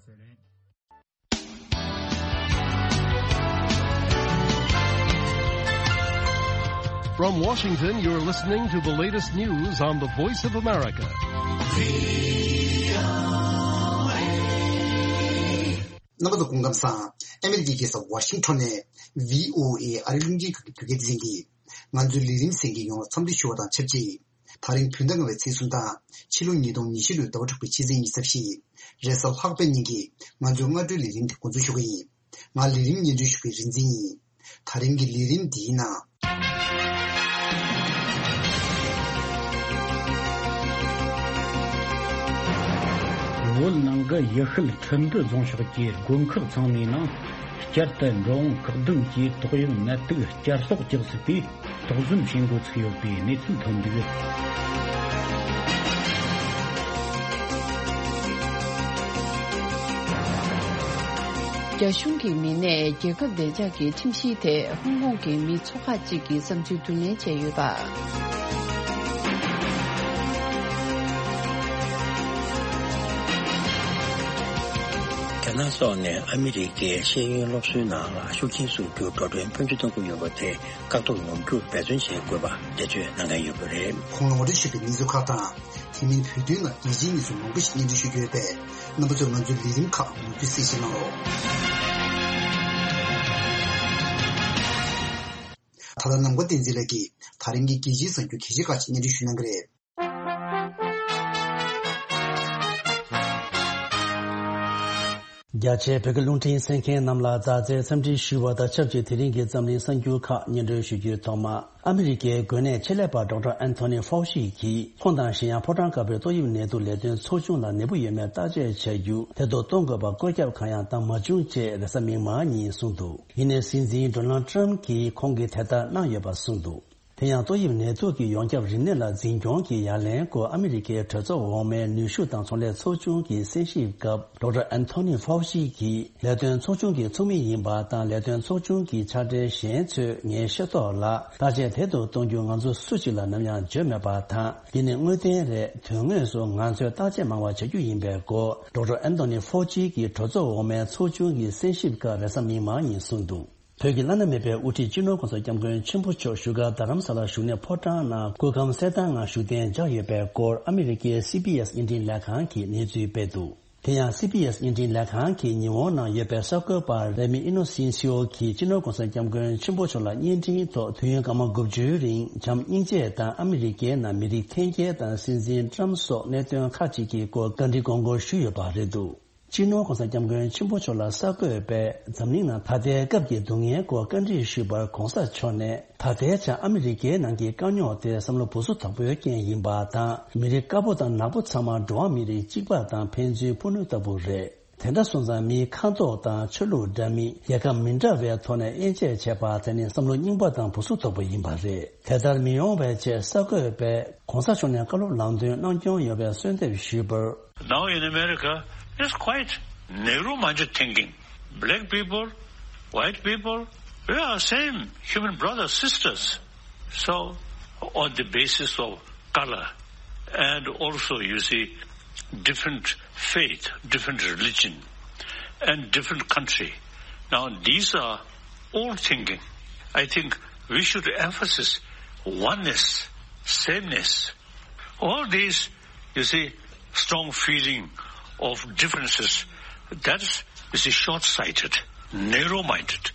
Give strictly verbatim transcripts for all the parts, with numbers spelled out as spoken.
From Washington, you're listening to the latest news on the Voice of America. རྣམ་པ་ཚོ་སྐུ་ཁམས་བཟང་། ཨ་མི་རི་ཀའི་རྒྱལ་ས་ཝ་ཤིང་ཊོན་ནས་བྷི་ཨོ་ཨེ་ཨ་རིའི་རླུང་འཕྲིན་ཁང་གི་བོད་སྐད་སྡེ་ཚན་གྱིས་ང་ཚོའི་ལས་རིམ་གསན་མཁན་ཡོངས་ལ་འཚམས་འདྲི་ཞུ་བ་དང་ཆབས་ཅིག་ད་རིང་བོད་ཟླ་ལྔ་པའི་ཚེས་གསུམ་དང་ཕྱི་ལོ་ཉིས་སྟོང་ཉི་ཤུ་ལོའི་ཟླ་བ་དྲུག་པའི་ཕྱི་ཚེས་ཉི་ཤུ་རྩ་བཞི། རེས་གཟའ་ལྷག་པའི་ཉིན་གྱི་ང་ཚོའི་སྔ་དྲོའི་ལས་རིམ་དེ་འགོ་འཛུགས་ཞུ་གི་ཡིན། ང་ལས་རིམ་སྙན་སྒྲོན་ཞུ་མཁན་རིག་འཛིན་ཡིན། ད་རིང་གི་ལས་རིམ་འདིའི་ནང་། བོད་ནང་གི་ཡུལ་ཤུལ་ཁྲིན་ཏུའུ་རྫོང་ཕྱོགས་ཀྱི་དགོན་ཁག་ཚང་མའི་ནང་བསྐྱར་དུ་འགྲོ་འོང་བཀག་སྡོམ་གྱིས་ཏོག་དབྱིབས་ནད་དུག་བསྐྱར་གསོག་རྒྱག་སྲིད་པའི་དོགས་ཟོན་བྱེད་འགོ་ཚུགས་ཡོད་པའི་གནས་ཚུལ་ཐོན་འདུག། རྒྱ་གཞུང་གི་མི་སྣས་རྒྱལ་ཁབ་བདེ་འཇགས་ཀྱི་ཁྲིམས་གཞིའི་ཐད་ཧོང་ཀོང་གི་མི་ཚོ་ཁག་ཅིག་གི་བསམ་ཚུལ་བསྡུ་ལེན་བྱས་ཡོད་པ། རྒྱ་ནག་སོགས་ནས་ཨ་མི་རི་ཀའི་ཤེས་ཡོན་སློབ་གསོའི་ནང་ལ་ཤུགས་རྐྱེན་བཟོ་རྒྱུར་འགྲོ་གྲོན་ཕོན་ཆེ་གཏོང་གི་ཡོད་པ་དེ་བཀག་སྡོམ་ཡོང་རྒྱུར་འབད་བརྩོན་བྱེད་དགོས་པ་འགྲེལ་བརྗོད་གནང་མཁན་ཡོད་པ་རེད། གོང་ལ་ངོ་སྤྲོད་ཞུས་པའི་གནས་ཚུལ་ཁག་དང་། དེ་མིན་བོད་དོན་ནང་རྒྱལ་སྤྱིའི་གནས་ཚུལ་མང་པོ་ཞིག་སྙན་སྒྲོན་ཞུ་རྒྱུ་ཡོད་པས། རྣམ་པ་ཚོས་ང་ཚོའི་ལས་རིམ་ཁག་མུ་མཐུད་གསན་བཞེས་གནང་རོགས། ད་ལྟ་ནམ་མཁའ་བསྟན་འཛིན་ལགས་ཀྱིས་ད་རིང་གི་རྒྱལ་སྤྱིའི་གསར་འགྱུར་གལ་ཆེ་ཁག་ཅིག་སྙན་སྒྲོན་ཞུ་གནང་གི་རེད། རྒྱ་ཆེའི་བོད་ཀྱི་རླུང་འཕྲིན་གསན་མཁན་རྣམས་ལ་མཛའ་བརྩེའི་འཚམས་འདྲི་ཞུ་བ་དང་ཆབས་ཅིག་དེ་རིང་གི་འཛམ་གླིང་གསར་འགྱུར་ཁག་སྙན་སྒྲོན་ཞུ་རྒྱུའི་ཐོག་མ། ཨ་མི་རི་ཀའི་འགོས་ནད་ཆེད་ལས་པ་ཌོག་ཊར་ཨན་ཐོ་ནི་ཧྥའོ་ཤི་གིས་ཁོང་དང་གཞན་ཡང་ཕོ་བྲང་དཀར་པོའི་ཏོག་དབྱིབས་ནད་དུག་ལས་དོན་ཚོགས་ཆུང་ལ་ནད་འབུ་ཡོད་མེད་བརྟག་དཔྱད་བྱ་རྒྱུ་དེ་ཐོག་གཏོང་དགོས་པ་བཀོད་ཁྱབ་གང་ཡང་བཏང་མ་བྱུང་ཅེས་རེས་གཟའ་མིག་དམར་ཉིན་གསུངས་འདུག། ཡིན་ནའི་སྲིད་འཛིན་ཌོ་ནལ་ཊམ་གྱིས་ཁོང་གིས་དེ་ལྟར་གནང་ཡོད་པ་གསུངས་འདུག། དེ་ཡང་ཏོག་དབྱིབས་ནད་དུག་གི་ཡོངས་ཁྱབ་རིམས་ནད་ལ་འཛིན་སྐྱོང་གི་ཡ་ལན་སྐོར་ཨ་མི་རི་ཀའི་གྲོས་ཚོགས་འོག་མའི་ནུས་ཤུགས་དང་ཚོང་ལས་ཚོགས་ཆུང་གི་གསན་ཞིབ་སྐབས་ཌོག་ཊར་ཨན་ཐོ་ནི་ཧྥའོ་ཤི་གིས་ལས་དོན་ཚོགས་ཆུང་གི་ཚོགས་མི་ཡིན་པ་དང་ལས་དོན་ཚོགས་ཆུང་གི་ཕྱག་སྦྲེལ་གཞན་ཚོས་ངའི་ཤེས་རྟོགས་ལ་བརྟག་དཔྱད་དལ་དུ་གཏོང་རྒྱུ་ང་ཚོ་སུ་གཅིག་ལ་ནམ་ཡང་བརྗོད་མེད་པ་དང་། འདི་ནི་དངོས་བདེན་རེད། དོན་དངོས་སུ་ང་ཚོས་བརྟག་དཔྱད་མང་བ་བྱ་རྒྱུ་ཡིན་པའི་སྐོར་ཌོག་ཊར་ཨན་ཐོ་ནི་ཧྥའོ་ཤི་གིས་གྲོས་ཚོགས་འོག་མའི་ཚོགས་ཆུང་གི་གསན་ཞིབ་སྐབས་རེས་གཟའ་མིག་དམར་ཉིན་གསུངས་འདུག། བོད་ཀྱི་བླ་ན་མེད་པའི་དབུ་ཁྲིད་སྤྱི་ནོར་༸གོང་ས་༸སྐྱབས་མགོན་ཆེན་པོ་མཆོག་བཞུགས་སྒར་རྡ་རམ་ས་ལར་བཞུགས་གནས་ཕོ་བྲང་ནང་སྐུ་ཁམས་གསལ་ཐང་ངང་བཞུགས་གདན་འཇགས་ཡོད་པའི་སྐོར་ཨ་མི་རི་ཀའི་སི་བི་ཨེས་བརྙན་འཕྲིན་ལས་ཁང་གིས་གནས་ཚུལ་སྤེལ་འདུག། དེ་ཡང་སི་བི་ཨེས་བརྙན་འཕྲིན་ལས་ཁང་གིས་ཉི་འོང་ནང་ཡོད་པའི་གསར་འགོད་པ་རེ་མི་ཨི་ནོ་སིན་སི་ཨོ་གིས་སྤྱི་ནོར་༸གོང་ས་༸སྐྱབས་མགོན་ཆེན་པོ་མཆོག་ལ་བརྙན་འཕྲིན་ཐོག་དུས་ཡུན་སྐར་མ་དགུ་བཅུའི་རིང་བྱམས་སྙིང་རྗེ་དང་ཨ་མི་རི་ཀའི་ནང་མི་རིགས་འཐེན་འཁྱེར་དང་སྲིད་འཛིན་ཊམ་སོགས་གནད་དོན་ཁག་ཅིག་གི་སྐོར་བཀའ་འདྲི་དགོངས་སྐོར་ཞུས་ཡོད་པ་རེད་འདུག། སྤྱི་ནོར་༸གོང་ས་༸སྐྱབས་མགོན་ཆེན་པོ་མཆོག་ལ་གསར་འགོད་པས་འཛམ་གླིང་ནང་ད་ལྟའི་སྐབས་ཀྱི་སྡུག་བསྔལ་སྐོར་བཀའ་འདྲི་ཞུས་པར་༸གོང་ས་མཆོག་ནས། ད་ལྟའི་ཆར་ཨ་མི་རི་ཀའི་ནང་གི་དཀའ་རྙོག་དེ་བསམ་བློ་སྦུག་སུབ་དོད་པོའི་རྐྱེན་ཡིན་པ་དང་། མི་རིགས་དཀར་པོ་དང་ནག་པོ་ཚང་མ་འགྲོ་བ་མིའི་རིགས་གཅིག་པ་དང་ཕན་ཚུན་ཕུ་ནུ་ལྟ་བུ་རེད། དེ་འདྲ་སོང་ཙང་མིའི་ཁ་མདོག་དང་ཆོས་ལུགས་འདྲ་མིན་རྒྱལ་ཁབ་མི་འདྲ་བའི་ཐོག་ནས་དབྱེ་འབྱེད་བྱས་པ་དེ་ནི་བསམ་བློ་རྙིང་པ་དང་སྦུག་སུབ་དོད་པོ་ཡིན་པ་རེད། དེ་ལྟར་མི་ཡོང་བའི་ཆེད་གསར་འགོད་པས་༸གོང་ས་མཆོག་ནས་བཀའ་སློབ་ལམ་སྟོན་གནང་སྐྱོང་ཡོད་པའི་གསོལ་འདེབས་ཞུས་པར། Now in America, it's quite narrow-minded thinking. Black people, white people, we are same human brothers, sisters. So, on the basis of color, and also, you see, different faith, different religion, and different country. Now, these are old thinking. I think we should emphasize oneness, sameness. All these, you see, strong feeling of differences, that's, you see, short-sighted, narrow-minded.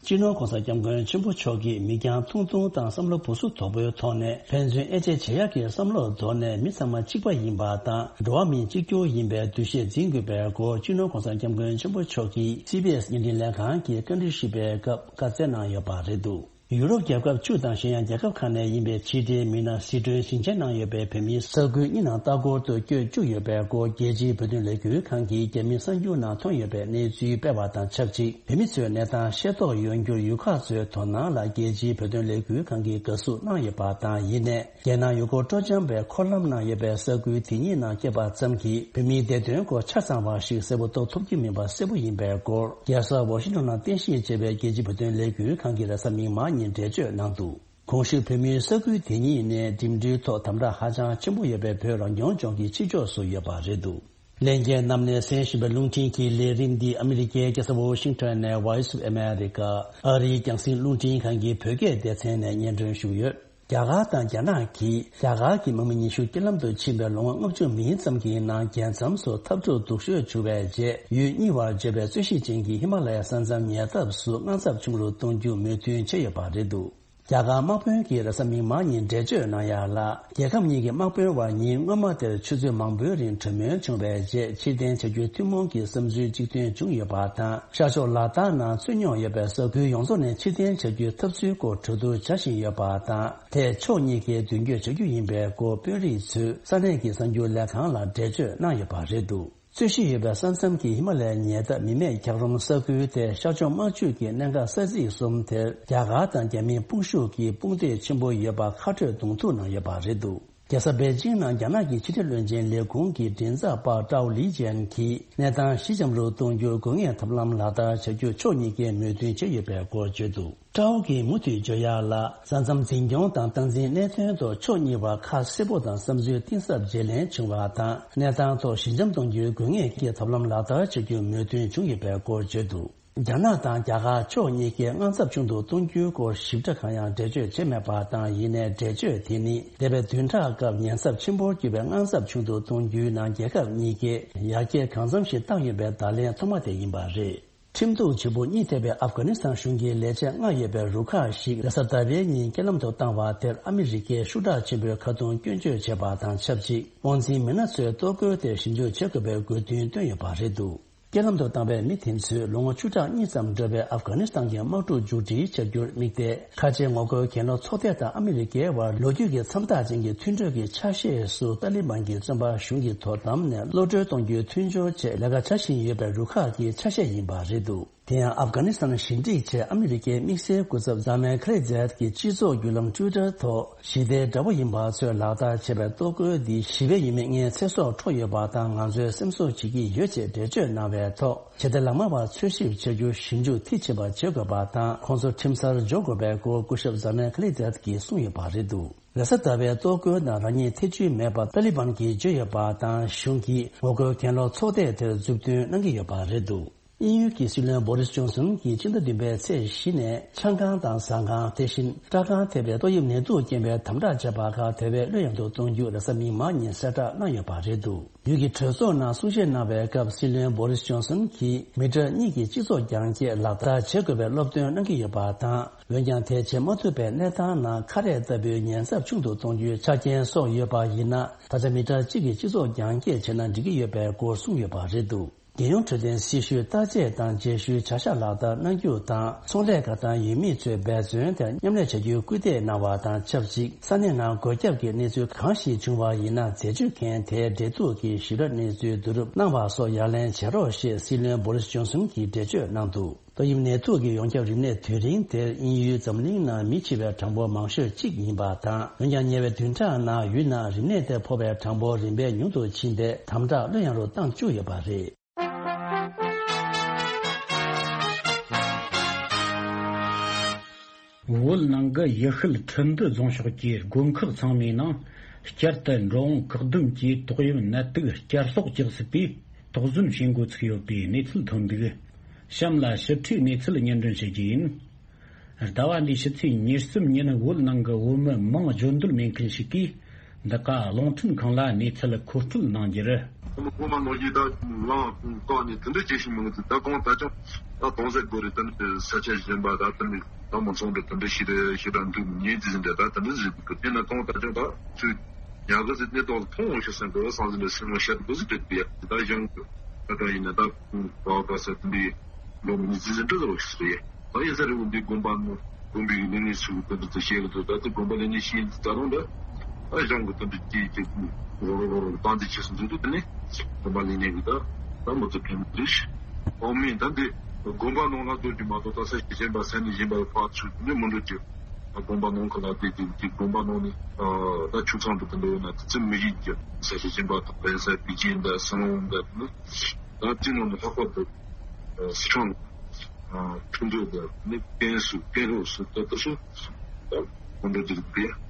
སྤྱི་ནོར་༸གོང་ས་༸སྐྱབས་མགོན་ཆེན་པོ་མཆོག་གིས་མིག་རྒྱང་ཐུང་ཐུང་དང་བསམ་བློ་སྦུག་སུབ་དོད་པོའི་ཐོག་ནས་ཕན་ཚུན་དབྱེ་འབྱེད་བྱེད་ཡག་གི་བསམ་བློ་དོར་ནས་མི་ཚང་མ་གཅིག་པ་ཡིན་པ་དང་འགྲོ་བ་མི་གཅིག་གྱུར་ཡིན་པའི་འདུ་ཤེས་འཛིན་དགོས་པའི་སྐོར་སྤྱི་ནོར་༸གོང་ས་༸སྐྱབས་མགོན་ཆེན་པོ་མཆོག་གིས་སི་བི་ཨེས་བརྙན་འཕྲིན་ལས་ཁང་གི་བཀའ་འདྲི་ཞུས་པའི་སྐབས་བཀའ་སྩལ་གནང་ཡོད་པ་རེད་འདུག། ཡུ་རོབ་རྒྱལ་ཁབ་བཅུ་དང་གཞན་ཡང་རྒྱལ་ཁབ་ཁག་ནས་ཡིན་པའི་ཕྱི་འབྲེལ་མི་སྣ་སི་ཁྲོན་ཞིང་ཆེན་ནང་ཡོད་པའི་བོད་མིའི་ས་ཁུལ་གཉིས་ནང་ལྟ་སྐོར་དུ་བསྐྱོད་བཅུག་ཡོད་པའི་སྐོར་རྒྱལ་སྤྱིའི་བོད་དོན་ལས་འགུལ་ཁང་གིས་རྒྱ་མིའི་གསར་འགྱུར་ནང་ཐོན་ཡོད་པའི་གནས་ཚུལ་སྤེལ་བ་དང་ཆབས་ཅིག་བོད་མི་ཚོའི་གནས་སྟངས་ཤེས་རྟོགས་ཡོང་རྒྱུར་ཡུལ་ཁག་ཚོའི་དོ་སྣང་ལ་རྒྱལ་སྤྱིའི་བོད་དོན་ལས་འགུལ་ཁང་གིས་དགའ་བསུ་གནང་ཡོད་པ་དང་། ཡིན་ནའི། རྒྱལ་ནང་ཡུལ་སྐོར་སྤྲོ་འཆམ་པའི་འཁོར་ལམ་ནང་ཡོད་པའི་ས་ཁུལ་དེ་གཉིས་ནང་སྐྱེས་པ་ཙམ་གྱིས་བོད་མིའི་བདེ་དོན་སྐོར་ཆ་ཚང་བ་ཞིག་གསལ་པོ་རྟོགས་ཐུབ་ཀྱི་མིན་པ་གསལ་པོ་ཡིན་པའི་སྐོར། རྒྱལ་ས་ཝ་ཤིང་ཊོན་ནང་རྟེན་གཞི་བྱས་པའི་རྒྱལ་སྤྱིའི་བོད་དོན་ལས་འགུལ་ཁང་གིས་རེས་གཟའ་མིག་དམར་ཉིན་འགྲེལ་བརྗོད་གནང་འདུག། གོང་ཞུས་བོད་མིའི་ས་ཁུལ་དེ་གཉིས་ནི་འགྲིམ་འགྲུལ་ཐོག་དམ་དྲག་ཧ་ཅང་ཆེན་པོ་ཡོད་པའི་བོད་རང་སྐྱོང་ལྗོངས་ཀྱི་ཕྱི་ཕྱོགས་སུ་ཡོད་པ་རེད་འདུག། ལྷན་རྒྱས་རྣམས་ནས་གསན་བཞིན་པའི་རླུང་འཕྲིན་གྱི་ལས་རིམ་འདི་ཨ་མི་རི་ཀའི་རྒྱལ་ས་ཝོ་ཤིང་ཊོན་ནས་Voice of America ཨ་རིའི་རྒྱང་སྲིང་རླུང་འཕྲིན་ཁང་གི་བོད་སྐད་སྡེ་ཚན་ནས་སྙན་སྒྲོན་ཞུས་ཡོད། རྒྱ་གར་དང་རྒྱ་ནག་གིས་རྒྱ་གར་གྱི་དམག་མི་ཉི་ཤུ་རྐྱེན་ལམ་དུ་ཕྱིན་པའི་ལོ་ངོ་ལྔ་བཅུ་མིན་ཙམ་གྱི་ནང་རྒྱལ་མཚམས་སུ་འཐབ་འཁྲུག་སྡུག་ཤོས་བྱུང་བའི་རྗེས་ཡུལ་གཉིས་བར་བརྗོད་པའི་རྩོད་གཞི་ཅན་གྱི་ཧི་མ་ལ་ཡའི་ས་མཚམས་ཉེ་འདབས་སུ་དངངས་འཚབ་ཆུང་རུ་གཏོང་རྒྱུ་མོས་མཐུན་བྱས་ཡོད་པ་རེད་འདུག་རྒྱ་གར་དམག་དཔོན་གྱིས་རེས་གཟའ་མིག་དམར་ཉིན་འགྲེལ་བརྗོད་གནང་ཡ་ལ། རྒྱལ་ཁབ་གཉིས་ཀྱི་དམག་དཔོན་བར་ཉིན་སྔོན་མ་དེར་ཆུ་ཚོད་མང་པོའི་རིང་གྲོས་མོལ་བྱུང་བའི་རྗེས་ཕྱིར་འཐེན་བྱ་རྒྱུའི་ཐུན་མོང་གི་བསམ་ཚུལ་གཅིག་མཐུན་བྱུང་ཡོད་པ་དང་། ཤར་ཕྱོགས་ལ་དྭགས་ནང་ཚུད་མྱོང་ཡོད་པའི་ས་ཁུལ་ཡོངས་རྫོགས་ནས་ཕྱིར་འཐེན་བྱ་རྒྱུའི་ཐབས་ཚུལ་སྐོར་གྲོས་བསྡུར་བྱ་བཞིན་ཡོད་པ་དང་། དེས་ཕྱོགས་གཉིས་ཀས་མདུན་སྐྱོད་བྱ་རྒྱུ་ཡིན་པའི་སྐོར་དཔོན་རིགས་ཚོས་ས་གནས་ཀྱི་གསར་འགྱུར་ལས་ཁང་ལ་འགྲེལ་བརྗོད་གནང་ཡོད་པ་རེད་འདུག་རྩོད་གཞི་ཡོད་པའི་ས་མཚམས་ཀྱི་ཧི་མ་ལ་ཡའི་ཉེ་འདབས་མི་མེད་འཁྱགས་རོམ་ས་ཁུལ་དེ་ཤར་ཕྱོགས་དམག་ཇུས་ཀྱི་གནད་འགག་ས་ཚིགས་གསུམ་དེར་རྒྱ་གར་དང་རྒྱ་མིའི་དཔུང་ཤུགས་ཀྱི་དཔུང་སྡེ་ཆེན་པོ་ཡོད་པ་ཁ་སྤྲོད་གདོང་ཐུག་གནང་ཡོད་པ་རེད་འདུག་རྒྱལ་ས་པེ་ཅིང་ནང་རྒྱ་ནག་གི་ཕྱི་འབྲེལ་བློན་ཆེན་ལས་ཁུངས་ཀྱི་མགྲིན་ཚབ་པ་ཀྲའོ་ལི་ཅན་གྱིས་གནས་སྟངས་ཞི་འཇམ་རུ་གཏོང་རྒྱུར་དགོས་ངེས་ཐབས་ལམ་ལག་བསྟར་བྱ་རྒྱུ་ཕྱོགས་གཉིས་ཀས་མོས་མཐུན་བྱས་ཡོད་པའི་སྐོར་བརྗོད་འདུག་ཀྲའོ་གིས་མུ་མཐུད་བརྗོད་ཡག་ལ། ས་མཚམས་འཛིན་སྐྱོང་དང་སྟངས་འཛིན་གནད་དོན་ཐོག་ཕྱོགས་གཉིས་བར་ཁ་གསལ་པོ་དང་བསམ་ཚུལ་གཏིང་ཟབ་བརྗེ་ལེན་བྱུང་བ་དང་། གནས་སྟངས་ཐོག་ཞི་འཇམ་གཏོང་རྒྱུའི་དགོས་ངེས་ཀྱི་ཐབས་ལམ་ལག་བསྟར་བྱ་རྒྱུ་མོས་མཐུན་བྱུང་ཡོད་པའི་སྐོར་བརྗོད་འདུག་རྒྱ་ནག་དང་རྒྱ་གར་ཕྱོགས་གཉིས་ཀས་དངངས་འཚབ་ཆུང་དུ་གཏོང་རྒྱུའི་སྐོར་ཞིབ་ཕྲ་གང་ཡང་འགྲེལ་བརྗོད་བྱས་མེད་པ་དང་། ཡིན་ནའི་འགྲེལ་བརྗོད་དེ་ནི་འདས་པའི་བདུན་ཕྲག་སྐབས་ཉེན་ཚབས་ཆེན་པོར་གྱུར་པའི་དངངས་འཚབ་ཆུང་དུ་གཏོང་རྒྱུའི་ནང་རྒྱལ་ཁབ་གཉིས་ཀས་ཡར་རྒྱས་གང་འཚམ་ཞིག་བཏང་ཡོད་པའི་བརྡ་ལན་ཐོག་མ་དེ་ཡིན་པ་རེད། ཁྲིམས་གཏུག་བྱེད་པོ་གཉིད་ཐེབས་པའི་ཨབ་གྷ་ནི་སི་ཐན་གཞུང་གི་ལས་བྱེད་ལྔ་ཡོད་པའི་རུ་ཁག་ཞིག་རེས་གཟའ་ཟླ་བའི་ཉིན་རྐྱེན་ལམ་དུ་བཏང་བ་དེར་ཨ་མི་རི་ཀས་ཤུགས་དྲག་ཆེན་པོས་ཁ་རྡུང་སྐྱོན་བརྗོད་བྱས་པ་དང་ཆབས་ཅིག་དབང་འཛིན་མི་སྣ་ཚོའི་གཏོར་རྒོལ་དེར་ཞིབ་འཇུག་བྱེད་དགོས་པའི་དགོས་འདུན་བཏོན་ཡོད་པ་རེད་འདུག་རྐྱེན་ལམ་དུ་བཏང་བའི་མི་དེ་ཚོས་ལོ་ངོ་བཅུ་ཕྲག་གཉིས་ཙམ་འགྲོ་བའི་ཨབ་གྷ་ནི་སི་ཐན་གྱི་དམག་འཁྲུག་མཇུག་སྒྲིལ་བྱ་རྒྱུར་དམིགས་ཏེ། ཁ་ཆེའི་ངོ་རྒོལ་གྱེན་ལོག་ཚོགས་སྡེ་དང་ཨ་མི་རི་ཀའི་བར་ལོ་རྒྱུས་ཀྱི་མཚམས་རྟགས་ཅན་གྱི་མཐུན་གྲོས་ཀྱི་ཆ་ཤས་སུ་ཏཱ་ལི་བན་གྱི་བཙོན་པ་གཞུང་གི་དོ་དམ་ནས་གློད་གྲོལ་གཏོང་རྒྱུའི་མཐུན་སྦྱོར་ཆེད་ལས་ཀ་བྱ་བཞིན་ཡོད་པའི་རུ་ཁག་གི་ཆ་ཤས་ཡིན་པ་རེད་འདུག་དེ་ཡང་ཨབ་གྷ་ནི་སི་ཐན་ཞི་འགྲིག་ཆེད་ཨ་མི་རི་ཀའི་དམིགས་བསལ་སྐུ་ཚབ་ཛ་མན་ཁ་ལི་ཛད་ཀྱིས་སྤྱི་ཚོགས་བརྒྱུད་ལམ་ཊུའི་ཊར་ཐོག་ཞི་བདེའི་དགྲ་བོ་ཡིན་པ་ཚོས་ལག་བསྟར་བྱས་པའི་གཏོར་རྒོལ་འདི་ཞི་བའི་ཡུལ་མི་ལྔའི་ཚེ་སྲོག་འཕྲོག་ཡོད་པ་དང་། ང་ཚོས་སེམས་གསོ་བྱེད་ཀྱི་ཡོད་ཅེས་འགྲེལ་བརྗོད་གནང་བའི་ཐོག་ཇི་ལྟར་ལག་དམར་བ་འཚོལ་ཞིབ་བྱ་རྒྱུ་ཞིབ་འཇུག་མཐིལ་ཕྱིན་པ་བྱེད་དགོས་པ་དང་། ཁོང་ཚོ་ཁྲིམས་སར་འཇོག་དགོས་པའི་སྐོར་སྐུ་ཞབས་ཛ་མན་ཁ་ལི་ཛད་ཀྱིས་གསུངས་ཡོད་པ་རེད་འདུག་རེས་གཟའ་ཟླ་བའི་གཏོར་རྒོལ་ནང་རང་ཉིད་ཐེ་བྱུས་མེད་པ་ཏཱ་ལི་བན་གྱིས་བརྗོད་ཡོད་པ་དང་། གཞུང་གིས་ངོ་རྒོལ་གྱེན་ལོག་ཚོགས་སྡེ་དེར་མཛུབ་སྟོན་གནང་གི་ཡོད་པ་རེད་འདུག་དབྱིན་ཡུལ་གྱི་སྲིད་བློན་བོ་རིས་ཇོན་སན་གྱིས་སྤྱི་ཟླ་བདུན་པའི་ཚེས་བཞི་ནས་ཆང་ཁང་དང་ཟ་ཁང་། དེ་བཞིན་སྐྲ་ཁང་ཐེབས་པའི་ཏོག་དབྱིབས་ནད་དུག་རྐྱེན་པས་དམ་དྲག་བྱས་པ་ཁག་དེ་བས་གློད་ཡངས་དུ་གཏོང་རྒྱུ་རེས་གཟའ་མིག་དམར་ཉིན་གསལ་བསྒྲགས་གནང་ཡོད་པ་རེད་འདུག་ཡུལ་གྱི་གྲོས་ཚོགས་ནང་གསུང་བཤད་གནང་བའི་སྐབས་སྲིད་བློན་བོ་རིས་ཇོན་སན་གྱིས་མི་ཊར་གཉིས་ཀྱི་སྤྱི་ཚོགས་རྒྱང་སྐྱེད་ལག་བསྟར་བྱེད་དགོས་པའི་སློབ་སྟོན་གནང་གི་ཡོད་པ་དང་། འོན་ཀྱང་དེ་བྱེད་མ་ཐུབ་པའི་གནས་སྟངས་ནང་ཁ་རས་ལྟ་བུའི་ཉེན་ཚབས་ཆུང་དུ་གཏོང་རྒྱུའི་ཆ་རྐྱེན་སོགས་ཡོད་པ་ཡིན་ན། ད་ཆ་མི་ཊར་གཅིག་གི་སྤྱི་ཚོགས་རྒྱང་སྐྱེད་བྱས་ན་འགྲིག་གི་ཡོད་པའི་སྐོར་གསུངས་ཡོད་པ་རེད་འདུག་རྒྱལ་ཡོངས་འཕྲོད་བསྟེན་སྲི་ཞུའི་བརྟག་དཔྱད་དང་རྗེས་ཤུལ་བྱ་གཞག་ལག་བསྟར་གནང་རྒྱུ་དང་། ཚོང་ལས་ཀ་དང་ཡུལ་མི་ཚོའི་འབད་བརྩོན་དེར་མཉམ་ལས་བྱ་རྒྱུའི་སྐུལ་འདེད་གནང་བ་དང་ཆབས་ཅིག་ས་གནས་ནང་འགོས་ཁྱབ་ཀྱི་གནས་ཚུལ་གང་ཞིག་བྱུང་བ་ཡིན་ན། འཛད་སྤྱོད་མཁན་དེའི་འབྲེལ་གཏུག་གིས་ཞིབ་ཕྲ་གནས་ཚུལ་བསྡུ་རུབ་གནང་བ་སོགས་ཡ་ལན་བྱེད་རོགས་ཞེས་སྲིད་བློན་བོ་རིས་ཇོན་སན་གྱིས་འགྲེལ་བརྗོད་གནང་འདུག་ཏོག་དབྱིབས་ནད་དུག་གི་ཡོངས་ཁྱབ་རིམས་ནད་དུས་རིང་དེར་དབྱིན་ཡུལ་འཛམ་གླིང་ནང་མི་འཆི་བའི་གྲངས་འབོར་མང་ཤོས་གཅིག་ཡིན་པ་དང་། འོན་ཀྱང་ཉེ་བའི་བདུན་ཕྲག་ནང་ཡུལ་ནང་རིམས་ནད་དེ་ཕོག་པའི་གྲངས་འབོར་རིམ་པས་ཉུང་དུ་ཕྱིན་པས་དམ་དྲག་གློད་ཡངས་རུ་བཏང་བཅུག་ཡོད་པ་རེད། བོད་ནང་གི་ཡུལ་ཤུལ་ཁྲིན་ཏུ་རྫོང་ཕྱོགས་ཀྱི་དགོན་ཁག་ཚང་མའི་ནང་བསྐྱར་དུ་འགྲོ་འོང་བཀག་སྡོམ་གྱིས་ཏོག་དབྱིབས་ནད་དུག་བསྐྱར་ལོག་རྒྱག་སྲིད་པའི་དོགས་ཟོན་བྱེད་འགོ་ཚུགས་ཡོད་པའི་གནས་ཚུལ་ཐོན་འདུག་གཤམ་ལ་ཞིབ་ཕྲའི་གནས་ཚུལ་སྙན་སྒྲོན་བྱེད་རྒྱུ་ཡིན། ཟླ་བ་འདིའི་ཕྱི་ཚེས་ཉེར་གསུམ་ཉིན་བོད་ནང་གི་བོད་མི་མིང་བརྗོད་འདོད་མེད་མཁན་ཞིག་གིས་འདི་ག་རླུང་འཕྲིན་ཁང་ལ་གནས་ཚུལ་མཁོ་སྤྲོད་གནང་རྒྱུར། ཁོ་མ་ནོར་གྱིས་ད་ལངས་བཀག་ནས་དེ་འདྲ་བྱེད་བཞིན་མི་འདུག་ད་གང་ལྟར་ཀྱང་ད་གང་ཟེར་དགོས་རེད། ད་ནི་ས་ཆ་གཞན་པ་ད་དེ་ནི་ད་མི་ཚང་འདྲ་དེ་འདྲ་ཞིག་རེད། ཞེ་དྲག་འདུག་ཉེ་ཙི་ཟིན་འདྲ་ད་དེ་འདྲ་ཟིན་འདུག་དེ་ན་གང་ལྟར་ཀྱང་ད་ཚུལ་ཉག་གི་ཟིན་གནས་ཐོག་ལ་མཐོང་འོང་ཤེས་སེམས་དགོས་བསམ་ཟིན་འདྲ་སེམས་ལ་བཤད་དགོས་ཟིན་འདྲ་དེ་ཡ་ད་གཞུང་གི་ད་ད་ཡིན་ན་ད་ག་ག་ས་དེ་འདྲའི་ལོ་མི་ཙི་ཙི་འདྲ་ཟེར་བ་ཞིག་རེད། ད་ཡིན་ས་རེད། འོ་འདི་དགོན་པ་ནང་དགོན་པའི་ལས་སྣེ་ཚོས་དེ་འདྲ་དེ་བཤད་གི་འདུག་ད་དེ་དགོན་པ་ལས་སྣེ་ཤེས་ད་རུང་ད་ཨ་གཞུང་གི་དེ་འདྲ་དེ་དེ་རོ་རོ་རོ་རོ་བཏང་དེ་ཆེ་སུ་འདུག་དེ་ནས་དགོན་པ་ལས་སྣེ་གི་ད་ད་མོ་ཚོ་ཕན་འདུག་ཨོ་མིན་ད་འདི་དགོན་པ་ནང་ལ་སྡོད་རྒྱུ་མ་གཏོགས་ད་ས་གཞན་པ་ས་གནས་གཞན་པ་ཕར་ཚུར་དེ་འདྲ་མི་འགྲོ་རྒྱུ། དགོན་པ་ནང་གི་ལ་དེ་དེ་དེ་དགོན་པ་ནང་ནས་ད་ཆུ་ཚང་དུ་དེ་འདྲ་ཡོད་ན་དེ་ཚོ་མི་ཡིན་རྒྱུ། ས་གཞན་པ་དང་པེ་ས་པི་ཅིན་ད་སི་ལོང་ད་དེ་ནས། ད་དེ་ནང་ནས་ལྷག་པར་དུ་སི་ཁྲོན་ཁྲིན་ཏུའུ་དང་ནི་ཀན་སུའུ་ཀན་ལྷོ་སུ་ད་ལྟ་སུ་ད་སྐོར་འགྲོ་རྒྱུ་རེད་པས།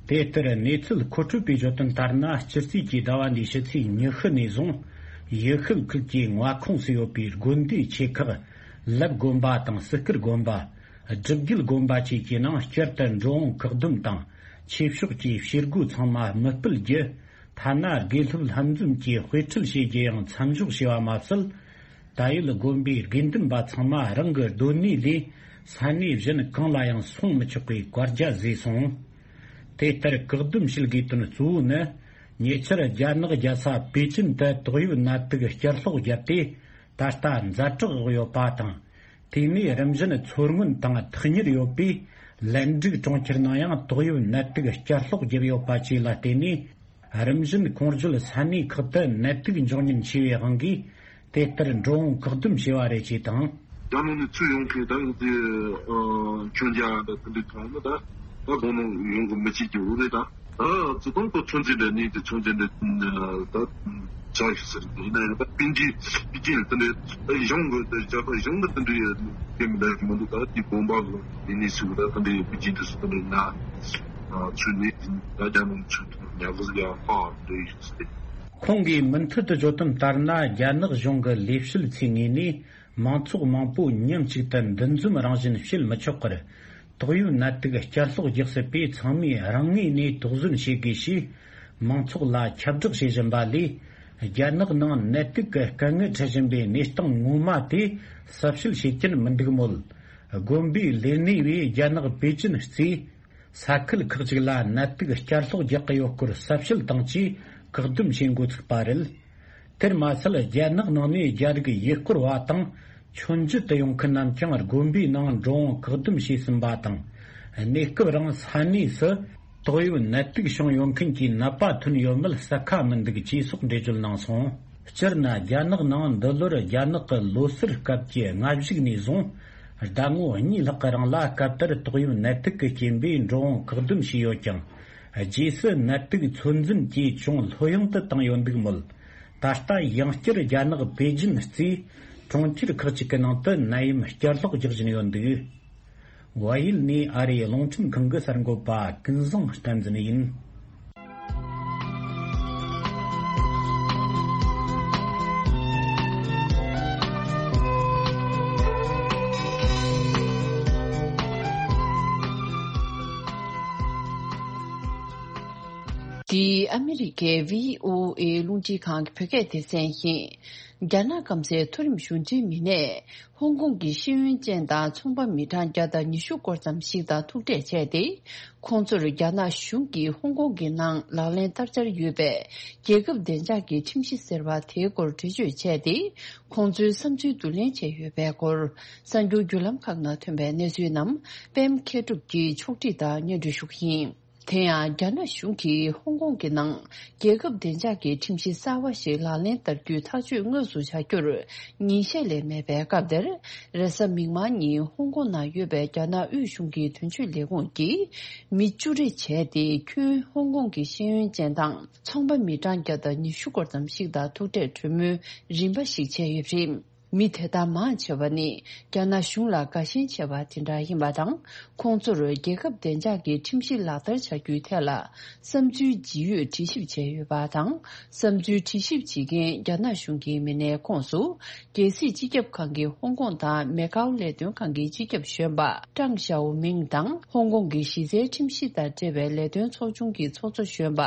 དེ་ལྟར་གནས་ཚུལ་མཁོ་སྤྲོད་པས་བརྗོད་དོན་ལྟར་ན། སྤྱི་ཚེས་ཀྱི་ཟླ་བ་འདིའི་ཕྱི་ཚེས་ཉི་ཤུ་ནས་བཟུང་ ཡུལ་ཤུལ་ཁུལ་གྱི་མངའ་ཁོངས་སུ་ཡོད་པའི་དགོན་སྡེའི་ཆེ་ཁག་ལབ་དགོན་པ་དང་སྲིད་སྐུལ་དགོན་པ། སྒྲུབ་བརྒྱུད་དགོན་པ་བཅས་ཀྱི་ནང་བསྐྱར་དུ་འགྲོ་འོང་བཀག་སྡོམ་དང་ཆོས་ཕྱོགས་ཀྱི་བྱེད་སྒོ་ཚང་མ་མི་སྤེལ་རྒྱུ། ཐ་ན་དགེ་སློབ་ལྷན་འཛོམས་ཀྱི་དཔེ་ཁྲིད་བྱེད་རྒྱུ་ཡང་མཚམས་འཇོག་བྱས་པ་མ་ཟད། ད་ཡོད་དགོན་པའི་དགེ་འདུན་པ་ཚང་མ་རང་གི་སྡོད་གནས་ལས་ས་གནས་གཞན་གང་ལ་ཡང་སོང་མི་ཆོག་པའི་བཀའ་རྒྱ་བཟོས་སོང་། དེ་ལྟར་བཀག་སྡོམ་བྱེད་དགོས་དོན་གཙོ་བོ་ནི། ཉེ་ཆར་རྒྱ་ནག་རྒྱལ་ས་པེ་ཅིན་དུ་ཏོག་དབྱིབས་ནད་དུག་བསྐྱར་ལོག་བརྒྱབ་སྟེ། ད་ལྟ་ཛ་དྲག་འོག་ཡོད་པ་དང་། དེ་ནས་རིམ་བཞིན་འཚོ་སྔོན་དང་ཐག་ཉེར་ཡོད་པའི་ལན་ཀྲུག་གྲོང་ཁྱེར་ནང་ཡང་ཏོག་དབྱིབས་ནད་དུག་བསྐྱར་ལོག་བརྒྱབ་ཡོད་པ་བཅས་ལ་བརྟེན་ནས། རིམ་བཞིན་གོང་བརྗོད་ས་གནས་ཁག་ཏུ་ནད་དུག་འབྱུང་ཉེན་ཆེ་བའི་དབང་གིས། དེ་ལྟར་འགྲོ་འོང་བཀག་སྡོམ་བྱས་པ་རེད་ཅེས་དང་། རྒྱ་ནག་ནས་ཚུར་ཡོང་མཁན་ད་ཡིན་ཏེ། ཨ། མཆོད་མཇལ་དང་དེ་འདྲའི་ཐོག་ནས་ད་ད་དགོང་མོ་ཡོང་གི་མི་བྱེད་ཀྱི་འུ་རེད་ད། ད་ཚོ་དང་ཁོ་ཚོད་འཛིན་འདྲ་ནས་དེ་ཚོད་འཛིན་འདྲ་ད་བྱ་ཞིག་ཟེར་གི་ཡིན་ན་ཡང་ད་པིན་ཇི་པི་ཅིན་དེ་འདྲའི་ད་གཞུང་གི་ད་རྒྱ་གར་གཞུང་གི་དེ་འདྲའི་དེ་མི་འདྲ་གི་མི་འདུག་ད་དེ་དགོན་པ་གི་དེ་ནས་སུ་ད་དེ་འདྲའི་པི་ཅིན་དེ་སུ་དེ་འདྲའི་ན་ཚུལ་ནས་ད་རྒྱ་ནག་ཚུལ་དུ་ཉག་གཟིག་ཡང་ཧ་འདྲ་ཡིན་ཟེར། ཁོང་གིས་མུ་མཐུད་དུ་བརྗོད་དོན་ལྟར་ན། རྒྱ་ནག་གཞུང་གི་ལས་བྱེད་ཚོའི་ངོས་ནས་མང་ཚོགས་མང་པོ་མཉམ་གཅིག་ཏུ་འདུ་འཛོམས་རང་བཞིན་བྱེད་མི་ཆོག་པར། ཏོག་དབྱིབས་ནད་དུག་བསྐྱར་ལོག་རྒྱག་སྲིད་པས། ཚང་མས་རང་ངོས་ནས་དོགས་ཟོན་བྱེད་དགོས་ཞེས་མང་ཚོགས་ལ་ཁྱབ་བསྒྲགས་བྱེད་བཞིན་པ་ལས། རྒྱ་ནག་ནང་ནད་དུག་གི་སྐད་ངན་འཕྲད་བཞིན་པའི་གནས་སྟངས་ངོ་མ་དེ་གསལ་བཤད་བྱེད་ཀྱིན་མི་འདུག་མོད། དགོན་པའི་ལས་སྣེ་བས་རྒྱ་ནག་པེ་ཅིན་གཙོས། ས་ཁུལ་ཁག་ཅིག་ལ་ནད་དུག་བསྐྱར་ལོག་རྒྱག་གི་ཡོད་སྐོར་གསལ་བཤད་དང་བཅས་བཀག་སྡོམ་བྱེད་འགོ་ཚུགས་པ་རེད། དེར་མ་ཟད། རྒྱ་ནག་ནང་ནས་རྒྱ་རིགས་ཡུལ་སྐོར་བ་དང་མཆོད་མཇལ་དུ་ཡོང་མཁན་རྣམས་ཀྱང་དགོན་པའི་ནང་འགྲོ་འོང་བཀག་སྡོམ་བྱས་ཟིན་པ་དང་། གནས་སྐབས་རིང་ས་གནས་སུ་ཏོག་དབྱིབས་ནད་དུག་བྱུང་ཡོད་མཁན་གྱི་ནད་པ་ཐོན་ཡོད་མེད་གསལ་ཁ་མི་འདུག་ཅེས་སོགས་འགྲེལ་བརྗོད་གནང་སོང་། སྤྱིར་ན། རྒྱ་ནག་ནང་འདི་ལོར་རྒྱ་ནག་གི་ལོ་སར་སྐབས་ཀྱི་སྔ་གཞུག་ནས་བཟུང་། ཟླ་ངོ་གཉིས་ལྷག་གི་རིང་ལ་སྐབས་ལྟར་ཏོག་དབྱིབས་ནད་དུག་གི་རྐྱེན་པས་འགྲོ་འོང་བཀག་སྡོམ་བྱས་ཡོད་ཀྱང་། རྗེས་སུ་ནད་དུག་ཚོད་འཛིན་གྱིས་ཅུང་ལྷོད་ཡངས་དུ་བཏང་ཡོད་འདུག་མོད། ད་ལྟ་ཡང་བསྐྱར་རྒྱ་ནག་པེ་ཅིན་གཙོས་གྲོང་ཁྱེར་ཁག་ཅིག་གི་ནང་དུ་ནད་ཡམས་བསྐྱར་ལོག་རྒྱག་བཞིན་ཡོད་འདུག། བལ་ཡུལ་ནས་ཨ་རིའི་རླུང་འཕྲིན་ཁང་གི་གསར་འགོད་པ་ཀུན་བཟང་བསྟན་འཛིན་ཡིན། འདི་ཨ་མི་རི་ཀའི་བྷི་ཨོ་ཨེ་རླུང་འཕྲིན་ཁང་གི་བོད་སྐད་སྡེ་ཚན་ཡིན། རྒྱ་ནག་སྐམ་སའི་མཐོ་རིམ་གཞུང་འབྲེལ་མི་སྣས། ཧོང་ཀོང་གི་ཤེས་ཡོན་ཅན་དང་ཚོང་པ་མི་གྲངས་བརྒྱ་དང་ཉི་ཤུ་སྐོར་ཙམ་ཞིག་དང་ཐུག་འཕྲད་བྱས་ཏེ། ཁོང་ཚོར་རྒྱ་ནག་གཞུང་གིས་ཧོང་ཀོང་གི་ནང་ལག་ལེན་བསྟར་འཆར་ཡོད་པའི་རྒྱལ་ཁབ་བདེ་འཇགས་ཀྱི་ཁྲིམས་གཞི་ཟེར་བ་དེའི་སྐོར་འགྲེལ་བརྗོད་བྱས་ཏེ། ཁོང་ཚོའི་བསམ་ཚུལ་བསྡུ་ལེན་བྱས་ཡོད་པའི་སྐོར། གསར་འགྱུར་བརྒྱུད་ལམ་ཁག་ནང་ཐོན་པའི་གནས་ཚུལ་རྣམས་པད་མ་མཁས་གྲུབ་ཀྱིས་ཕྱོགས་སྒྲིག་དང་སྙན་སྒྲོན་ཞུ་གི་ཡིན། དེ་ཡང་། རྒྱ་ནག་གཞུང་གིས་ཧོང་ཀོང་གི་ནང་རྒྱལ་ཁབ་བདེ་འཇགས་ཀྱི་ཁྲིམས་གཞི་གསར་བ་ཞིག་ལག་ལེན་བསྟར་རྒྱུའི་ཐག་གཅོད་དངོས་སུ་བྱ་རྒྱུར་ཉིན་ཤས་ལས་མེད་པའི་སྐབས་དེར། རེས་གཟའ་མིག་དམར་ཉིན་ཧོང་ཀོང་ནང་ཡོད་པའི་རྒྱ་ནག་དབུས་གཞུང་གི་དོན་གཅོད་ལས་ཁུངས་ཀྱིས་མི་བཅུ་རེ་བྱས་ཏེ། ཁྱོན་ཧོང་ཀོང་གི་ཤེས་ཡོན་ཅན་དང་ཚོང་པ་མི་གྲངས་བརྒྱ་དང་ཉི་ཤུ་སྐོར་ཙམ་ཞིག་དང་ཐུག་འཕྲད་གྲོས་མོལ་རིམ་པ་ཞིག་བྱས་ཡོད་པ་རེད། མི་དེ་དག་མང་ཆེ་བ་ནི་རྒྱ་ནག་གཞུང་ལ་དགའ་ཞེན་ཆེ་བ་དེ་འདྲ་ཡིན་པ་དང་། ཁོང་ཚོར་རྒྱལ་ཁབ་བདེ་འཇགས་ཀྱི་ཁྲིམས་གཞི་ལག་བསྟར་བྱ་རྒྱུའི་ཐད་ལ་བསམ་ཚུལ་ཇི་ཡོད་དྲི་ཞིབ་བྱས་ཡོད་པ་དང་། བསམ་ཚུལ་དྲི་ཞིབ་བྱེད་མཁན་རྒྱ་ནག་གཞུང་གི་མི་སྣའི་ཁོངས་སུ། རྒྱལ་སྲིད་སྤྱི་ཁྱབ་ཁང་གི་ཧོང་ཀོང་དང་མེ་ཀའོ་ལས་དོན་ཁང་གི་སྤྱི་ཁྱབ་གཞོན་པ་ཀྲང་ཞའོ་མིང་དང་། ཧོང་ཀོང་གི་གཞི་རྩའི་ཁྲིམས་གཞི་དང་འབྲེལ་བའི་ལས་དོན་ཚོགས་ཆུང་གི་ཚོགས་གཙོ་གཞོན་པ་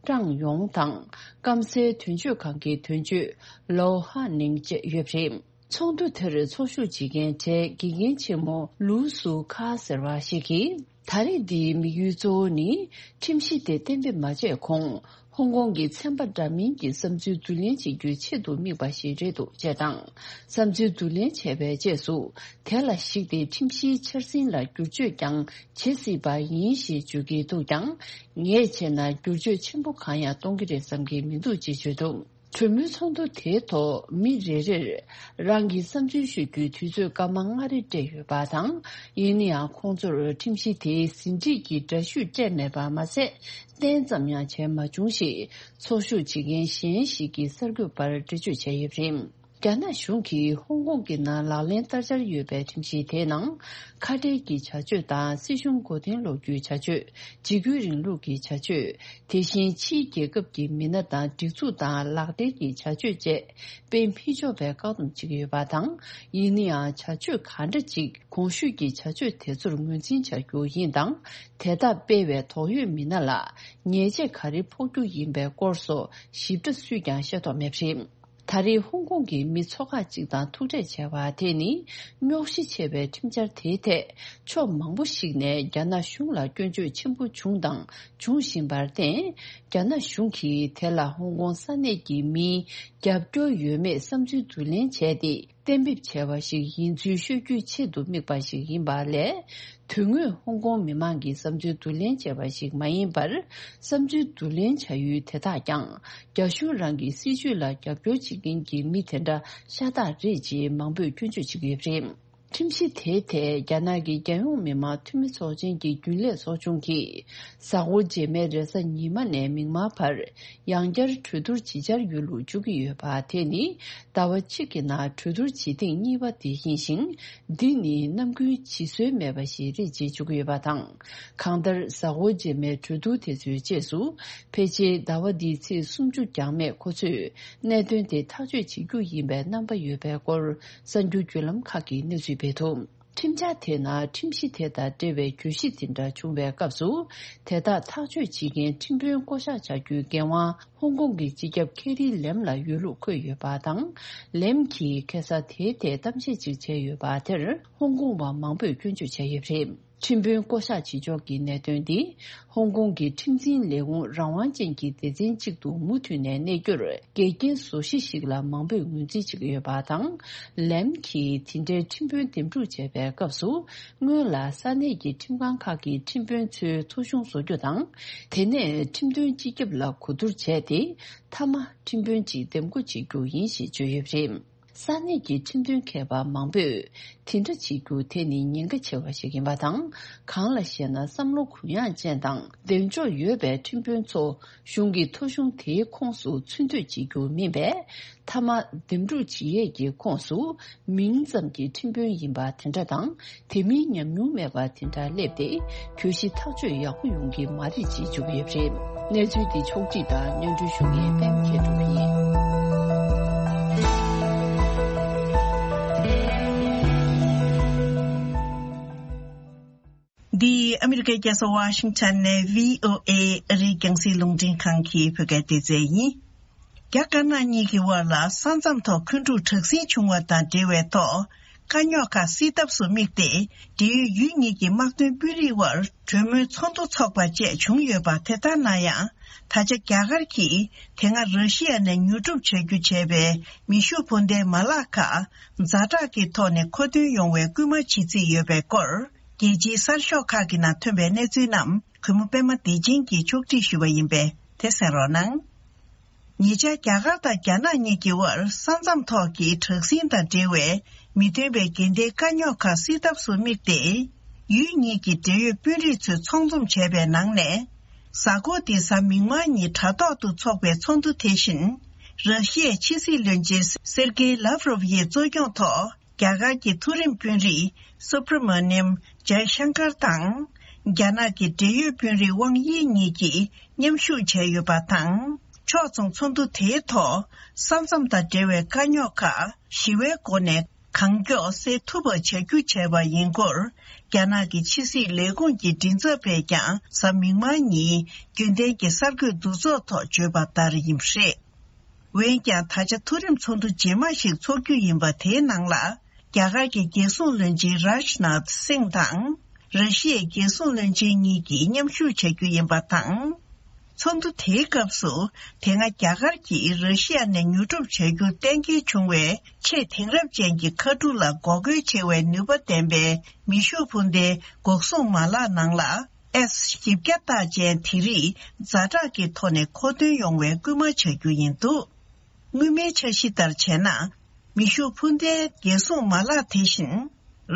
ཀྲང་ཡོང་དང་། སྐམ་སའི་དོན་གཅོད་ཁང་གི་དོན་གཅོད་ལོའོ་ཧ་ནིང་བཅས་ཡོད་པ་རེད། ཚོགས་འདུ་དེར་ཚོགས་ཞུགས་བྱེད་མཁན་གྲས་དགེ་རྒན་ཆེན་མོ་ལུའུ་སུ་ཁ་ཟེར་བ་ཞིག་གིས། ད་རེས་འདིའི་དམིགས་ཡུལ་གཙོ་བོ་ནི། ཁྲིམས་གཞི་དེ་གཏན་འབེབས་མ་བྱས་གོང་། ཧོང་ཀོང་གི་ཚན་པ་འདྲ་མིན་གྱི་བསམ་ཚུལ་བསྡུ་ལེན་བྱེད་རྒྱུའི་ཆེད་དུ་དམིགས་པ་ཞིག་རེད་འདུག་ཅེས་དང་། བསམ་ཚུལ་བསྡུ་ལེན་བྱས་པའི་རྗེས་སུ། དེ་ལ་གཞིགས་ཏེ་ཁྲིམས་གཞིའི་འཆར་ཟིན་ལ་བསྒྱུར་བཅོས་ཀྱང་བྱེད་སྲིད་པ་ཡིན་ཞེས་བརྗོད་ཀྱི་འདུག་ཀྱང་། ངས་བྱས་ན་བསྒྱུར་བཅོས་ཆེན་པོ་གང་ཡང་གཏོང་གི་རེད་བསམ་གྱི་མི་འདུག་ཅེས་བརྗོད་འདུག། གྲོས་མོལ་ཚོགས་འདུ་དེའི་ཐོག་མི་རེ་རེར་རང་གི་བསམ་ཚུལ་ཤོད་རྒྱུའི་དུས་ཚོད་སྐར་མ་ལྔ་རེ་སྤྲད་ཡོད་པ་དང་། ཡིན་ན་ཡང་ཁོང་ཚོར་ཁྲིམས་གཞི་དེའི་ཟིན་བྲིས་ཀྱི་འདྲ་བཤུས་སྤྲད་མེད་པ་མ་ཟད། གཏན་ཙམ་ཡང་བྱས་མ་བྱུང་ཞེས་ཚོགས་ཞུགས་བྱེད་མཁན་གཞན་ཞིག་གིས་གསར་འགོད་པར་འགྲེལ་བརྗོད་བྱས་ཡོད་པ་རེད། རྒྱ་ནག་གཞུང་གིས་ཧོང་ཀོང་གི་ནང་ལག་ལེན་བསྟར་འཆར་ཡོད་པའི་ཁྲིམས་གཞི་དེའི་ནང་། ཁ་བྲལ་གྱི་བྱ་སྤྱོད་དང་། སྲིད་གཞུང་མགོ་རྟིང་སློག་རྒྱུའི་བྱ་སྤྱོད། འཇིགས་སྐུལ་རིང་ལུགས་ཀྱི་བྱ་སྤྱོད། དེ་བཞིན་ཕྱིའི་རྒྱལ་ཁབ་ཀྱི་མི་སྣ་དང་སྒྲིག་འཛུགས་དང་ལག་སྦྲེལ་གྱི་བྱ་སྤྱོད་བཅས་སྤེལ་མི་ཆོག་པའི་བཀག་སྡོམ་བྱེད་ཀྱི་ཡོད་པ་དང་། ཡིན་ན་ཡང་བྱ་སྤྱོད་གང་འདྲ་ཅིག་གོང་ཞུས་ཀྱི་བྱ་སྤྱོད་དེ་ཚོར་ངོས་འཛིན་བྱ་རྒྱུ་ཡིན་དང་། དེ་དག་སྤེལ་བའི་དོགས་ཡོད་མི་སྣ་ལ་ཉེས་ཆད་ག་རེ་ཕོག་རྒྱུ་ཡིན་པའི་སྐོར་སོགས་ཞིབ་ཕྲ་སུས་ཀྱང་ཤེས་རྟོགས་མེད་པ་རེད། ད་རེས་ཧོང་ཀོང་གི་མི་ཚོ་ཁག་ཅིག་དང་ཐུག་འཕྲད་བྱས་པ་དེ་ནི། རྙོག་གཞི་ཆེ་བའི་ཁྲིམས་འཆར་དེའི་ཐད། ཕྱོགས་མང་པོ་ཞིག་ནས་རྒྱ་ནག་གཞུང་ལ་སྐྱོན་བརྗོད་ཆེན་པོ་བྱུང་དང་འབྱུང་བཞིན་པར་བརྟེན། རྒྱ་ནག་གཞུང་གིས་དེ་ལ་ཧོང་ཀོང་ས་གནས་ཀྱི་མིའི་རྒྱབ་སྐྱོར་ཡོད་མེད་བསམ་ཚུལ་བསྡུ་ལེན་བྱས་ཏེ། གཏན་འབེབས་བྱས་པ་ཞིག་ཡིན་ཚུལ་ཤོད་རྒྱུའི་ཆེད་དུ་དམིགས་པ་ཞིག་ཡིན་པ་ལས། དོན་དངོས་ཧོང་ཀོང་མི་མང་གི་བསམ་ཚུལ་བསྡུ་ལེན་བྱས་པ་ཞིག་མ་ཡིན་པར། བསམ་ཚུལ་བསྡུ་ལེན་བྱ་ཡུལ་དེ་དག་ཀྱང་། རྒྱ་གཞུང་རང་གི་སྲིད་བྱུས་ལ་རྒྱབ་སྐྱོར་བྱེད་མཁན་གྱི་མི་དེ་འདྲ་ཤ་སྟག་རེད་ཅེས་མང་པོས་སྐྱོན་བརྗོད་བྱེད་ཀྱི་ཡོད་པ་རེད། ཁྲིམས་གཞི་དེའི་ཐད་རྒྱ་ནག་གི་རྒྱལ་ཡོངས་མི་དམངས་འཐུས་མི་ཚོགས་ཆེན་གྱི་རྒྱུན་ལས་ཚོགས་ཆུང་གིས། གཟའ་འཁོར་རྗེས་མའི་རེས་གཟའ་ཉི་མ་ནས་མིག་དམར་བར། ཡང་བསྐྱར་གྲོས་བསྡུར་བྱེད་འཆར་ཡོད་ལུགས་བརྗོད་ཀྱི་ཡོད་པ། དེ་ནི་ཟླ་བ་གཅིག་གི་ནང་གྲོས་བསྡུར་བྱེད་ཐེངས་གཉིས་པ་དེ་ཡིན་ཞིང་། འདི་ནི་ནམ་རྒྱུན་བྱེད་སྲོལ་མེད་པ་ཞིག་རེད་ཅེས་བརྗོད་ཀྱི་ཡོད་པ་དང་། གང་ལྟར། གཟའ་འཁོར་རྗེས་མའི་གྲོས་བསྡུར་དེ་ཚོའི་རྗེས་སུ། ཕལ་ཆེར་ཟླ་བ་འདིའི་ཚེས་སུམ་ཅུ་འགྱངས་མེད་ཁོ་ཚོས་གནད་དོན་དེ་ཐག་གཅོད་བྱེད་རྒྱུ་ཡིན་པའི་རྣམ་པ་ཡོད་པའི་སྐོར། གསར་འགྱུར་བརྒྱུད་ལམ་ཁག་གིས་གནས་ཚུལ་སྤེལ་འདུག་ཁྲིམས་འཆར་དེ་ནང་ཁྲིམས་གཞི་དེ་དང་འབྲེལ་བའི་གྱོད་གཞི་དེ་འདྲ་བྱུང་བའི་སྐབས་སུ། དེ་དག་ཐག་གཅོད་བྱེད་མཁན་ཁྲིམས་དཔོན་བསྐོ་གཞག་བྱ་རྒྱུའི་འགན་དབང་ཧོང་ཀོང་གི་སྤྱི་ཁྱབ་ཁེ་རི་ལེམ་ལ་ཡོད་ལུགས་འཁོད་ཡོད་པ་དང་། ལེམ་གྱིས་ཁ་སང་དེའི་ཐད་གཏམ་བཤད་ཅིག་བྱས་ཡོད་པ་དེར་ཧོང་ཀོང་བ་མང་པོས་སྐྱོན་བརྗོད་བྱས་ཡོད་པ་རེད། ཁྲིམས་དཔོན་བསྐོ་གཞག་བྱེད་ཕྱོགས་ཀྱི་གནད་དོན་འདི། ཧོང་ཀོང་གི་ཁྲིམས་འཛིན་ལས་ཁུངས་རང་དབང་ཅན་གྱི་སྡེ་ཚན་གཅིག་ཏུ་མུ་མཐུད་ནས་གནས་རྒྱུར་འགལ་རྐྱེན་བཟོ་གཞི་ཞིག་ལ་མང་པོས་ངོས་འཛིན་བྱེད་ཀྱི་ཡོད་པ་དང་། ལེམ་གྱིས་དེ་འདྲའི་ཁྲིམས་དཔོན་འདེམས་སྒྲུག་བྱས་པའི་སྐབས་སུ། སྔོན་ལ་ས་གནས་ཀྱི་ཁྲིམས་ཁང་ཁག་གི་ཁྲིམས་དཔོན་ཚོའི་ཐོ་གཞུང་བཟོ་རྒྱུ་དང་། དེ་ནས་ཁྲིམས་དོན་སྤྱི་ཁྱབ་ལ་གོ་བསྡུར་བྱས་ཏེ། མཐའ་མ་ཁྲིམས་དཔོན་གཅིག་འདེམས་བསྐོ་བྱེད་རྒྱུ་ཡིན་ཞེས་བརྗོད་ཡོད་པ་རེད། ས་གནས་ཀྱི་ཁྲིམས་དོན་མཁས་པ་མང་པོས། དེ་འདྲ་བྱེད་རྒྱུ་དེ་ནི་ཉེན་ཁ་ཆེ་བ་ཞིག་ཡིན་པ་དང་། གང་ལ་ཞེ་ན། བསམ་བློ་གུ་ཡངས་ཅན་དང་། གདེང་འཇོག་ཡོད་པའི་ཁྲིམས་དཔོན་ཚོ། གཞུང་གི་ཐོ་གཞུང་དེའི་ཁོངས་སུ་ཚུད་འདོད་བྱེད་རྒྱུ་མིན་པས། མཐའ་མ་འདེམས་སྒྲུག་བྱེད་ཡས་ཀྱི་ཁོངས་སུ། མིང་ཙམ་གྱི་ཁྲིམས་དཔོན་ཡིན་པ་དེ་འདྲ་དང་། དེ་མིན་ཉམས་མྱོང་མེད་པ་དེ་འདྲ་སླེབས་ཏེ། གྱོད་གཞི་ཐག་གཅོད་ཡག་པོ་ཡོང་གི་མ་རེད་ཅེས་བརྗོད་ཀྱི་ཡོད་པ་རེད། གནས་ཚུལ་འདི་ཕྱོགས་སྒྲིག་དང་སྙན་སྒྲོན་ཞུ་མཁན་པད་མ་མཁས་གྲུབ་ཡིན། འདི་ཨ་མི་རི་ཀའི་རྒྱལ་ས་ཝ་ཤིང་ཊོན་ནས་བྷི་ཨོ་ཨེ་ཨ་རིའི་རྒྱང་སྲིང་རླུང་འཕྲིན་ཁང་གི་བོད་སྐད་སྡེ་ཚན་ཡིན། རྒྱ་དཀར་ནག་གཉིས་ཀྱི་དབར་ལ་ས་མཚམས་ཐོག་འཁོན་འཁྲུག་དྲག་ཟིང་བྱུང་བ་དང་འབྲེལ་བའི་ཐོག་དཀའ་རྙོག་ཁག་སེལ་ཐབས་སུ་དམིགས་ཏེ། འབྲེལ་ཡོད་ཡུལ་གཉིས་ཀྱི་དམག་དོན་དཔོན་རིགས་དབར་གྲོས་མོལ་ཚོགས་འདུ་འཚོགས་པ་བཅས་བྱུང་ཡོད་པ་དེ་ལྟར་ན་ཡང་། ད་ཆ་རྒྱ་གར་གྱིས་དེ་སྔ་ར་ཤི་ཡ་ནས་ཉོ་སྒྲུབ་བྱ་རྒྱུ་བྱས་པའི་མེ་ཤུགས་འཕུར་མདའི་མ་ལག་ཁག་ཛ་དྲག་གི་ཐོག་ནས་མཁོ་འདོན་ཡོང་བའི་སྐུལ་མ་བྱེད་རྩིས་ཡོད་པའི་སྐོར། རྒྱལ་སྤྱིའི་གསར་ཤོག་ཁག་གི་ནང་ཐོན་པའི་གནས་ཚུལ་རྣམས་གུས་མོ་པད་མ་བདེ་ཆེན་གྱིས་ཕྱོགས་སྒྲིག་ཞུས་པ་ཡིན་པས་དེ་གསན་རོགས་གནང་། ཉེ་ཆར་རྒྱ་གར་དང་རྒྱ་ནག་གཉིས་ཀྱི་དབར་ས་མཚམས་ཐོག་གི་དྲག་ཟིང་དང་འབྲེལ་བའི་མི་མཐུན་པའི་འགལ་ཟླའི་དཀའ་རྙོག་ཁག་སེལ་ཐབས་སུ་དམིགས་ཏེ། ཡུལ་གཉིས་ཀྱི་འབྲེལ་ཡོད་དཔོན་རིགས་ཚོས་ཚོགས་འཛོམས་བྱས་པའི་ནང་ནས། གཟའ་འཁོར་འདིའི་གཟའ་མིག་དམར་ཉིན་དྲ་ཐོག་ཏུ་འཚོགས་པའི་ཚོགས་འདུ་དེ་བཞིན། ར་ཤི་ཡའི་ཕྱི་སྲིད་བློན་ཆེན་སེར་ཀེ་ལབ་རོབ་ཡི་གཙོ་སྐྱོང་ཐོག་རྒྱ་གར་གྱི་མཐོ་རིམ་དཔོན་རིགས་སུབ་ར་མ་ནིམ་ཇའི་ཤང་ཀར་དང་། རྒྱ་ནག་གི་འབྲེལ་ཡོད་དཔོན་རིགས་ཝང་དབྱི་གཉིས་ཀྱིས་མཉམ་ཞུགས་བྱས་ཡོད་པ་དང་། ཕྱོགས་མཚུངས་ཚོགས་འདུ་དེའི་ཐོག་ས་མཚམས་དང་འབྲེལ་བའི་དཀའ་རྙོག་ཁག་ཞི་བའི་སྒོ་ནས་གང་མགྱོགས་སེལ་ཐུབ་པ་བྱ་རྒྱུ་བྱས་པ་ཡིན་སྐོར། རྒྱ་ནག་གི་ཕྱི་སྲིད་ལས་ཁུངས་ཀྱི་མགྲིན་ཚབ་པས་ཀྱང་གཟའ་མིག་དམར་ཉིན་རྒྱུན་ལྡན་གྱི་གསར་འགོད་འདུ་ཚོགས་ཐོག་བརྗོད་པ་ལྟར་ཡིན་པ་རེད། འོན་ཀྱང་། ད་ཆ་མཐོ་རིམ་ཚོགས་འདུ་རྗེས་མ་ཞིག་འཚོགས་རྒྱུ་ཡིན་པ་དེའི་ནང་ལ། རྒྱ་གར་གྱི་རྒྱལ་སྲུང་བློན་ཆེན་རཱཇ་ནཱཐ་སིང་དང་། ར་ཤི་ཡའི་རྒྱལ་སྲུང་བློན་ཆེན་གཉིས་ཀྱིས་མཉམ་ཞུགས་བྱ་རྒྱུ་ཡིན་པ་དང་། ཚོགས་འདུ་དེའི་སྐབས་སུ། དེ་སྔ་རྒྱ་གར་གྱིས་ར་ཤི་ཡ་ནས་ཉོ་སྒྲུབ་བྱ་རྒྱུ་གཏན་འཁེལ་བྱུང་བའི་ཆེས་དེང་རབས་ཅན་གྱི་མཁའ་གྲུ་ལ་འགོག་རྒོལ་བྱེད་པའི་ནུས་པ་ལྡན་པའི་མེ་ཤུགས་འཕུར་མདའི་འགོག་སྲུང་མ་ལག་ནང་ལ། ཨེས་བཞི་བརྒྱ་རྟགས་ཅན་དེ་རིགས་ཛ་དྲག་གི་ཐོག་ནས་མཁོ་འདོན་ཡོང་བའི་སྐུལ་མ་བྱ་རྒྱུ་ཡིན་འདུག་སྔོན་མའི་འཆར་གཞི་ལྟར་བྱས་ན། མེ་ཤུགས་འཕུར་མདའི་རྒྱལ་སྲུང་མ་ལག་དེ་བཞིན།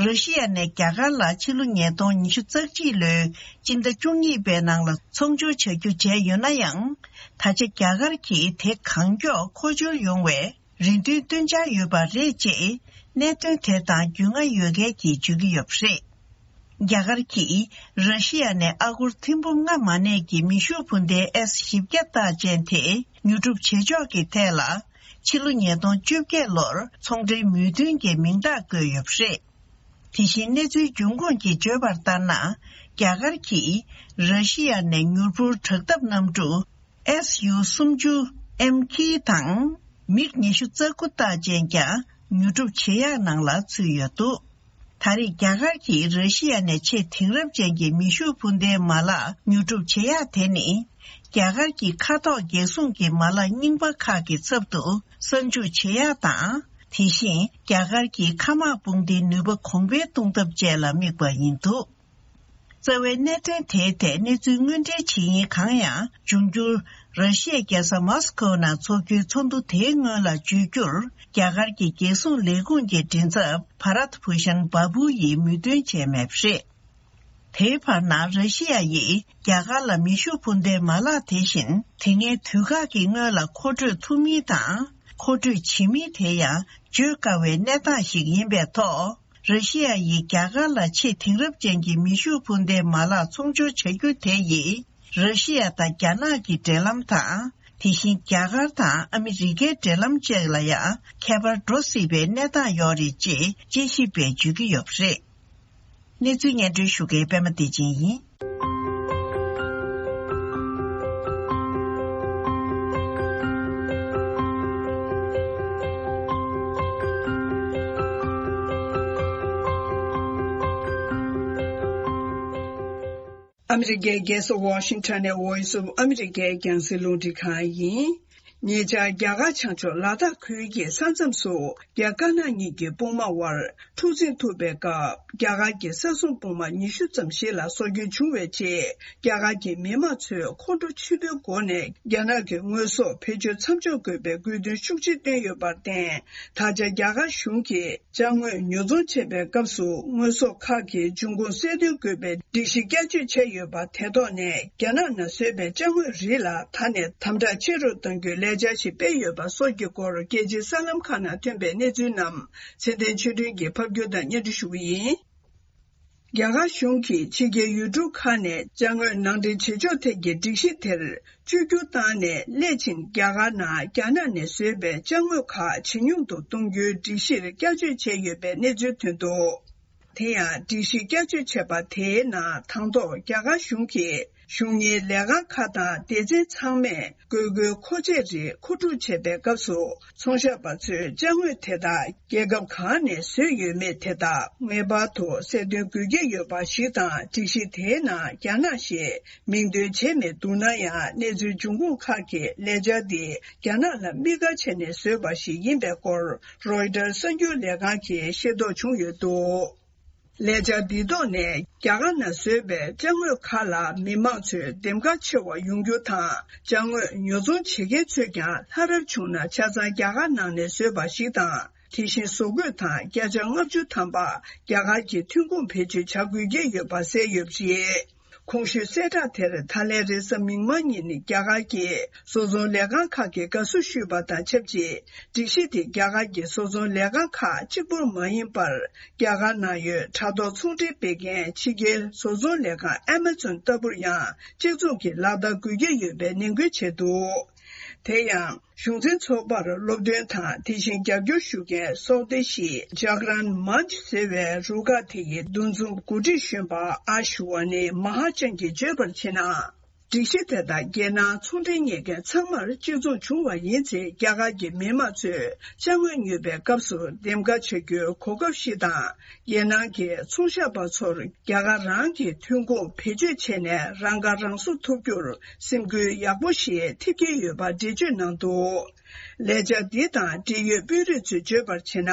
ར་ཤི་ཡ་ནས་རྒྱ་གར་ལ་ཕྱི་ལོ་ཉིས་སྟོང་ཉི་ཤུ་རྩ་གཅིག་ལོའི་སྤྱི་ཟླ་བཅུ་གཉིས་པའི་ནང་ལ་ཚོང་སྦྱོར་བྱ་རྒྱུ་བྱས་ཡོད་ན་ཡང་། ད་ཆ་རྒྱ་གར་གྱིས་དེ་གང་མགྱོགས་མཁོ་སྦྱོར་ཡོང་བའི་ རེ་འདུན་བཏོན་འཆར་ཡོད་པ་རེད་ཅེས་གནད་དོན་དེ་དང་རྒྱུས་མངའ་ཡོད་མཁན་གྱིས་བརྗོད་ཀྱི་ཡོད་པ་རེད། རྒྱ་གར་གྱིས་ར་ཤི་ཡ་ནས་ཨ་སྒོར་ཐེར་འབུམ་ལྔ་མ་གནས་ཀྱི་མེ་ཤུགས་འཕུར་མདེལ་ཨེས་བཞི་བརྒྱ་རྟགས་ཅན་དེ་ཉོ་སྒྲུབ་བྱེད་ཕྱོགས་ཀྱི་ཐད་ལ། ཕྱི་ལོ་ཉིས་སྟོང་བཅོ་བརྒྱད་ལོར་ཚོང་འབྲེལ་མོས་མཐུན་གྱི་མིང་རྟགས་བཀོད་ཡོད་པ་རེད། དེ་བཞིན་གནས་ཚུལ་འབྱུང་ཁུངས་ཀྱིས་བརྗོད་པར་ལྟར་ན། རྒྱ་གར་གྱིས་ར་ཤི་ཡ་ནས་མྱུར་འཕུར་དྲག་འཐབ་གནམ་གྲུ་ཨེས་ཡུ་སུམ་ཅུ་ཨེམ་ཁི་དང་མིག་ཉི་ཤུ་རྩ་དགུ་རྟགས་ཅན་ཀྱང་ཉོ་སྒྲུབ་བྱེད་ཡག་ནང་ལ་ཚུད་ཡོད་འདུག་ད་རེས་རྒྱ་གར་གྱིས་ར་ཤི་ཡ་ནས་ཆེས་དེང་རབས་ཅན་གྱི་མེ་ཤུགས་འཕུར་མདེལ་མ་ལག་ཉོ་སྒྲུབ་བྱེད་ཡག་དེ་ནི། རྒྱ་གར་གྱི་མཁའ་ཐོག་རྒྱལ་སྲུང་གི་མ་ལག་རྙིང་པ་ཁག་གི་ཚབ་ཏུ་གསར་འཇུག་བྱེད་ཡག་དང་། དེ་བཞིན་རྒྱ་གར་གྱི་མཁའ་དམག་དཔུང་སྡེའི་ནུས་པ་གོང་འཕེལ་གཏོང་ཐབས་བཅས་ལ་དམིགས་པ་ཡིན་འདུག་རྩ་བའི་གནད་དོན་དེའི་ཐད་གནས་ཚུལ་དངོས་འབྲེལ་བྱེད་ཡུན་གང་ཡང་འབྱུང་འགྱུར་ར་ཤི་ཡའི་རྒྱལ་ས་མོ་སི་ཁོའི་ནང་འཚོགས་རྒྱུའི་ཚོགས་འདུ་དེའི་སྔོན་ལ་བརྗོད་རྒྱུར། རྒྱ་གར་གྱི་རྒྱལ་སྲུང་ལས་ཁུངས་ཀྱི་མགྲིན་ཚབ་བྷ་རད་བྷུ་ཤན་བྷ་བུ་ཡིས་མོས་མཐུན་བྱས་མེད་པ་རེད། དེའི་བར་ན་ར་ཤི་ཡ་ཡིས་རྒྱ་གར་ལ་མེ་ཤུགས་འཕུར་མདའི་མ་ལག་དེ་བཞིན་དེ་སྔའི་དུས་བཀག་གི་སྔོན་ལ་མཁོ་སྤྲོད་ཐུབ་མིན་དང་། མཁོ་སྤྲོད་བྱེད་མིན་དེ་ཡང་བརྗོད་དཀའ་བའི་གནས་སྟངས་ཤིག་ཡིན་པའི་ཐོག་ར་ཤི་ཡ་ཡིས་རྒྱ་གར་ལ་ཆེས་དེང་རབས་ཅན་གྱི་མེ་ཤུགས་འཕུར་མདའི་མ་ལག་ཚོང་སྦྱོར་བྱ་རྒྱུ་དེ་ཡིས། ར་ཤི་ཡ་དང་རྒྱ་ནག་གི་འབྲེལ་ལམ་དང་། དེ་བཞིན་རྒྱ་གར་དང་ཨ་མི་རི་ཀའི་འབྲེལ་ལམ་བཅས་ལ་ཡང་ཁྱད་པར་འགྲོ་སྲིད་པའི་གནས་སྟངས་ཡོད་རེད་ཅེས་དཔྱད་ཞིབ་པས་བརྗོད་ཀྱི་ཡོད་པ་རེད། གནས་ཚུལ་སྙན་སྒྲོན་ཞུ་མཁན་པད་མ་བདེ་ཆེན་ཡིན། ཨ་མི་རི་ཀའི་རྒྱལ་ས་ཝ་ཤིང་ཊོན་ནས་Voice of America་རྒྱང་སྲིང་རླུང་འཕྲིན་ཁང་ཡིན། ཉེ་ཆར་རྒྱ་གར་བྱང་ཕྱོགས་ལ་དྭགས་ཁུལ་གྱི་ས་མཚམས་སུ་རྒྱ་དཀར་ནག་གཉིས་ཀྱི་དཔུང་དམག་དབར་འཁྲུག་འཛིང་ཐུག་པའི་སྐབས། རྒྱ་གར་གྱི་ས་སྲུང་དཔུང་དམག་ཉི་ཤུ་ཙམ་ཞིག་ལ་སྲོག་སྐྱོན་བྱུང་བའི་རྗེས། རྒྱ་གར་གྱི་མི་དམངས་ཚོས་ཁོང་ཁྲོ་ཆེན་པོའི་སྒོ་ནས་རྒྱ་ནག་གི་དངོས་ཟོག་བེད་སྤྱོད་མཚམས་འཇོག་དགོས་པའི་དགོས་འདུན་ཤུགས་ཆེ་བཏོན་ཡོད་པར་བརྟེན། ད་ཆ་རྒྱ་གར་གཞུང་གིས་ཅ་དངོས་ཉོ་ཚོང་བྱེད་པའི་སྐབས་སུ་དངོས་ཟོག་ཁག་གི་འབྱུང་ཁུངས་གསལ་སྟོན་དགོས་པའི་སྒྲིག་གཞི་བསྐྱར་བཅོས་བྱས་ཡོད་པ་དེ་ཐོག་ནས། རྒྱ་ནག་ནང་བཟོས་པའི་ཅ་དངོས་རིགས་ལ་ད་ནས་དམ་དྲག་ཆེ་རུ་གཏང་རྒྱུའི་ལས་འཆར་ཞིག་སྤེལ་ཡོད་པ་སོགས་ཀྱི་སྐོར། རྒྱལ་སྤྱིའི་གསར་ལམ་ཁག་ནང་ཐོན་པའི་གནས་ཚུལ་རྣམས་ཚེ་བརྟན་ཆོས་སྒྲོན་གྱིས་ཕབ་སྒྱུར་དང་སྙན་སྒྲོན་ཞུ་གི་ཡིན། རྒྱ་གར་གཞུང་གིས་ཕྱི་རྒྱལ་ཡུལ་གྲུ་ཁག་ནས་ཅ་དངོས་ནང་འདྲེན་བྱེད་ཕྱོགས་ཐད་ཀྱི་སྒྲིག་གཞི་དེར་བཅོས་བསྒྱུར་བཏང་ནས། སླད་ཕྱིན་རྒྱ་གར་ནང་རྒྱ་ནག་ནས་བཟོས་པའི་ཅ་དངོས་ཁག་ཇེ་ཉུང་དུ་གཏོང་རྒྱུའི་སྒྲིག་གཞིར་བསྐྱར་བཅོས་བྱས་ཡོད་པའི་གནས་ཚུལ་ཐོན་འདུག་དེ་ཡང་སྒྲིག་གཞི་བསྐྱར་བཅོས་བྱས་པ་དེའི་ནང་། དང་ཐོག་རྒྱ་གར་གཞུང་གིས་གཞུང་གཉེར་ལས་ཁང་ཁག་དང་སྡེ་ཚན་ཚང་མས་དགོས་མཁོའི་མཁོ་ཆས་རིགས་མཁོ་སྤྲོད་བྱེད་པའི་སྐབས་སུ། ཚོང་ཞབས་པ་ཚོས་ཅ་དངོས་དེ་དག་རྒྱལ་ཁབ་གང་ནས་བཟོས་ཡོད་མེད་དེ་དག་ངེས་པར་དུ་གསལ་སྟོན་དགོས་ཀྱི་ཡོད་པ་ཞིག་དང་། སྒྲིག་གཞི་དེའི་ནང་རྒྱ་ནག་ཞེས་མིང་འདོན་བྱས་མི་འདུག་ན་ཡང་། གནས་ཚུལ་འབྱུང་ཁུངས་ཁག་གིས་ལས་འཆར་འདི་རྒྱ་ནག་ལ་དམིགས་བཀར་བྱས་ནས་བཟོས་པ་ཞིག་ཡིན་པའི་སྐོར། རོའི་ཊར་གསར་འགྱུར་ལས་ཁང་གིས་ཤེས་རྟོགས་བྱུང་ཡོད་འདུག་ལས་འཆར་འདིའི་ཐོག་ནས། རྒྱ་གར་ནང་བཟོས་པའི་ཅ་དངོས་ཁག་ལ་མི་མང་ཚོས་འདེམས་ཀ་ཆེ་བ་ཡོང་རྒྱུ་དང་། ཅ་དངོས་ཉོ་ཚོང་བྱེད་མཁན་ཚོས་ཀྱང་ལྷ་རབ་བྱུང་ན། ཆ་ཚང་རྒྱ་གར་ནང་ནས་བཟོས་པ་ཞིག་དང་། དེ་བཞིན་བཟོ་བཀོད་དང་བརྒྱ་ཆ་ལྔ་བཅུ་ཐམ་པ་རྒྱ་གར་གྱི་ཐོན་ཁུངས་བེད་སྤྱོད་བྱ་དགོས་ཀྱི་ཡོད་པ་གསལ་ཡོད་པ་རེད། གོང་ཞུས་གསལ་བསྒྲགས་དེར་ད་ལན་རེས་གཟའ་མིག་དམར་ཉིན་རྒྱ་གར་གྱི་བཟོ་ཚོང་ལས་ཁང་ཁག་གིས་དགའ་བསུ་ཞུས་པ་དང་ཆབས་ཅིག་སྒྲིག་གཞི་དེ་རྒྱ་གར་གྱི་བཟོ་ཚོང་ལས་ཁང་ཁག་གཅིག་པུར་མ་ཡིན་པར། རྒྱ་གར་ནང་ཡོད་དྲ་ཐོག་ཚོང་འབྲེལ་སྤེལ་མཁན་ཕྱི་རྒྱལ་བཟོ་ཚོང་ལས་ཁང་Amazon་ལྟ་བུར་ཡང་གཅིག་མཚུངས་ཀྱི་ལག་བསྟར་དགོས་ཀྱི་ཡོད་པའི་ནན་སྐུལ་བྱས་འདུག་དེ་ཡང་གཞུང་འཛིན་ཚོགས་པར་སློབ་སྟོན་དང་། དེ་བཞིན་རྒྱབ་སྐྱོར་ཞུ་མཁན་སོག་དེ་ཤི་Jagran Manch་ཟེར་བའི་རུ་ཁག་དེ་ཡི་འདུ་འཛོམས་འགོ་ཁྲིད་གཞོན་པ་ཨ་ཤུ་ཝ་ནི་མ་ཧ་ཅན་གྱིས་བརྗོད་པར་བྱས་ན། སྒྲིག་གཞི་དེ་དག་རྒྱལ་ནང་ཚོང་འབྲེལ་གཉེར་མཁན་ཚང་མར་གཅིག་མཚུངས་བྱུང་བ་ཡིན་ཚེ། རྒྱ་གར་གྱི་མི་དམངས་ཚོས་ཅ་དངོས་ཉོས་པའི་སྐབས་སུ་འདེམས་ཀ་བྱ་རྒྱུའི་གོ་སྐབས་ཤིག་དང་། རྒྱལ་ནང་གི་ཚོང་ཞབས་པ་ཚོར་རྒྱ་གར་རང་གི་ཐོན་ཁུངས་བེད་སྤྱོད་བྱས་ནས་རང་ཁ་རང་གསོ་ཐུབ་རྒྱུར་སེམས་འགུལ་ཡག་པོ་ཞིག་ཐེབས་ཀྱི་ཡོད་པ་འགྲེལ་བརྗོད་གནང་འདུག་ལས་འཆར་འདི་དང་འབྲེལ་ཡོད་དཔོན་རིགས་ཚོས་བརྗོད་པར་བྱས་ན།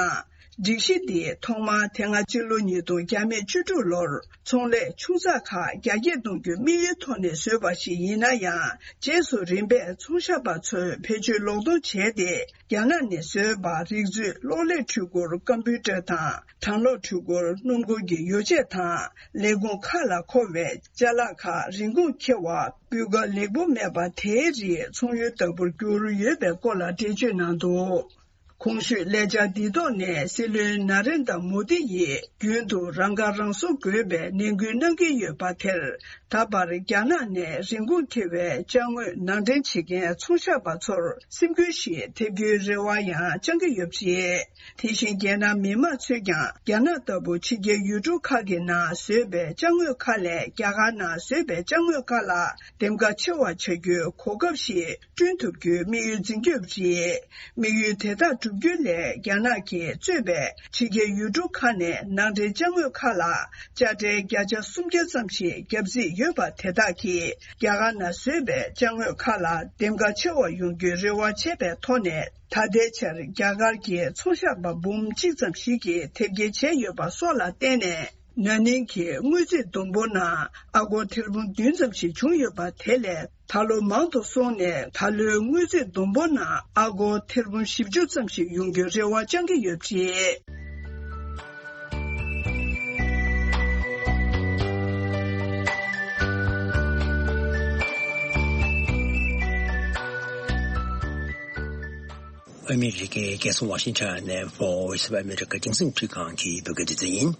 སྒྲིག་གཞི་འདི་ཐོག་མར་དེ་སྔ་སྤྱི་ལོ་ཉིས་སྟོང་བརྒྱ་མེད་བཅུ་དྲུག་ལོར་ཚོང་ལས་ཆུང་ཚགས་ཁག་རྒྱ་སྐྱེད་གཏོང་རྒྱུའི་དམིགས་ཡུལ་ཐོག་ནས་བཟོས་པ་ཞིག་ཡིན་ན་ཡང་། རྗེས་སུ་རིམ་པས་ཚོང་ཞབས་པ་ཚོས་བེད་སྤྱོད་ལོག་གཏོང་བྱས་ཏེ། རྒྱ་ནག་ནས་བཟོས་པ་རིགས་འཛོལ་གློག་ཀླད་འཕྲུལ་འཁོར་ཀམ་པུའུ་ཊར་དང་། གྲང་གློག་འཕྲུལ་འཁོར་སྣུམ་འཁོར་གྱི་ཡོ་བྱད་དང་། ལས་ཁུངས་ཁག་ལ་མཁོ་བའི་ཅ་ལག་ཁག་རིན་གོང་ཁེ་བ། སྤུས་ཀ་ལེགས་པོ་མེད་པ་དེའི་རིགས་ཚོང་ཡུལ་ལྟ་བུར་གྱུར་ཡོད་པའི་སྐོར་ལ་འགྲེལ་བརྗོད་གནང་འདུག་གོང་ཞུས་ལས་འཆར་འདིའི་ཐོག་ནས་སྲིད་བློན་ན་རེན་དྲ་མོ་དི་ཡིས་རྒྱུན་དུ་རང་ཁ་རང་གསོ་དགོས་པའི་ནན་སྐུལ་གནང་གི་ཡོད་པ་དེར། ད་བར་རྒྱ་ནག་ནས་རིན་གོང་ཐེ་བའི་ཅ་དངོས་ནང་འདྲེན་བྱེད་མཁན་ཚོང་ཞབས་པ་ཚོར་སེམས་འགུལ་ཞིག་ཐེབས་རྒྱུའི་རེ་བ་ཡང་བཅང་གི་ཡོད་པ་རེད། དེ་བཞིན་རྒྱལ་ནང་མི་མང་ཚོས་ཀྱང་རྒྱ་ནག་ལྟ་བུ་ཕྱི་རྒྱལ་ཡུལ་གྲུ་ཁག་གི་ནང་བཟོས་པའི་ཅ་དངོས་ཁག་ལས་རྒྱ་གར་ནང་བཟོས་པའི་ཅ་དངོས་ཁག་ལ་འདེམས་ཀ་ཆེ་བ་བྱ་རྒྱུའི་གོ་སྐབས་ཤིག་བསྐྲུན་ཐུབ་རྒྱུའི་དམིགས་ཡུལ་འཛིན་གྱི་ཡོད་པ་རེད། དམིགས་ཡུལ་དེ་དག་བསྒྲུབ་རྒྱུ་ལས་རྒྱ་ནག་གིས་གཙོས་པའི་ཕྱི་རྒྱལ་ཡུལ་གྲུ་ཁག་ནས་ནང་འདྲེན་ཅ་དངོས་ཁག་ལ་དཔྱ་ཁྲལ་བརྒྱ་ཆ་སུམ་བརྒྱ་ཙམ་ཞིག་བརྒྱབ་རྩིས་ཡོད་པ་དེ་དག་གིས་རྒྱ་གར་ནང་བཟོས་པའི་ཅ་དངོས་ཁག་ལ་འདེམས་ཀ་ཆེ་བ་ཡོང་རྒྱུའི་རེ་བ་བྱས་པའི་ཐོག་ནས། ད་ལྟའི་ཆར་རྒྱ་གར་གྱི་ཚོང་ཞབས་པ་འབུམ་གཅིག་ཙམ་ཞིག་གིས་དེབ་སྐྱེལ་བྱས་ཡོད་པ་སོགས་ལ་བརྟེན་ནས། ན་ནིང་གི་དངུལ་རྩིས་བསྡོམས་འབོར་ནང་ཨ་སྒོར་ཐེར་འབུམ་བདུན་ཙམ་ཞིག་བྱུང་ཡོད་པ་དེ་ལས་ད་ལོ་མང་དུ་སོང་ནས། ད་ལོའི་དངུལ་རྩིས་བསྡོམས་འབོར་ནང་ཨ་སྒོར་ཐེར་འབུམ་བཞི་བཅུ་ཙམ་ཞིག་ཡོང་རྒྱུའི་རེ་བ་བཅང་གི་ཡོད་པ་རེད། ཨ་མི་རི་ཀའི་རྒྱལ་ས་ཝ་ཤིང་ཊོན་ནས་Voice of America རྒྱང་སྲིང་འཕྲིན་ཁང་གི་བོད་སྐད་སྡེ་ཚན་ཡིན།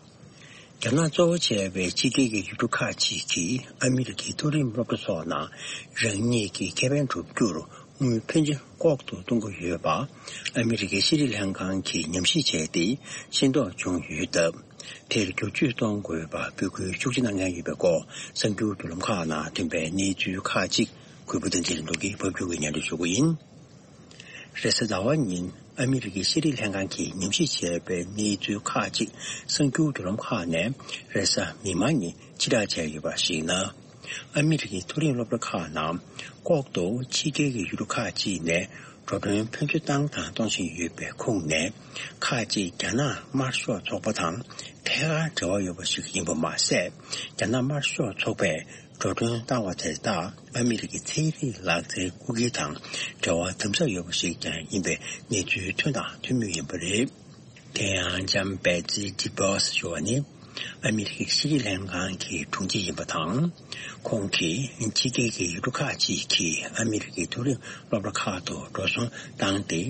རྒྱ་ནག་གཙོ་བོ་བྱས་པའི་ཕྱི་རྒྱལ་གྱི་ཡུལ་གྲུ་ཁག་ཅིག་གིས་ཨ་མི་རི་ཀའི་མཐོ་རིམ་སློབ་གྲྭ་སོགས་ནང་རང་ཉིད་ཀྱི་ཁེ་ཕན་བསྒྲུབ་རྒྱུར་དངུལ་ཕོན་ཆེ་ལྐོག་ཏུ་གཏོང་གི་ཡོད་པ། ཨ་མི་རི་ཀའི་ཤེས་རིག་ལྷན་ཁང་གིས་ཉམས་ཞིབ་བྱས་ཏེ་ཤེས་རྟོགས་བྱུང་ཡོད་སྟབས། དེར་བསྒྱུར་བཅོས་གཏོང་དགོས་པ་འབོད་སྐུལ་ཤུགས་ཆེ་གནང་མཁན་ཡོད་པའི་སྐོར་གསར་འགྱུར་བརྒྱུད་ལམ་ཁག་ནང་ཐོན་པའི་གནས་ཚུལ་ཁག་ཅིག་གུས་པ་བསྟན་འཛིན་ལྷུན་གྲུབ་ཀྱིས་ཕབ་སྒྱུར་གྱིས་སྙན་སྒྲོན་ཞུ་གི་ཡིན། རེས་གཟའ་ཟླ་བ་ཉིན་ཨ་མི་རི་ཀའི་ཤེས་རིག་ལྷན་ཁང་གིས་ཉམས་ཞིབ་བྱས་པའི་གནས་ཚུལ་ཁག་ཅིག་གསར་འགྱུར་བརྒྱུད་ལམ་ཁག་ནས་རེས་གཟའ་མིག་དམར་ཉིན་ཕྱིར་བསྒྲགས་བྱས་ཡོད་པར་གཞིགས་ན། ཨ་མི་རི་ཀའི་མཐོ་རིམ་སློབ་གྲྭ་ཁག་ནང་ལྐོག་ཏུ་ཕྱི་རྒྱལ་གྱི་ཡུལ་གྲུ་ཁག་ཅིག་ནས་འགྲོ་གྲོན་ཕོན་ཆེ་བཏང་དང་གཏོང་བཞིན་ཡོད་པའི་ཁོངས་ནས། ཁག་ཅིག་རྒྱ་ནག་དམར་ཤོག་ཚོགས་པ་དང་ཐད་ཀར་འབྲེལ་བ་ཡོད་པ་ཞིག་ཡིན་པ་མ་ཟད། རྒྱ་ནག་དམར་ཤོག་ཚོགས་པས་འགྲོ་གྲོན་བཏང་བ་དེ་དག་ཨ་མི་རི་ཀའི་ཚན་རིག་ལག་རྩལ་སྐུལ་འཁྱེར་དང་འབྲེལ་བ་དམ་ཟབ་ཡོད་པ་ཞིག་ཀྱང་ཡིན་པའི་གནས་ཚུལ་ཐོན་དང་ཐོན་མུས་ཡིན་པ་རེད། དེ་ཡང་ལྕམ་Betsy DeVos་ཞུ་བ་ནི། ཨ་མི་རི་ཀའི་ཤེས་རིག་ལྷན་ཁང་གི་དྲུང་ཆེ་ཡིན་པ་དང་། ཁོང་གིས་ཕྱི་རྒྱལ་གྱི་ཡུལ་གྲུ་ཁག་ཅིག་གིས་ཨ་མི་རི་ཀའི་མཐོ་རིམ་སློབ་གྲྭ་ཁག་ཏུ་འགྲོ་སོང་བཏང་སྟེ།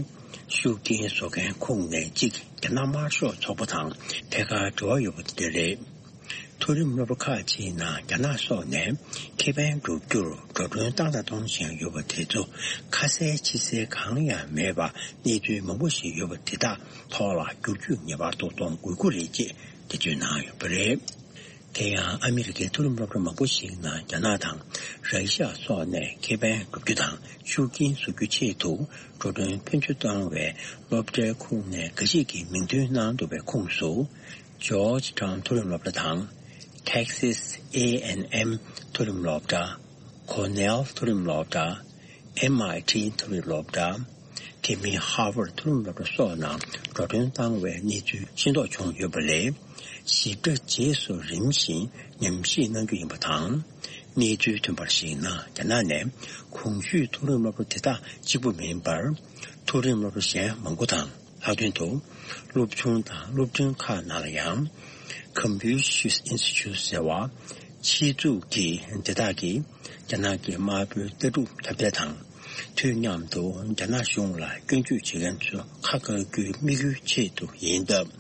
ཤུགས་རྐྱེན་བཟོ་མཁན་ཁོངས་ནས་གཅིག་རྒྱ་ནག་དམར་ཤོག་ཚོགས་པ་དང་ཐད་ཀར་འབྲེལ་བ་ཡོད་པ་དེ་རེད། མཐོ་རིམ་སློབ་གྲྭ་ཁག་ཅིག་ནང་རྒྱ་ནག་སོགས་ནས་ཁེ་ཕན་བསྒྲུབ་རྒྱུར་འགྲོ་གྲོན་བཏང་དང་གཏོང་བཞིན་ཡོད་པ་དེ་ཚོ་ཁ་གསལ་ཕྱི་གསལ་གང་ཡང་མེད་པ་གནས་ཚུལ་མང་པོ་ཞིག་ཡོད་པ་དེ་དག་ཐོག་ལ་བསྒྱུར་བཅོས་ངེས་པར་དུ་གཏོང་དགོས་ཀྱི་རེད་ཅེས་འགྲེལ་བརྗོད་གནང་ཡོད་པ་རེད། དེ་ཡང་ཨ་མི་རི་ཀའི་མཐོ་རིམ་སློབ་གྲྭ་མང་པོ་ཞིག་ནང་རྒྱ་ནག་དང་ར་ཤི་ཡ་སོགས་ནས་ཁེ་ཕན་བསྒྲུབ་རྒྱུ་དང་ཤུགས་རྐྱེན་བཟོ་རྒྱུ་ཆེད་དུ་འགྲོ་གྲོན་ཕོན་ཆེ་གཏོང་བའི་སློབ་གྲྭའི་ཁོངས་ནས་འགའ་ཞིག་གིས་མིང་འདོན་གནང་འདུག་པའི་ཁོངས་སུ། Georgetown་མཐོ་རིམ་སློབ་གྲྭ་དང་། Texas A&M མཐོ་རིམ་སློབ་གྲྭ། Cornell་མཐོ་རིམ་སློབ་གྲྭ། M I T་མཐོ་རིམ་སློབ་གྲྭ། དེ་མིན་Harvard་མཐོ་རིམ་སློབ་གྲྭ་སོགས་ནང་འགྲོ་གྲོན་བཏང་བའི་གནས་ཚུལ་ཤེས་རྟོགས་བྱུང་ཡོད་པ་ལས། ཞིབ་ཕྲ་རྗེས་སུ་རིམ་བཞིན་ཉམས་ཞིབ་གནང་རྒྱུ་ཡིན་པ་དང་། གནས་ཚུལ་ཐོན་པར་གཞིགས་ན། རྒྱ་ནག་ནས་གོང་ཞུས་མཐོ་རིམ་སློབ་གྲྭ་དེ་དག་གཅིག་པུ་མིན་པར། མཐོ་རིམ་སློབ་གྲྭ་གཞན་མང་པོ་དང་། ལྷག་དོན་དུ། སློབ་ཆུང་དང་སློབ་འབྲིང་ཁག་ནང་ལ་ཡང་། Confucius Institute་ཟེར་བ། ཕྱི་ཚུགས་ཀྱི་དེ་དག་གིས་རྒྱ་ནག་གི་དམར་པོའི་ལྟ་གྲུབ་ཁྱབ་གདལ་དང་། དུས་མཉམ་དུ་རྒྱ་ནག་གཞུང་ལ་སྐྱོན་བརྗོད་བྱེད་མཁན་ཚོ་ཁ་བཀག་རྒྱུའི་དམིགས་ཡུལ་ཆེད་དུ་ཡིན་སྟབས།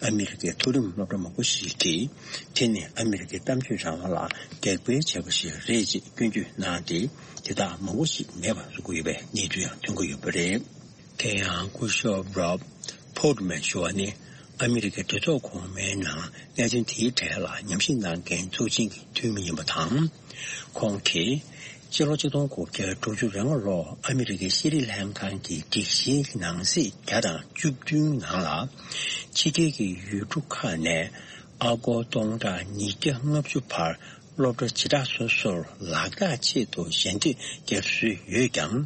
ཨ་མི་རི་ཀའི་མཐོ་རིམ་སློབ་གྲྭ་མང་པོ་ཞིག་གིས་དེ་ནི་ཨ་མི་རི་ཀའི་གཏམ་བརྗོད་རང་དབང་ལ་དེག་པའི་བྱ་བ་ཞིག་རེད་ཅེས་སྐྱོན་བརྗོད་གནང་སྟེ། དེ་དག་མང་པོ་ཞིག་མེད་པར་བཟོ་དགོས་ཡོད་པའི་གནས་ཚུལ་ཡང་ཐོན་གྱི་ཡོད་པ་རེད། དེ་ཡང་སྐུ་ཞབས་Rob Portman་ཞུ་བ་ནི། ཨ་མི་རི་ཀའི་གྲོས་ཚོགས་གོང་མའི་ནང་གནད་དོན་དེའི་གྲས་ལ་ཉམས་ཞིབ་གནང་མཁན་ཚོགས་ཆེན་གྱི་འཐུས་མི་ཡིན་པ་དང་། ཁོང་གིས་ཕྱི་ལོ་ཆིག་སྟོང་དགུ་བརྒྱ་དྲུག་ཅུ་རེ་ལྔ་ལོར་ཨ་མི་རི་ཀའི་ཤེས་རིག་ལྷན་ཁང་གི་སྒྲིག་གཞིའི་ནང་གསེས་བརྒྱ་དང་བཅུ་བདུན་ནང་ལ། ཕྱི་རྒྱལ་གྱི་ཡུལ་གྲུ་ཁག་ནས་ཨ་སྒོར་སྟོང་ཕྲག་ཉིས་བརྒྱ་ལྔ་བཅུ་བར་སློབ་གྲྭ་བྱེ་བྲག་སོ་སོར་ལག་བསྟར་ཆེད་དུ་ཞལ་འདེབས་བརྒྱབ་སྲོལ་ཡོད་ཀྱང་།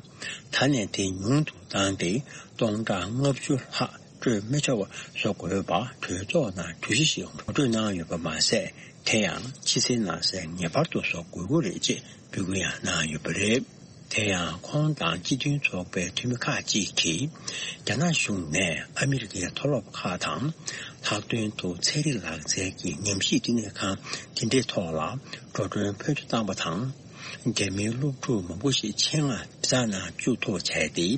ད་ནས་དེ་ཉུང་དུ་བཏང་སྟེ་སྟོང་ཕྲག་ལྔ་བཅུ་ལྷག་སྤྲོད་མི་ཆོག་པ་བཟོ་དགོས་པ་གྲོས་ཚོགས་ནང་གྲོས་གཞི་ཞིག་ངོ་སྤྲོད་གནང་ཡོད་པ་མ་ཟད། དེ་ཡང་ཕྱི་གསལ་ནང་གསལ་ངེས་པར་དུ་བཟོ་དགོས་ཀྱི་རེད་ཅེས་འབོད་སྐུལ་ཡང་གནང་ཡོད་པ་རེད། དེ་ཡང་ཁོང་དང་སྤྱི་མཐུན་ཚོགས་པའི་འཐུས་མི་ཁག་ཅིག་གིས། རྒྱ་ནག་གཞུང་ནས་ཨ་མི་རི་ཀའི་མཐོ་སློབ་ཁག་དང་། ལྷག་དོན་དུ་ཚན་རིག་ལག་རྩལ་གྱི་ཉམས་ཞིབ་བསྟི་གནས་ཁང་དེ་འདྲའི་ཐོག་ལ་འགྲོ་གྲོན་ཕོན་ཆེ་བཏང་བ་དང་ རྒྱ་མིའི་སློབ་ཕྲུག་མང་པོ་ཞིག་ཆེད་མངགས་བྱ་ནང་བཅུག་ཐུབ་པ་བྱས་ཏེ།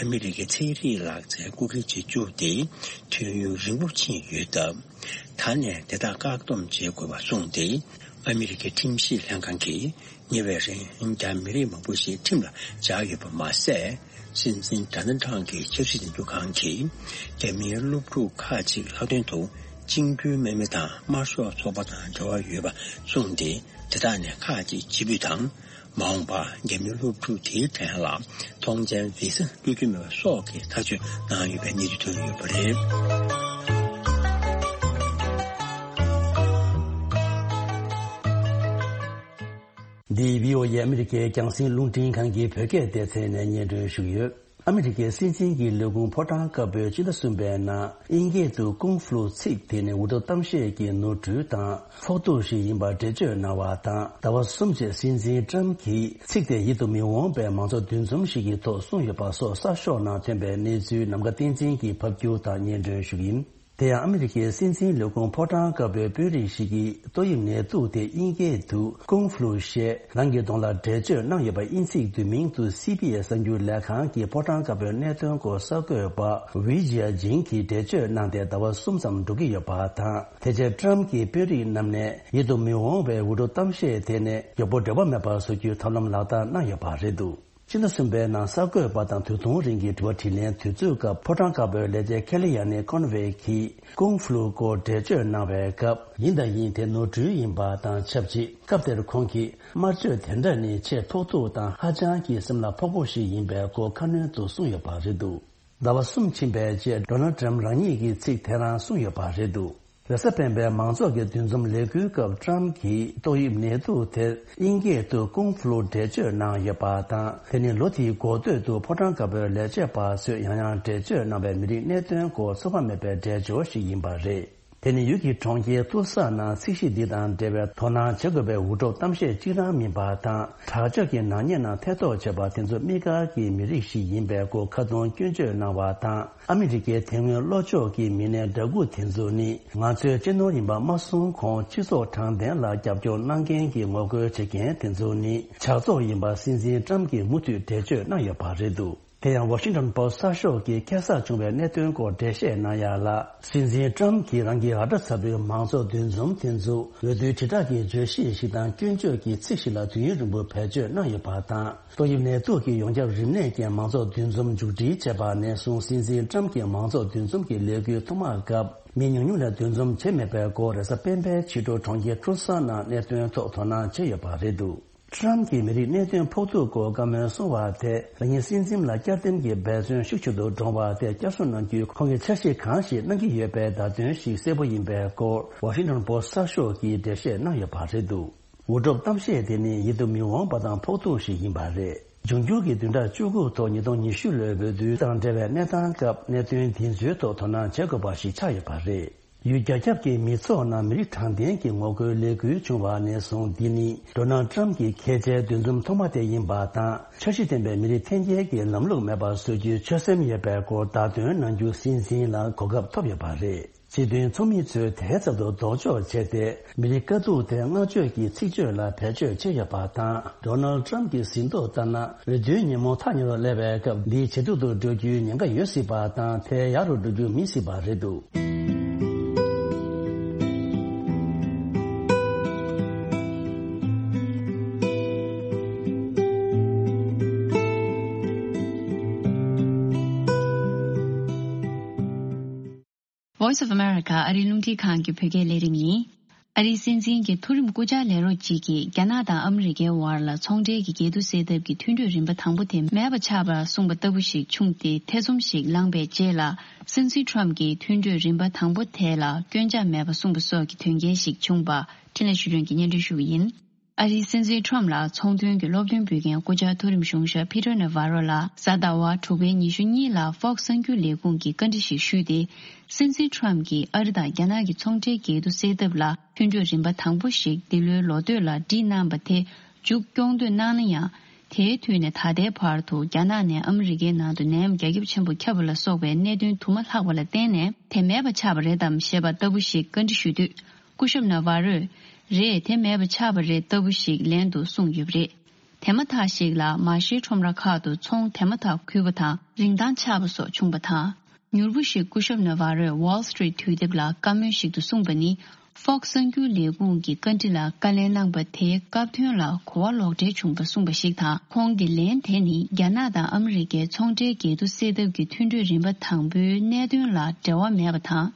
ཨ་མི་རི་ཀའི་ཚན་རིག་ལག་རྩལ་སྐུལ་སློང་བྱེད་རྒྱུ་དེ་དུས་ཡུན་རིང་པོ་ཕྱིན་ཡོད་སྟབས། ད་ནས་དེ་དག་བཀག་སྡོམ་བྱེད་དགོས་པ་གསུངས་ཏེ། ཨ་མི་རི་ཀའི་ཁྲིམས་ཞིབ་ལྷན་ཁང་གིས་ཉེ་བའི་རིང་རྒྱ་མི་རིགས་མང་པོ་ཞིག་ཁྲིམས་ལ་འཇགས་ཡོད་པ་མ་ཟད། སྲིད་འཛིན་ཌོ་ནལ་ཊམ་གྱི་ཆབ་སྲིད་འཛིན་སྐྱོང་ཁང་གིས་རྒྱ་མིའི་སློབ་ཕྲུག་ཁག་ཅིག་ལྷག་དོན་དུ་གཅིག་མཐུན་དམག་མི་དང་དམར་ཤོག་ཚོགས་པ་དང་འབྲེལ་བ་ཡོད་པ་གསུངས་ཏེ། དེ་དག་ནས་ཁག་ཅིག་ཕྱིར་འབུད་དང་། མ་འོངས་པར་རྒྱ་མིའི་སློབ་ཕྲུག་དེའི་གྲས་ལ་ཐོངས་མཆན་བི་ཟ་སྤྲོད་རྒྱུ་མེད་པ་སོགས་ཀྱི་ཐག་གཅོད་གནང་ཡོད་པའི་གནས་ཚུལ་ཐོན་ཡོད་པ་རེད། འདི་བྷི་ཨོ་ཨེ་ཨ་མི་རི་ཀའི་རྒྱང་སྲིང་རླུང་འཕྲིན་ཁང་གི་བོད་སྐད་སྡེ་ཚན་ནས་སྙན་སྒྲོན་ཞུ་གི་ཡོད། ཨ་མི་རི་ཀའི་སྲིད་འཛིན་གྱི་ལས་ཁུངས་ཕོ་བྲང་དཀར་པོས་སྤྱི་ཟླ་གསུམ་པའི་ནང་དབྱིན་སྐད་དུ་ཀུང་ཧྥུ་ལུ་ཚིག་དེ་ནི་འུར་སྒྲོག་གཏམ་བཤད་ཀྱི་ནོར་འཁྲུལ་དང་ཕོག་ཐུག་ཞིག་ཡིན་པར་འགྲེལ་བརྗོད་གནང་བ་དང་། ཟླ་བ་གསུམ་རྗེས་སྲིད་འཛིན་ཀྲམ་གྱིས་ཚིག་དེ་ཡིད་དུ་མི་འོང་བའི་མང་ཚོགས་འདུ་འཛོམས་ཤིག་གི་ཐོག་གསུངས་ཡོད་པ་སོགས་གསར་ཤོག་ནང་ཐོན་པའི་གནས་ཚུལ་ནམ་མཁའ་བསྟན་འཛིན་གྱིས་ཕབ་སྒྱུར་དང་སྙན་སྒྲོན་ཞུ་གི་ཡིན། དེ་ཡང་ཨ་མི་རི་ཀའི་སྲིད་འཛིན་ལས་ཁུངས་ཕོ་བྲང་དཀར་པོའི་དཔོན་རིགས་ཤིག་གིས་ཏོག་དབྱིབས་ནད་དུག་དེ་དབྱིན་སྐད་དུ་ཀུང་ཧྥུ་ལུ་ཞེས་རང་གི་གདོང་ལ་འགྲེལ་བརྗོད་གནང་ཡོད་པ་དབྱིན་ཚིག་བསྡུས་མིང་དུ་སི་བྷི་ཨེས་གསར་འགྱུར་ལས་ཁང་གིས་ཕོ་བྲང་དཀར་པོའི་གནད་དོན་སྐོར་གསར་འགོད་པ་ཝི་ཇི་ཡ་ཇིང་གིས་འགྲེལ་བརྗོད་གནང་སྟེ་ཟླ་བ་གསུམ་ཙམ་འགྲོ་གི་ཡོད་པ་དང་། དེ་རྗེས་ཀྲམ་གྱི་དཔོན་རིགས་རྣམས་ནས་ཡིད་དུ་མི་འོང་བའི་འུར་སྒྲོག་གཏམ་བཤད་དེ་ནི་མགྱོགས་པོ་འབྲེལ་བ་མེད་པར་བཟོ་རྒྱུའི་ཐབས་ལམ་ལག་བསྟར་གནང་ཡོད་པ་རེད་འདུག་སྤྱི་ཟླ་གསུམ་པའི་ནང་གསར་འགོད་པ་དང་དུས་ཐུང་རིང་གི་དྲི་བ་དྲིས་ལན་དུས་ཚོད་སྐབས་ཕོ་བྲང་དཀར་པོའི་ལས་བྱེད་ཁེ་ལི་ཡ་ནི་ཁོན་ཝེ་གིས་ཀུང་ཧྥུ་ལུ་སྐོར་འགྲེལ་བརྗོད་གནང་བའི་སྐབས། ཡིན་དང་ཡིན་དེ་ནོར་འཁྲུལ་ཡིན་པ་དང་ཆབས་ཅིག་སྐབས་དེར་ཁོང་གིས་དམར་མཆོད་དེ་འདྲ་ནི་ཆེས་ཕོག་ཐུག་དང་ཧ་ཅང་གི་སེམས་ལ་ཕོག་པོ་ཞིག་ཡིན་པའི་སྐོར་ཁ་སྣོན་དུ་གསུངས་ཡོད་པ་རེད་འདུག་ཟླ་བ་གསུམ་ཕྱིན་པའི་རྗེས་ཌོ་ནལ་ཊམ་རང་ཉིད་ཀྱིས་ཚིག་དེ་རང་གསུངས་ཡོད་པ་རེད་འདུག་རེས་གཟའ་སྤེན་པའི་མང་ཚོགས་ཀྱི་འདུ་འཛོམས་ལས་འགུལ་སྐབས་ཀྲམ་གྱིས་ཏོག་དབྱིབས་ནད་དུག་དེ་དབྱིན་སྐད་དུ་ཀུང་ཧྥུ་ལུ་འགྲེལ་བརྗོད་གནང་ཡོད་པ་དང་། དེ་ནི་ལོ་དེའི་འགོ་སྟོད་དུ་ཕོ་བྲང་དཀར་པོའི་ལས་བྱེད་པ་ཚོས་ཡང་ཡང་འགྲེལ་བརྗོད་གནང་བའི་མི་རིགས་གནད་དོན་སྐོར་ཚོད་དཔག་མེད་པའི་འགྲེལ་སྦྱོར་ཞིག་ཡིན་པ་རེད། དེ་ནི་ཡུལ་གྱི་གྲོང་ཁྱེར་ཏུལ་ས་ནང་ཚིག་གཞི་འདི་དང་འབྲེལ་བའི་དོ་སྣང་བྱེད་དགོས་པའི་འུར་སྒྲོག་གཏམ་བཤད་གཅིག་རང་མིན་པ་དང་། དྲག་སྤྱོད་ཀྱི་ནག་ཉེས་ནང་ཐེ་གཏོགས་བྱས་པ་དེ་ཚོ་དམིགས་བཀར་གྱི་མི་རིགས་ཤིག་ཡིན་པའི་སྐོར་ཁ་རྡུང་སྐྱོན་བརྗོད་གནང་བ་དང་། ཨ་མི་རི་ཀའི་དེ་སྔོན་ལྷོ་ཕྱོགས་ཀྱི་མི་སྣའི་འདྲ་སྐུ་དེ་ཚོ་ནི་ང་ཚོའི་གཅེས་ནོར་ཡིན་པ་མ་གསུངས་གོང་། སྤྱི་ཚོགས་དྲང་བདེན་ལ་རྒྱབ་སྐྱོར་གནང་མཁན་གྱི་ངོ་རྒོལ་བྱེད་མཁན་དེ་ཚོ་ནི་ཇག་ཚོགས་ཡིན་པ་སྲིད་འཛིན་ཀྲམ་གྱིས་མུ་མཐུད་འགྲེལ་བརྗོད་གནང་ཡོད་པ་རེད་འདུག་དེ་ཡང་ཝ་ཤིང་ཊོན་པོ་སི་གསར་ཤོག་གིས་ཁ་སང་བྱུང་བའི་གནད་དོན་སྐོར་འགྲེལ་བཤད་གནང་ཡ་ལ། སྲིད་འཛིན་ཀྲམ་གྱིས་རང་གི་ཨ་འདྲ་ཚ་པོའི་མང་ཚོགས་འདུ་འཛོམས་དེ་ཚོ་འོས་བསྡུའི་དྲིལ་བསྒྲགས་ཀྱི་བརྗོད་གཞི་ཞིག་དང་སྐྱོན་བརྗོད་ཀྱི་ཚིག་ཞིག་ལ་དུས་ཡུན་རིང་པོ་བེད་སྤྱོད་གནང་ཡོད་པ་དང་། ཏོག་དབྱིབས་ནད་དུག་གི་ཡོངས་ཁྱབ་རིམས་ནད་ཀྱི་མང་ཚོགས་འདུ་འཛོམས་མཇུག་སྒྲིལ་བྱས་པ་ནས་བཟུང་སྲིད་འཛིན་ཀྲམ་གྱི་མང་ཚོགས་འདུ་འཛོམས་ཀྱི་ལས་འགུལ་ཐོག་མའི་སྐབས་མི་ཉུང་ཉུང་ལས་འདུ་འཛོམས་བྱས་མེད་པའི་སྐོར་རེས་གཟའ་སྤེན་པའི་ཕྱི་དྲོ་གྲོང་ཁྱེར་ཏུལ་ས་ནང་གནད་དོན་ཐོག་དོ་སྣང་བྱས་ཡོད་པ་རེད་འདུག་ཀྲམ་གྱིས་མི་རིགས་གནད་དོན་ཕོག་ཐུག་སྐོར་བཀའ་མོལ་གསུང་བ་དེ་རང་ཉིད་སྲིད་འཛིན་ལ་བསྐྱར་འདེམས་ཀྱི་འབད་བརྩོན་ཤུགས་ཆེ་རུ་འགྲོ་བ་དེ་བསྐྱར་གསོ་གནང་རྒྱུའི་ཁོང་གི་འཆར་གཞི་གང་ཞིག་གནང་གི་ཡོད་པའི་བརྡ་དོན་ཞིག་གསལ་པོ་ཡིན་པའི་སྐོར་ཝ་ཤིང་ཊོན་པོ་སི་གསར་ཤོག་གིས་འགྲེལ་བཤད་གནང་ཡོད་པ་རེད་འདུག་འུར་སྒྲོག་གཏམ་བཤད་དེ་ནི་ཡིད་དུ་མི་འོང་བ་དང་ཕོག་ཐུག་ཞིག་ཡིན་པ་རེད། འབྱུང་འགྱུར་གྱི་བདུན་ཕྲག་བཅུ་དགུ་ཐོག་ཉིས་སྟོང་ཉི་ཤུ་ལོའི་འོས་བསྡུ་དང་འབྲེལ་བའི་གནས་སྟངས་སྐབས་གནད་དོན་འདི་ཚོའི་ཐོག་དོ་སྣང་བྱེད་དགོས་པ་ཞིག་ཆགས་ཡོད་པ་རེད། ཡུལ་རྒྱ་ཁྱབ་ཀྱི་མི་ཚོགས་ནང་མི་རིགས་དྲང་བདེན་གྱི་ངོ་རྒོལ་ལས་འགུལ་བྱུང་བ་ནས་བཟུང་། འདི་ནི་ཌོ་ནལ་ཌི་ཊམ་གྱི་ཁེ་ཆེའི་འདུ་འཛོམས་ཐོག་མ་དེ་ཡིན་པ་དང་། འཆར་གཞི་ལྡན་པའི་མི་རིགས་འཐེན་འཁྱེར་གྱི་ལམ་ལུགས་མེད་པར་བཟོ་རྒྱུའི་ཆོད་སེམས་ཡོད་པའི་སྐོར་བརྡ་སྟོན་གནང་རྒྱུ་སྲིད་འཛིན་ལ་གོ་སྐབས་ཐོབ་ཡོད་པ་རེད། སྤྱི་མཐུན་ཚོགས་མི་ཚོས་དེའི་ཚབ་ཏུ་ལྡོག་ཕྱོགས་བྱས་ཏེ། མི་རིགས་དཀའ་སྡུག་དེ་བསྔགས་བརྗོད་ཀྱི་ཚིག་བརྗོད་ལ་བེད་སྤྱོད་བྱས་ཡོད་པ་དང་། ཌོ་ནལ་ཌི་ཊམ་གྱི་ཟིན་ཐོ་ལྟར་ན། འོས་བསྡུའི་ཉིན་མོ་ཐག་ཉེ་རུ་སླེབས་པའི་སྐབས་འདི་ཇེ་སྡུག་ཏུ་འགྲོ་རྒྱུའི་ཉེན་ཁ་ཡོད་སྲིད་པ་དང་། དེ་ཡག་རུ་འགྲོ་རྒྱུ་མི་སྲིད་པ་རེད་འདུག Voice of America ཨ་རིའི་རླུང་འཕྲིན་ཁང་གི་བོད་སྐད་ལས་རིམ་ཡིན། ཨ་རིའི་སྲིད་འཛིན་གྱི་མཐོ་རིམ་སྐུ་བཅར་ལས་རོགས་གཅིག་གིས་རྒྱ་ནག་དང་ཨ་མི་རི་ཀའི་བར་ལ་ཚོང་འབྲེལ་གྱི་འགལ་འདུ་སེལ་ཐབས་ཀྱི་མཐུན་གྲོས་རིམ་པ་དང་པོ་དེ་མེད་པ་ཆགས་པར་གསུངས་པ་ལྟ་བུ་ཞིག་བྱུང་སྟེ། ཐེ་ཚོམ་ཞིག་ལངས་པའི་རྗེས་ལ། སྲིད་འཛིན་ཊམ་གྱིས་མཐུན་གྲོས་རིམ་པ་དང་པོ་དེ་ལ་སྐྱོན་ཆ་མེད་པ་གསུངས་པ་སོགས་ཀྱི་དོན་རྐྱེན་ཞིག་བྱུང་བ། འཕྲིན་ལས་ཆོས་སྒྲོན་གྱིས་སྙན་སྒྲོན་ཞུ་གི་ཡིན། ཨ་རིའི་སྲིད་འཛིན་ཊམ་ལ་ཚོང་དོན་གྱི་སློབ་སྟོན་ཕུལ་མཁན་སྐུ་བཅར་མཐོ་རིམ་གཞུང་ཞབས་ཕི་ཏར་ནེ་ཝ་རོ་ལ་གཟའ་ཟླ་བ་དྲུག་པའི་ཉི་ཤུ་གཉིས་ལ་ཧྥོག་གསར་འགྱུར་ལས་ཁུངས་ཀྱིས་བཀའ་འདྲི་ཞིག་ཞུས་ཏེ། སྲིད་འཛིན་ཊམ་གྱིས་ཨ་རི་དང་རྒྱ་ནག་གི་ཚོང་འབྲེལ་འགལ་འདུ་སེལ་ཐབས་ལ་མཐུན་གྲོས་རིམ་པ་དང་པོ་ཞིག་འདི་ལོའི་ལོ་སྟོད་ལ་བསྒྲིགས་གནང་བ་དེ་མཇུག་སྐྱོང་འདོད་གནང་ན་ཡང་། དེའི་དུས་ནས་ད་ལྟའི་བར་དུ་རྒྱ་ནག་ནས་ཨ་མི་རི་ཀའི་ནང་དུ་ནད་ཡམས་རྒྱ་ཁྱབ་ཆེན་པོ་ཁྱབ་པ་ལ་སོགས་པའི་གནད་དོན་དུ་མ་ལྷག་པ་ལ་བརྟེན་ནས་དེ་མེད་པ་ཆགས་པ་རེད་དམ་ཞེས་པ་ལྟ་བུ་ཞིག་བཀའ་འདྲི་ཞུས་དུས། སྐུ་ཞབས་ནེ་ཝ་རོས། རེད། དེ་མེད་པ་ཆགས་པ་རེད་ལྟ་བུ་ཞིག་ལན་དུ་གསུངས་ཡོད་པ་རེད། དེ་མ་ཐག་ཞིག་ལ་མ་ཤིའི་ཁྲོམ་ར་ཁག་ཏུ་ཚོང་དེ་མ་ཐག་ཁུལ་བ་དང་རིན་ཐང་ཆག་པ་སོགས་བྱུང་བ་དང་། མྱུར་པོ་ཞིག་སྐུ་ཞབས་ནཱ་ཝ་རོས་Wall Street་དུས་དེབ་ལ་བཀའ་མོལ་ཞིག་ཏུ་གསུངས་པ་ནི། Fox་གསར་འགྱུར་ལས་ཁུངས་ཀྱི་བཀའ་འདྲི་ལ་བཀའ་ལན་གནང་པ་དེའི་སྐབས་དོན་ལ་གོ་བ་ལོག་འགྲེལ་བྱུང་བ་གསུངས་པ་ཞིག་དང་། ཁོང་གི་ལན་དེ་ནི་རྒྱ་ནག་དང་ཨ་མི་རི་ཀའི་ཚོང་འབྲེལ་འགལ་འདུ་སེལ་ཐབས་ཀྱི་མཐུན་གྲོས་རིམ་པ་དང་པོའི་གནད་དོན་ལ་འབྲེལ་བ་མེད་པ་དང་།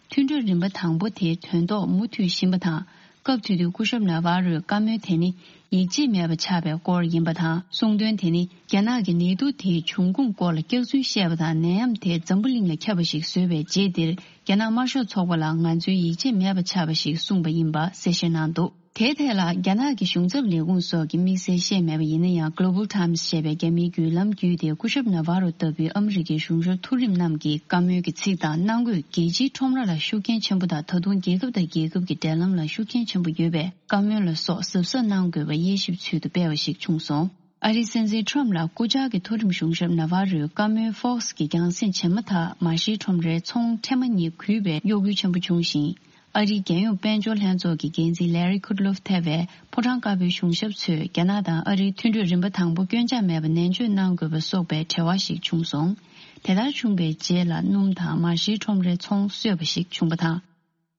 མཐུན་གྲོས་རིམ་པ་དང་པོ་དེའི་དོན་ཐོག་མུ་མཐུད་བཞིན་པ་དང་། སྐབས་དེ་དུས་སྐུ་ཞབས་ནཱ་ཝ་རོས་བཀའ་མོལ་དེ་ནི་ཡིད་ཆེས་མེད་པ་ཆགས་པའི་སྐོར་ཡིན་པ་དང་། གསུང་དོན་དེ་ནི་རྒྱ་ནག་གི་ནད་དུག་དེའི་འབྱུང་ཁུངས་སྐོར་ལ་སྐྱག་རྫུན་བཤད་པ་དང་། ནད་ཡམས་དེ་འཛམ་བུ་གླིང་ལ་ཁྱབ་པ་ཞིག་བཟོས་པའི་རྗེས་འདིར། རྒྱ་ནག་དམར་ཤོག་ཚོགས་པ་ལ་ང་ཚོའི་ཡིད་ཆེས་མེད་པ་ཆགས་པ་ཞིག་གསུངས་པ་ཡིན་པ་གསལ་བཤད་གནང་འདུག་དེའི་ཐད་ལ་རྒྱ་ནག་གི་གཞུང་ཚབ་ལས་ཁུངས་སོགས་ཀྱིས་དམིགས་བསལ་བཤད་མེད་པ་ཡིན་ན་ཡང་། Global Times་ཞེས་པའི་རྒྱ་མིའི་བརྒྱུད་ལམ་བརྒྱུད་དེ། སྐུ་ཞབས་ནཱ་ཝ་རོ་ལྟ་བུའི་ཨ་མི་རི་ཀའི་གཞུང་ཞབས་མཐོ་རིམ་རྣམས་ཀྱི་བཀའ་མོལ་གྱི་ཚིག་དང་། གནང་དགོས་རྒྱལ་སྤྱིའི་ཁྲོམ་ར་ལ་ཤུགས་རྐྱེན་ཆེན་པོ་དང་། ད་དུང་རྒྱལ་ཁབ་དང་རྒྱལ་ཁབ་ཀྱི་འབྲེལ་ལམ་ལ་ཤུགས་རྐྱེན་ཆེན་པོ་ཡོད་པའི་བཀའ་མོལ་ལ་སོགས་གཟབ་གཟབ་གནང་དགོས་པ་དབྱེ་ཞིབ་ཚུལ་དུ་སྤེལ་བ་ཞིག་བྱུང་སོང་། ཨ་རིའི་སྲིད་འཛིན་ཊམ་ལ་སྐུ་བཅར་གྱི་མཐོ་རིམ་གཞུང་ཞབས་ནཱ་ཝ་རོའི་བཀའ་མོལ་Fox་གི་རྒྱང་སྲིང་བྱེད་མ་ཐག་མ་ཤིའི་ཁྲོམ་རའི་ཚོང་ཐེངས་མ་གཉིས་གུད་པའི་གཡོ་འགུལ་ཆེན་པོ་བྱུང་ཞིང་། ཨ་རིའི་རྒྱལ་ཡོངས་དཔལ་འབྱོར་ལྷན་ཚོགས་ཀྱི་འགན་འཛིན་Larry Kudlow་ཐེ་བའི་ཕོ་བྲང་དཀར་པོའི་གཞུང་ཞབས་ཚོས་རྒྱ་ནག་དང་ཨ་རིའི་མཐུན་གྲོས་རིམ་པ་དང་པོ་སྐྱོན་ཆག་མེད་པ་ནན་བརྗོད་གནང་དགོས་པ་སོགས་པའི་འབྲེལ་བ་ཞིག་བྱུང་སོང་། དེ་ལྟར་བྱུང་བའི་རྗེས་ལ་སྣུམ་དང་མ་ཤིའི་ཁྲོམ་རའི་ཚོང་གསོས་པ་ཞིག་བྱུང་བ་དང་།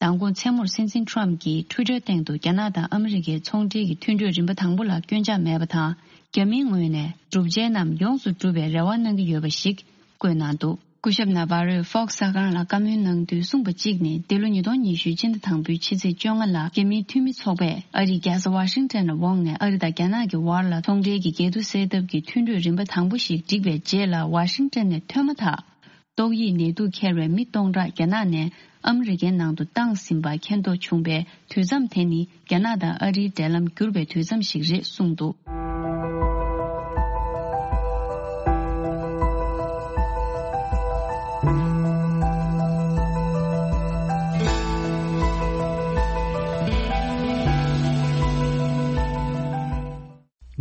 མདང་དགོང་མཚན་མོར་སྲིད་འཛིན་ཊམ་གྱིས་ཊུའི་ཊར་སྟེང་དུ་རྒྱ་ནག་དང་ཨ་མི་རི་ཀའི་ཚོང་འབྲེལ་གྱི་མཐུན་གྲོས་རིམ་པ་དང་པོ་ལ་སྐྱོན་ཆག་མེད་པ་དང་། རྒྱ་མིའི་ངོས་ནས་བསྒྲུབ་བྱའི་རྣམས་ཡོངས་སུ་འགྲུབ་པའི་རེ་བ་གནང་གི་ཡོད་པ་ཞིག་བཀོད་གནང་འདུག་སྐུ་ཞབས་ནཱ་ཝ་རོས་Fox་གསར་ཁང་ལ་བཀའ་མོལ་གནང་དུས་གསུངས་པ་གཅིག་ནི། འདི་ལོ་ཉིས་སྟོང་ཉི་ཤུ་སྤྱི་ཟླ་དང་པོའི་ཕྱི་ཚེས་བཅོ་ལྔ་ལ་རྒྱ་མིའི་འཐུས་མི་ཚོགས་པས་ཨ་རིའི་རྒྱལ་ས་ཝ་ཤིང་ཊོན་ལ་འོངས་ནས། ཨ་རི་དང་རྒྱ་ནག་གི་དབར་ལ་ཚོང་འབྲེལ་གྱི་འགལ་འདུ་སེལ་ཐབས་ཀྱི་མཐུན་གྲོས་རིམ་པ་དང་པོ་ཞིག་བསྒྲིགས་པའི་རྗེས་ལ། ཝ་ཤིང་ཊོན་ནས་ཐོན་མ་ཐག་ཏོག་དབྱིབས་ནད་དུག་འཁྱེར་བའི་མི་སྟོང་ཕྲག་རྒྱ་ནག་ནས་ཨ་མི་རི་ཀའི་ནང་དུ་བཏང་ཟིན་པ་མཁྱེན་རྟོགས་བྱུང་བའི་དུས་མཚམས་དེ་ནི། རྒྱ་ནག་དང་ཨ་རིའི་འབྲེལ་ལམ་འགྱུར་བའི་དུས་མཚམས་ཤིག་རེད་གསུངས་འདུག་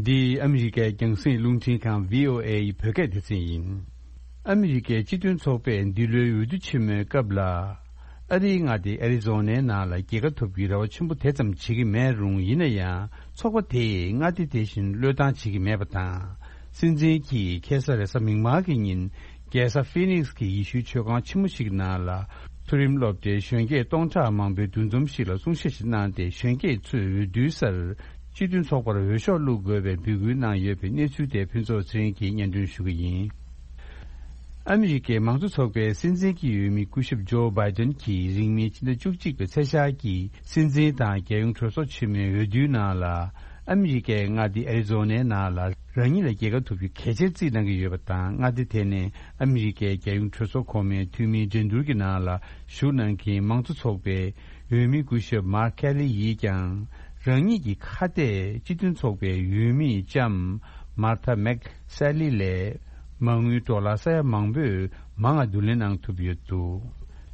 འདི་ཨ་མི་རི་ཀའི་རྒྱང་སྲིང་རླུང་འཕྲིན་ཁང་བྷི་ཨོ་ཨེ་ཡི་བོད་སྐད་སྡེ་ཚན་ཡིན། ཨ་མི་རི་ཀའི་སྤྱི་མཐུན་ཚོགས་པས་འདི་ལོའི་འོས་བསྡུ་ཆེན་མོའི་སྐབས་ལ། ཨ་རིའི་མངའ་སྡེ་ཨེ་རི་ཛོ་ནའི་ནང་ལ་རྒྱལ་ཁ་ཐོབ་རྒྱུའི་རེ་བ་ཆེན་པོ་དེ་ཙམ་བྱེད་ཀྱི་མེད་རུང་། ཡིན་ན་ཡང་ཚོགས་པ་དེས་མངའ་སྡེ་དེ་བཞིན་བློས་བཏང་བྱེད་ཀྱི་མེད་པ་དང་། སྲིད་འཛིན་གྱིས་ཁ་སང་རེས་གཟའ་མིག་དམར་གྱི་ཉིན། རྒྱལ་ས་ཧྥི་ནིག་སི་གི་ཡེ་ཤུའི་མཆོད་ཁང་ཆེན་མོ་ཞིག་ནང་ལ། མཐོ་རིམ་སློབ་གྲྭའི་གཞོན་སྐྱེས་སྟོང་ཕྲག་མང་པོའི་འདུ་འཛོམས་ཤིག་ལ་གསུང་བཤད་ཞིག་གནང་སྟེ། གཞོན་སྐྱེས་ཚོས་འོས་བསྡུའི་སར་སྤྱི་མཐུན་ཚོགས་པར་འོས་ཤོག་བླུག་དགོས་པའི་འབོད་སྐུལ་གནང་ཡོད་པའི་གནས་ཚུལ་དེ་ཕུན་ཚོགས་ཚེ་རིང་གིས་སྙན་སྒྲོན་ཞུ་གི་ཡིན། ཨ་མི་རི་ཀའི་མང་གཙོ་ཚོགས་པའི་སྲིད་འཛིན་གྱི་འོས་མི་སྐུ་ཞབས་ཇོ་བྷའི་ཏན་གྱིས་རིང་མིན་ཕྱི་ཟླ་བཅུ་གཅིག་པའི་ཚེས་ཤར་གྱི་སྲིད་འཛིན་དང་རྒྱལ་ཡོངས་གྲོས་ཚོགས་ཆེན་མོའི་འོས་བསྡུའི་ནང་ལ། ཨ་མི་རི་ཀའི་མངའ་སྡེ་ཨེ་རི་ཛོ་ནའི་ནང་ལ་རང་ཉིད་ལ་རྒྱལ་ཁ་ཐོབ་རྒྱུ་གལ་ཆེར་བརྩིས་གནང་གི་ཡོད་པ་དང་། མངའ་སྡེ་དེ་ནས་ཨ་མི་རི་ཀའི་རྒྱལ་ཡོངས་གྲོས་ཚོགས་གོང་མའི་འཐུས་མིའི་འགྲན་བསྡུར་གྱི་ནང་ལ་ཞུགས་གནང་མཁན་མང་གཙོ་ཚོགས་པའི་འོས་མི་སྐུ་ཞབས་མཱར་ཁེ་ལི་ཡིས་ཀྱང་། རང་ཉིད་ཀྱི་ཁ་གཏད་སྤྱི་མཐུན་ཚོགས་པའི་འོས་མི་ལྕམ་མཱར་ཐ་མེག་སེ་ལི་ལས་མ་དངུལ་ཌོ་ལར་ས་ཡ་མང་པོས་མང་བ་བསྡུ་ལེན་གནང་ཐུབ་ཡོད་འདུག་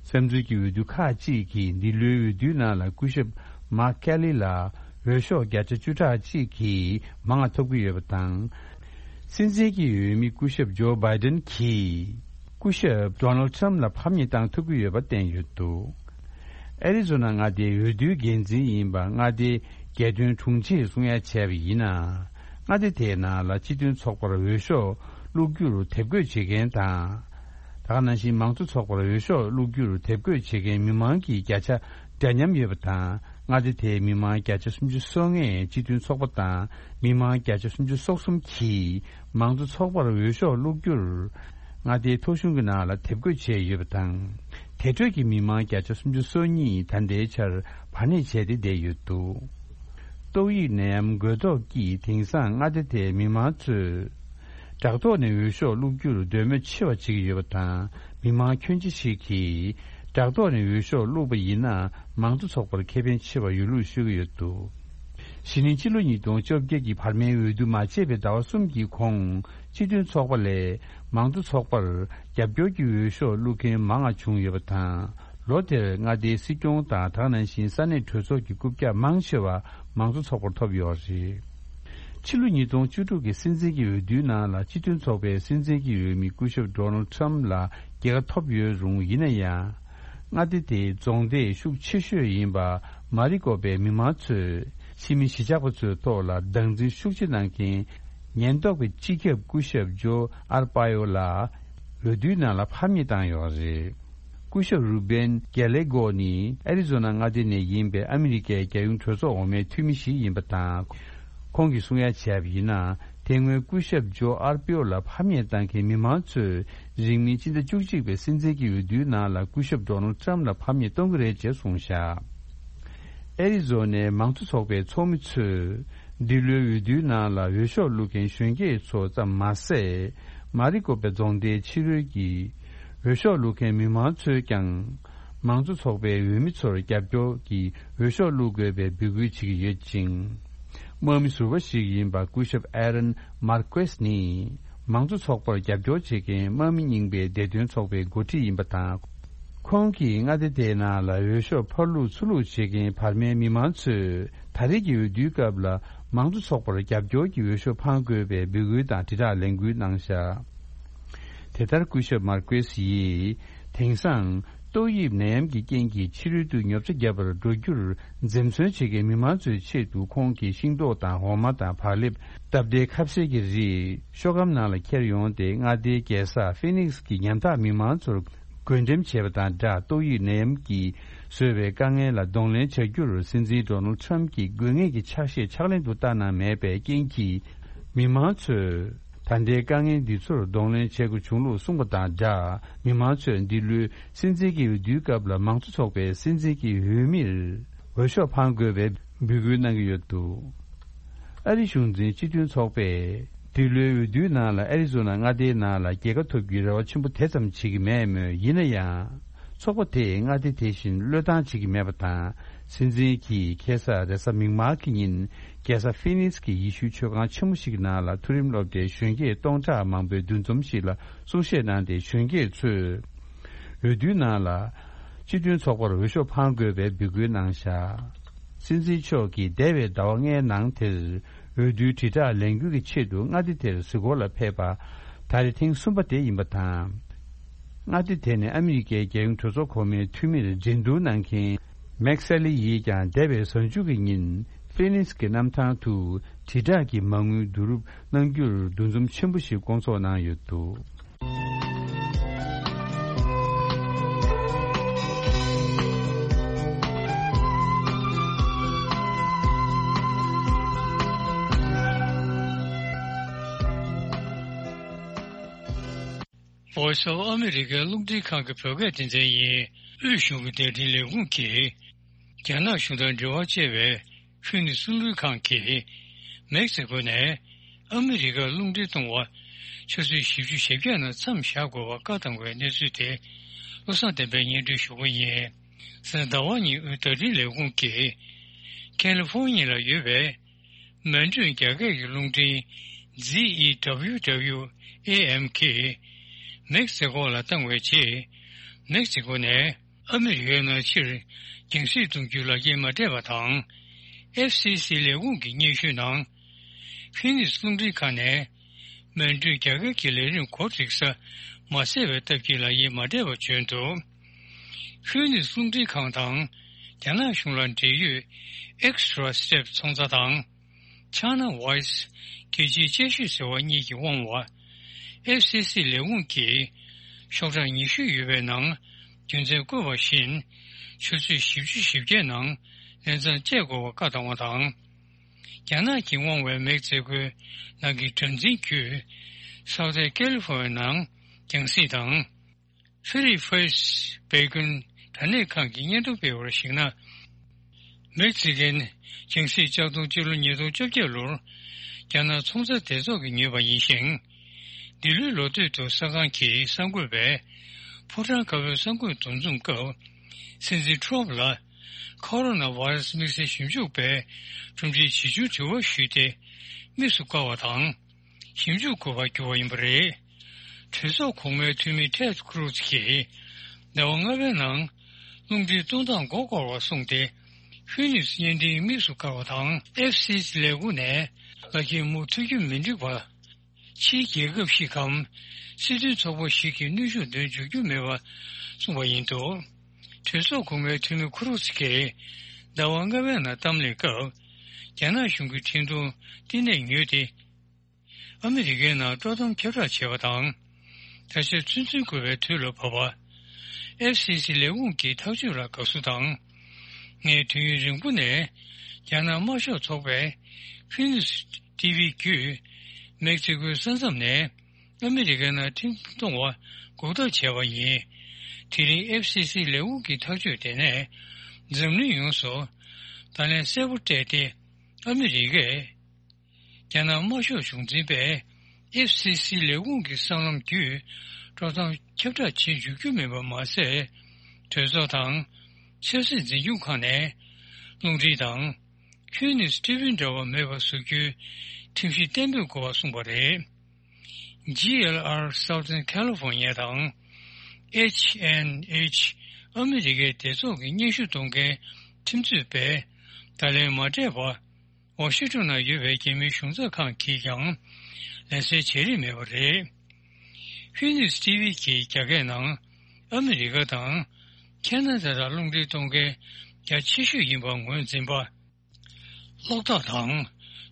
བསམ་ཚུལ་གྱི་འོས་བསྡུ་ཁག་ཅིག་གིས་འདི་ལོའི་འོས་བསྡུའི་ནང་ལ་སྐུ་ཞབས་མཱར་ཁེ་ལི་ལ་འོས་ཤོག་བརྒྱ་ཆ་བཅུ་ཕྲག་གཅིག་གིས་མང་བ་ཐོབ་ཀྱི་ཡོད་པ་དང་། སྲིད་འཛིན་གྱི་འོས་མི་སྐུ་ཞབས་ཇོ་བྷའི་ཏན་གྱིས་སྐུ་ཞབས་ཌོ་ནལ་ཊམ་ལ་ཕམ་ཉེས་བཏང་ཐུབ་ཀྱི་ཡོད་པ་བསྟན་ཡོད་འདུག་ཨེ་རི་ཛོ་ན་མངའ་སྡེའི་འོས་བསྡུའི་འགན་འཛིན་ཡིན་པ་མངའ་སྡེའི་རྒྱལ་དོན་དྲུང་ཆེས་གསུང་ཡ་བྱས་པ་ཡིན་ན། མངའ་སྡེ་དེའི་ནང་ལ་སྤྱི་མཐུན་ཚོགས་པར་འོས་ཤོག་བླུག་རྒྱུར་དེབ་འགོད་བྱེད་མཁན་དང་། ད་ག་ནང་བཞིན་མང་གཙོ་ཚོགས་པར་འོས་ཤོག་བླུག་རྒྱུར་དེབ་འགོད་བྱེད་མཁན་མི་མང་གི་བརྒྱ་ཆ་འདྲ་མཉམ་ཡོད་པ་དང་། མངའ་སྡེ་དེའི་མི་མང་བརྒྱ་ཆ་སུམ་ཅུ་སོ་ལྔས་སྤྱི་མཐུན་ཚོགས་པ་དང་མི་མང་བརྒྱ་ཆ་སུམ་ཅུ་སོ་གསུམ་གྱིས་མང་གཙོ་ཚོགས་པར་འོས་ཤོག་བླུག་རྒྱུར། མངའ་སྡེའི་ཐོ་གཞུང་གི་ནང་ལ་དེབ་འགོད་བྱས་ཡོད་པ་དང་། དེ་འཕྲོས་ཀྱི་མི་མང་བརྒྱ་ཆ་སུམ་ཅུ་སོ་གཉིས་ད་ལྟའི་ཆར་བར་གནས་བྱས་ཏེ་བསྡད་ཡོད་འདུག་ཏོག་དབྱིབས་ནད་ཡམས་འགོས་ཐོག་གིས་དེང་སང་མངའ་སྡེ་དེའི་མི་མང་ཚོས་བྲག་ཐོག་ནས་འོས་ཤོག་བླུག་རྒྱུར་འདོད་མོས་ཆེ་བ་བྱེད་ཀྱི་ཡོད་པ་དང་། མི་མང་ཁྱོན་ཆེ་ཞིག་གིས་བྲག་ཐོག་ནས་འོས་ཤོག་བླུགས་པ་ཡིན་ན་མང་གཙོ་ཚོགས་པར་ཁེ་ཕན་ཆེ་བ་ཡོད་ལུགས་ཤོད་ཀྱི་ཡོད་འདུག་གཞེས་ནིང་ཕྱི་ལོ་ཉིས་སྟོང་བཅོ་བརྒྱད་ཀྱི་བར་མའི་འོས་བསྡུ་མ་བྱས་པའི་ཟླ་བ་གསུམ་གྱི་གོང་སྤྱི་མཐུན་ཚོགས་པ་ལས་མང་གཙོ་ཚོགས་པར་རྒྱབ་སྐྱོར་གྱི་འོས་ཤོག་བླུག་མཁན་མང་བ་བྱུང་ཡོད་པ་དང་། ལོ་དེར་མངའ་སྡེའི་སྲིད་སྐྱོང་དང་། ད་ག་ནང་བཞིན་ས་གནས་གྲོས་ཚོགས་ཀྱི་རྐུབ་བཀྱག་མང་ཆེ་བ་མང་གཙོ་ཚོགས་པར་ཐོབ་ཡོད་རེད། ཕྱི་ལོ་ཉིས་སྟོང་བཅུ་དྲུག་གི་སྲིད་འཛིན་གྱི་འོས་བསྡུའི་ནང་ལ་སྤྱི་མཐུན་ཚོགས་པའི་སྲིད་འཛིན་གྱི་འོས་མི་སྐུ་ཞབས་ཌོ་ནལ་ཊམ་ལ་རྒྱལ་ཁ་ཐོབ་ཡོད་རུང་། ཡིན་ན་ཡང་། མངའ་སྡེ་དེའི་རྫོང་སྡེ་ཤུགས་ཆེ་ཤོས་ཡིན་པ་མ་རི་ཀོ་པའི་མི་མང་ཚོས་ཕྱི་མི་གཞིས་ཆགས་པ་ཚོའི་ཐོག་ལ་སྡང་འཛིན་ཤུགས་ཆེ་གནང་མཁན་ ཉེན་རྟོག་པས་སྤྱི་ཁྱབ་སྐུ་ཞབས་ཇོ་ཨར་པ་ཡོ་ལ་འོས་བསྡུའི་ནང་ལ་ཕམ་ཉེས་བཏང་ཡོད་རེད། སྐུ་ཞབས་རུ་བེན་གེ་ལེ་གོ་ནི་ཨེ་རི་ཛོ་ན་མངའ་སྡེ་ནས་ཡིན་པའི་ཨ་མི་རི་ཀའི་རྒྱལ་ཡོངས་གྲོས་ཚོགས་འོག་མའི་འཐུས་མི་ཞིག་ཡིན་པ་དང་། ཁོང་གིས་གསུང་ཡ་བྱས་པ་ཡིན་ན། དེ་སྔོན་སྐུ་ཞབས་ཇོ་ཨར་པ་ཡོ་ལ་ཕམ་ཉེས་བཏང་མཁན་མི་མང་ཚོས་རིང་མིན་སྤྱི་ཟླ་བཅུ་གཅིག་པའི་སྲིད་འཛིན་གྱི་འོས་བསྡུའི་ནང་ལ་སྐུ་ཞབས་ཌོ་ནལ་ཊམ་ལ་ཕམ་ཉེས་གཏོང་གི་རེད་ཅེས་གསུངས་བཞག་ཨེ་རི་ཛོ་ནའི་མང་གཙོ་ཚོགས་པའི་ཚོགས་མི་ཚོས་འདི་ལོའི་འོས་བསྡུའི་ནང་ལ་འོས་ཤོག་བླུག་མཁན་གཞོན་སྐྱེས་ཚོ་ཙམ་མ་ཟད། མ་རི་ཀོ་པའི་རྫོང་སྡེའི་ཕྱི་རོལ་གྱི་འོས་ཤོག་བླུག་མཁན་མི་མང་ཚོས་ཀྱང་། མང་གཙོ་ཚོགས་པའི་འོས་མི་ཚོར་རྒྱབ་སྐྱོར་གྱིས་འོས་ཤོག་བླུག་དགོས་པའི་འབོད་སྐུལ་བྱེད་ཀྱི་ཡོད་ཅིང་། དམག་མི་ཟུར་པ་ཞིག་ཡིན་པ་སྐུ་ཞབས་ཨེ་རན་མར་ཀེ་སི་ནི། མང་གཙོ་ཚོགས་པར་རྒྱབ་སྐྱོར་བྱེད་མཁན་དམག་མི་རྙིང་པའི་བདེ་དོན་ཚོགས་པའི་འགོ་ཁྲིད་ཡིན་པ་དང་། ཁོང་གིས་མངའ་སྡེ་དེའི་ནང་ལ་འོས་ཤོག་ཕར་བླུགས་ཚུར་བླུགས་བྱེད་མཁན་བར་མའི་མི་མང་ཚོས་ད་རེས་ཀྱི་འོས་བསྡུའི་སྐབས་ལ་མང་གཙོ་ཚོགས་པར་རྒྱབ་སྐྱོར་གྱི་འོས་ཤོག་འཕང་དགོས་པའི་འབོད་སྐུལ་དང་དྲིལ་བསྒྲགས་ལས་འགུལ་གནང་བཞག་དེ་ལྟར་སྐུ་ཞབས་མར་ཀེ་སི་ཡིས་དེང་སང་ཏོག་དབྱིབས་ནད་ཡམས་ཀྱི་རྐྱེན་གྱིས་ཕྱི་རོལ་དུ་ཉོ་ཆ་བརྒྱབ་པར་འགྲོ་རྒྱུར་འཛེམ་ཟོན་བྱེད་མཁན་མི་མང་ཚོའི་ཆེད་དུ་ཁོང་གིས་ཤིང་ཏོག་དང་འོ་མ་དང་བག་ལེབ། སྟབས་བདེའི་ཁ་ཟས་ཀྱི་རིགས་ཤོག་སྒམ་ནང་ལ་འཁྱེར་ཡོང་སྟེ་མངའ་སྡེའི་རྒྱལ་ས་ཧྥི་ནིག་སི་གི་ཉམ་ཐག་མི་མང་ཚོར་བགོ་འགྲེམས་བྱས་པ་དང་སྦྲགས། ཏོག་དབྱིབས་ནད་ཡམས་ཀྱིས་བཟོས་པའི་དཀའ་ངལ་ལ་གདོང་ལེན་བྱ་རྒྱུར་སྲིད་འཛིན་ཌོ་ནལ་ཊམ་གྱིས་དགོས་ངེས་ཀྱི་ཕྱག་བཞེས་ཕྱག་ལེན་དུ་བསྟར་གནང་མེད་པའི་རྐྱེན་གྱིས། མི་མང་ཚོས་ད་ལྟའི་དཀའ་ངལ་འདི་ཚོར་གདོང་ལེན་བྱེད་དགོས་བྱུང་ལུགས་གསུངས་པ་དང་སྦྲགས། མི་མང་ཚོས་འདི་ལོའི་སྲིད་འཛིན་གྱི་འོས་བསྡུའི་སྐབས་ལ་མང་གཙོ་ཚོགས་པའི་སྲིད་འཛིན་གྱི་འོས་མིར་འོས་ཤོག་འཕང་དགོས་པའི་འབོད་སྐུལ་གནང་གི་ཡོད་འདུག་ཨ་རི་གཞུང་འཛིན་སྤྱི་མཐུན་ཚོགས་པས་འདི་ལོའི་འོས་བསྡུའི་ནང་ལ་ཨ་རི་ཛོ་ན་མངའ་སྡེའི་ནང་ལ་རྒྱལ་ཁ་ཐོབ་རྒྱུའི་རེ་བ་ཆེན་པོ་དེ་ཙམ་བྱེད་ཀྱི་མེད་མོད། ཡིན་ན་ཡང་། ཚོགས་པ་དེས་མངའ་སྡེ་དེ་བཞིན་བློས་བཏང་བྱེད་ཀྱི་མེད་པ་དང་། སྲིད་འཛིན་གྱིས་ཁ་སང་རེས་གཟའ་མིག་དམར་གྱི་ཉིན་རྒྱལ་ས་ཧྥི་ནིག་སི་གི་ཡེ་ཤུའི་མཆོད་ཁང་ཆེན་མོ་ཞིག་ནང་ལ་མཐོ་རིམ་སློབ་གྲྭའི་གཞོན་སྐྱེས་སྟོང་ཕྲག་མང་པོའི་འདུ་འཛོམས་ཤིག་ལ་གསུང་བཤད་གནང་སྟེ། གཞོན་སྐྱེས་ཚོས་འོས་བསྡུའི་ནང་ལ་སྤྱི་མཐུན་ཚོགས་པར་འོས་ཤོག་འཕང་དགོས་པའི་འབོད་སྐུལ་གནང་བཞག་སྲིད་འཛིན་མཆོག་གིས་འདས་པའི་ཟླ་བ་ལྔའི་ནང་དེར་འོས་བསྡུའི་དྲིལ་བསྒྲགས་ལས་འགུལ་གྱི་ཆེད་དུ་མངའ་སྡེ་དེར་གཟིགས་སྐོར་ལ་ཕེབས་པ་ད་རེས་ཐེངས་གསུམ་པ་དེ་ཡིན་པ་དང་། མངའ་སྡེ་དེ་ནས་ཨ་མི་རི་ཀའི་རྒྱལ་ཡོངས་གྲོས་ཚོགས་གོང་མའི་འཐུས་མིར་འགྲན་བསྡུར་གནང་མཁན་མེག་སེ་ལི་ཡིས་ཀྱང་འདས་པའི་གཟའ་མཇུག་གི་ཉིན་ཧྥི་ནིག་སི་གི་གནམ་ཐང་དུ་དྲིལ་བསྒྲགས་ཀྱི་མ་དངུལ་བསྡུ་རུབ་གནང་རྒྱུར་འདུ་འཛོམས་ཆེན་པོ་ཞིག་བསྐོང་ཚོགས་གནང་ཡོད་འདུག Voice of America རླུང་འཕྲིན་ཁང་གི་བོད་སྐད་སྡེ་ཚན་ཡིན། དབུས་གཞུང་གི་བརྡ་འཕྲིན་ལས་ཁུངས་ཀྱིས། རྒྱ་ནག་གཞུང་དང་འབྲེལ་བ་བཅད་པའི་ཧྥི་ནིག་སི་རླུང་འཕྲིན་ཁང་གིས། མེག་སི་ཀོ་ནས་ཨ་མི་རི་ཀར་རླུང་འཕྲིན་གཏོང་བ། ཆུ་ཚོད་བཞི་བཅུ་ཞེ་བརྒྱད་ནང་མཚམས་བཞག་དགོས་པར་བཀའ་བཏང་བའི་གནས་ཚུལ་དེ། བློ་བཟང་བསྟན་པས་སྙན་སྒྲོན་ཞུ་གི་ཡིན། གཟའ་ཟླ་བ་ཉིན་དབུས་བརྡ་འཕྲིན་ལས་ཁུངས་ཀྱིས། ཁ་ལི་ཧྥོ་ནི་ཡ་ལ་ཡོད་པའི། མལ་གྲོས་རྒྱ་སྐད་ཀྱི་རླུང་འཕྲིན་Z E W W A M གིས་མེག་སི་ཀོ་ལ་བཏང་བའི་རྗེས། མེག་སི་ཀོ་ནས་ཨ་མི་རི་ཀའི་ནང་ཕྱིར་རྒྱང་སྲིང་གཏོང་རྒྱུའི་ལག་འཁྱེར་མ་སྤྲད་པ་དང་། F C C ལས་ཁུངས་ཀྱི་སྙན་ཞུའི་ནང་། ཧྥི་ནིག་སི་རླུང་འཕྲིན་ཁང་ནས་མལ་གྲོས་རྒྱ་སྐད་ཀྱི་ལས་རིམ་གོ་སྒྲིག་ས་མ་གསལ་བའི་སྟབས་ཀྱིས་ལག་འཁྱེར་མ་སྤྲད་པ་བྱོན་འདུག་ཧྥི་ནིག་སི་རླུང་འཕྲིན་ཁང་དང་རྒྱ་ནག་གཞུང་ལ་འབྲེལ་ཡོད་Extra Step ཚོང་རྫས་དང་། China Voice རྒྱལ་སྤྱིའི་དཔྱད་ཞིབ་ཟེར་བ་གཉིས་ཀྱིས་དབང་བ། F C C ལས་ཁུངས་ཀྱིས་ཤོག་གྲངས་ཉི་ཤུ་ཡོད་པའི་ནང་རྒྱུ་མཚན་བཀོད་པ་བཞིན། ཆུ་ཚོད་བཞི་བཅུ་ཞེ་བརྒྱད་ནང་ལས་མཚམས་བཅད་དགོས་པ་བཀའ་བཏང་བ་དང་། རྒྱ་ནག་གིས་དབང་བའི་མེག་སི་ཀོའི་ནང་གི་གྲངས་འཛིན་བརྒྱུད། སའུ་ཐན་ཀེ་ལི་ཧྥོ་ནི་ཡའི་ནང་རྒྱང་སྲིང་དང་། Philippines འབད་ཀུན་དྲ་གནས་ཁང་གིས་སྙན་ཐོ་སྤེལ་བར་གཞིགས་ན། མེག་སི་ཀན་རྒྱང་སྲིང་ལྕགས་མདོང་སྤྱི་ལོ་ཉིས་སྟོང་བཅོ་བརྒྱད་ལོར་རྒྱ་ནག་ཚོང་རྫས་སྡེ་ཚོགས་ཀྱིས་ཉོས་པ་ཡིན་ཞིང་། འདི་ལོའི་ལོ་སྟོད་དུ་གསར་ཁང་གིས་གསར་འགོད་པས་ཕོ་བྲང་དཀར་པོའི་གསར་འགོད་འདུ་འཛོམས་སྐབས། སྲིད་འཛིན་ཊམ་ལ་ཁོ་རོ་ན་ཝེ་རུ་སི་དམིགས་བསལ་ཞིབ་འཇུག་པས་གྲུབ་འབྲས་ཇི་བྱུང་དྲི་བ་ཞུས་ཏེ། དམིགས་སུ་བཀར་བ་དང་། ཞིབ་འཇུག་དགོས་པར་གྱུར་བ་ཡིན་པ་རེད། གྲོས་ཚོགས་གོང་མའི་འཐུས་མི་ཊེཌ་ཀུ་རུ་ཛི་གིས་ཟླ་བ་ལྔ་པའི་ནང་རླུང་འཕྲིན་གཏོང་སྟངས་མགོ་སྐོར་བ་གསུངས་ཏེ། ཧྥི་ནིག་སི་བརྙན་འཕྲིན་དམིགས་སུ་བཀར་བ་དང་། ཨེཕ་སི་སི་ལས་ཁུངས་ནས་ལག་འཁྱེར་མུ་མཐུད་རྒྱུ་མི་འགྲིག་པ། ཕྱིའི་རྒྱལ་ཁབ་ཞིག་གམ་སྲིད་དོན་ཚོགས་པ་ཞིག་གིས་གནོན་ཤུགས་འདོན་འཇུག་རྒྱུ་མེད་པ་གསུངས་པ་ཡིན་འདུག་གྲོས་ཚོགས་གོང་མའི་འཐུས་མི་ཁུ་རུ་ཛི་གིས་ཟླ་བ་ལྔ་པའི་ནང་གཏམ་གླེང་སྐབས། རྒྱ་ནག་གཞུང་གི་འཕྲིན་གཏོང་བསྟི་གནས་ཉོས་ཏེ། ཨ་མི་རི་ཀའི་ནང་དཀྲོག་གཏམ་ཁྱབ་བསྒྲགས་བྱས་པ་དང་། ད་ཆ་ཚུན་ཚོད་དགོས་པའི་དུས་ལ་བབ་པ། ཨེཕ་སི་སི་ལས་ཁུངས་ཀྱི་ཐག་གཅོད་ལ་དགའ་བསུ་དང་། ངས་དུས་ཡུན་རིང་པོ་ནས་རྒྱ་ནག་དམར་ཤོག་ཚོགས་པའི་ཕུན་ནུས་ཊི་ཝི་བརྒྱུད་མེག་སི་ཀོའི་ས་མཚམས་ནས་ཨ་མི་རི་ཀའི་ནང་ཁྲིམས་གཏོང་བ་འགོག་ཐབས་བྱས་པ་ཡིན། དེ་རིང་ཨེཕ་སི་སི་ལས་ཁུངས་ཀྱི་ཐག་གཅོད་དེ་ནས་འཛམ་གླིང་ཡོངས་སུ་བརྡ་ལན་གསལ་པོ་སྤྲད་དེ། ཨ་མི་རི་ཀས་རྒྱ་ནག་དམར་ཤོག་གཞུང་འཛིན་པས་ཨེཕ་སི་སི་ལས་ཁུངས་ཀྱི་སྲང་ལམ་བརྒྱུད་དཀྲོག་གཏམ་ཁྱབ་བསྒྲགས་བྱེད་འཇུག་རྒྱུ་མིན་པ་མ་ཟད། གྲོས་ཚོགས་དང་ཆབ་སྲིད་འཛིན་སྐྱོང་ཁང་ནས་རླུང་འཕྲིན་དང་ཁྱོན་ནས་སི་ཊི་ཝི་འདྲ་བ་མེད་པ་བཟོ་རྒྱུའི་ཁྲིམས་གཞི་གཏན་འབེབས་དགོས་པ་གསུངས་པ་རེད། ཇི་ཨེལ་ཨར་Southern California་དང་ཨེཆ་ཨེན་ཨེཆ་ཨ་མི་རི་ཀའི་སྡེ་ཚོགས་ཀྱི་སྙན་ཞུ་གཏོང་མཁན་ཁྲིམས་རྩོད་པས་བརྡ་ལན་མ་སྤྲད་པ། ཝ་ཤིང་ཊོན་ན་ཡོད་པའི་རྒྱ་མིའི་གཞུང་ཚབ་ཁང་གིས་ཀྱང་ལན་གསལ་བྱས་རིན་མེད་པ་རེད། ཕུན་ནུས་ཊི་ཝི་གིས་རྒྱ་སྐད་ནང་ཨ་མི་རི་ཀ་དང་ཁེ་ན་ཌ་ལ་རླུང་འཕྲིན་གཏོང་མཁན་རྒྱ་ཆེ་ཤོས་ཡིན་པ་ངོས་འཛིན་པ། གློག་ཐག་དང་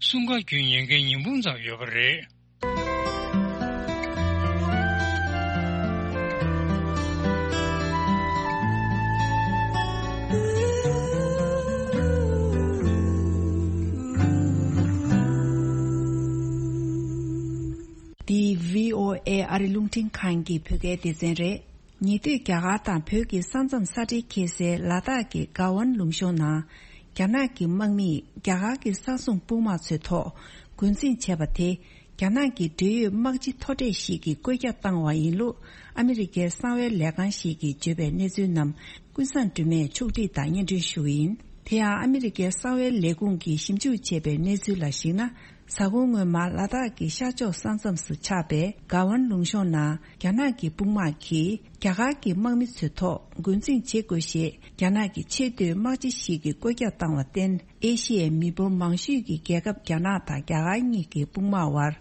སྲུང་སྐར་བརྒྱུད་ཉན་མཁན་ཉིས་འབུམ་ཙམ་ཡོད་པ་རེད། འདི་བྷི་ཨོ་ཨེ་ཨ་རི་རླུང་འཕྲིན་ཁང་གི་བོད་སྐད་སྡེ་ཚན་རེད། ཉེ་དུས་རྒྱ་གར་དང་བོད་ཀྱི་ས་མཚམས་ས་འབྲེལ་འཁེལ་སའི་ལ་དྭགས་ཀྱི་ག་ཝན་ལུང་གཤོང་ནང་རྒྱ་ནག་གི་དམག་མིས་རྒྱ་གར་གྱི་ས་སྲུང་དཔུང་དམག་ཚོའི་ཐོག་འགོ་འཛིང་བྱས་པ་དེ། རྒྱ་ནག་གི་འབྲེལ་ཡོད་དམག་སྤྱི་མཐོ་གྲས་ཤིག་གིས་བཀོད་རྒྱ་བཏང་བ་ཡིན་ལུགས་ཨ་མི་རི་ཀའི་གསང་བའི་ལས་ཁང་ཞིག་གིས་བརྗོད་པའི་གནས་ཚུལ་རྣམས་ཀུན་བཟང་སྒྲོལ་མས་ཕྱོགས་སྒྲིག་དང་སྙན་སྒྲོན་ཞུ་གི་ཡིན། དེ་ཡང་ཨ་མི་རི་ཀའི་གསང་བའི་ལས་ཁུངས་ཀྱིས་ཞིབ་འཇུག་བྱས་པའི་གནས་ཚུལ་ལ་གཞིགས་ན། གཟའ་འཁོར་སྔོན་མ་ལ་དྭགས་ཀྱི་ཤར་ཕྱོགས་ས་མཚམས་སུ་ཆགས་པའི་ག་ཝན་ལུང་གཤོང་ནང་རྒྱ་ནག་གི་དཔུང་དམག་གིས་རྒྱ་གར་གྱི་དམག་མི་ཚོའི་ཐོག་འགོ་འཛིང་བྱེད་དགོས་ཞེས་རྒྱ་ནག་གི་ཆེས་མཐོའི་དམག་སྤྱི་ཞིག་གིས་བཀོད་རྒྱ་བཏང་བར་བརྟེན། ཨེ་ཤི་ཡའི་མི་འབོར་མང་ཤོས་ཀྱི་རྒྱལ་ཁབ་རྒྱ་ནག་དང་རྒྱ་གར་གཉིས་ཀྱི་དཔུང་དམག་དབར་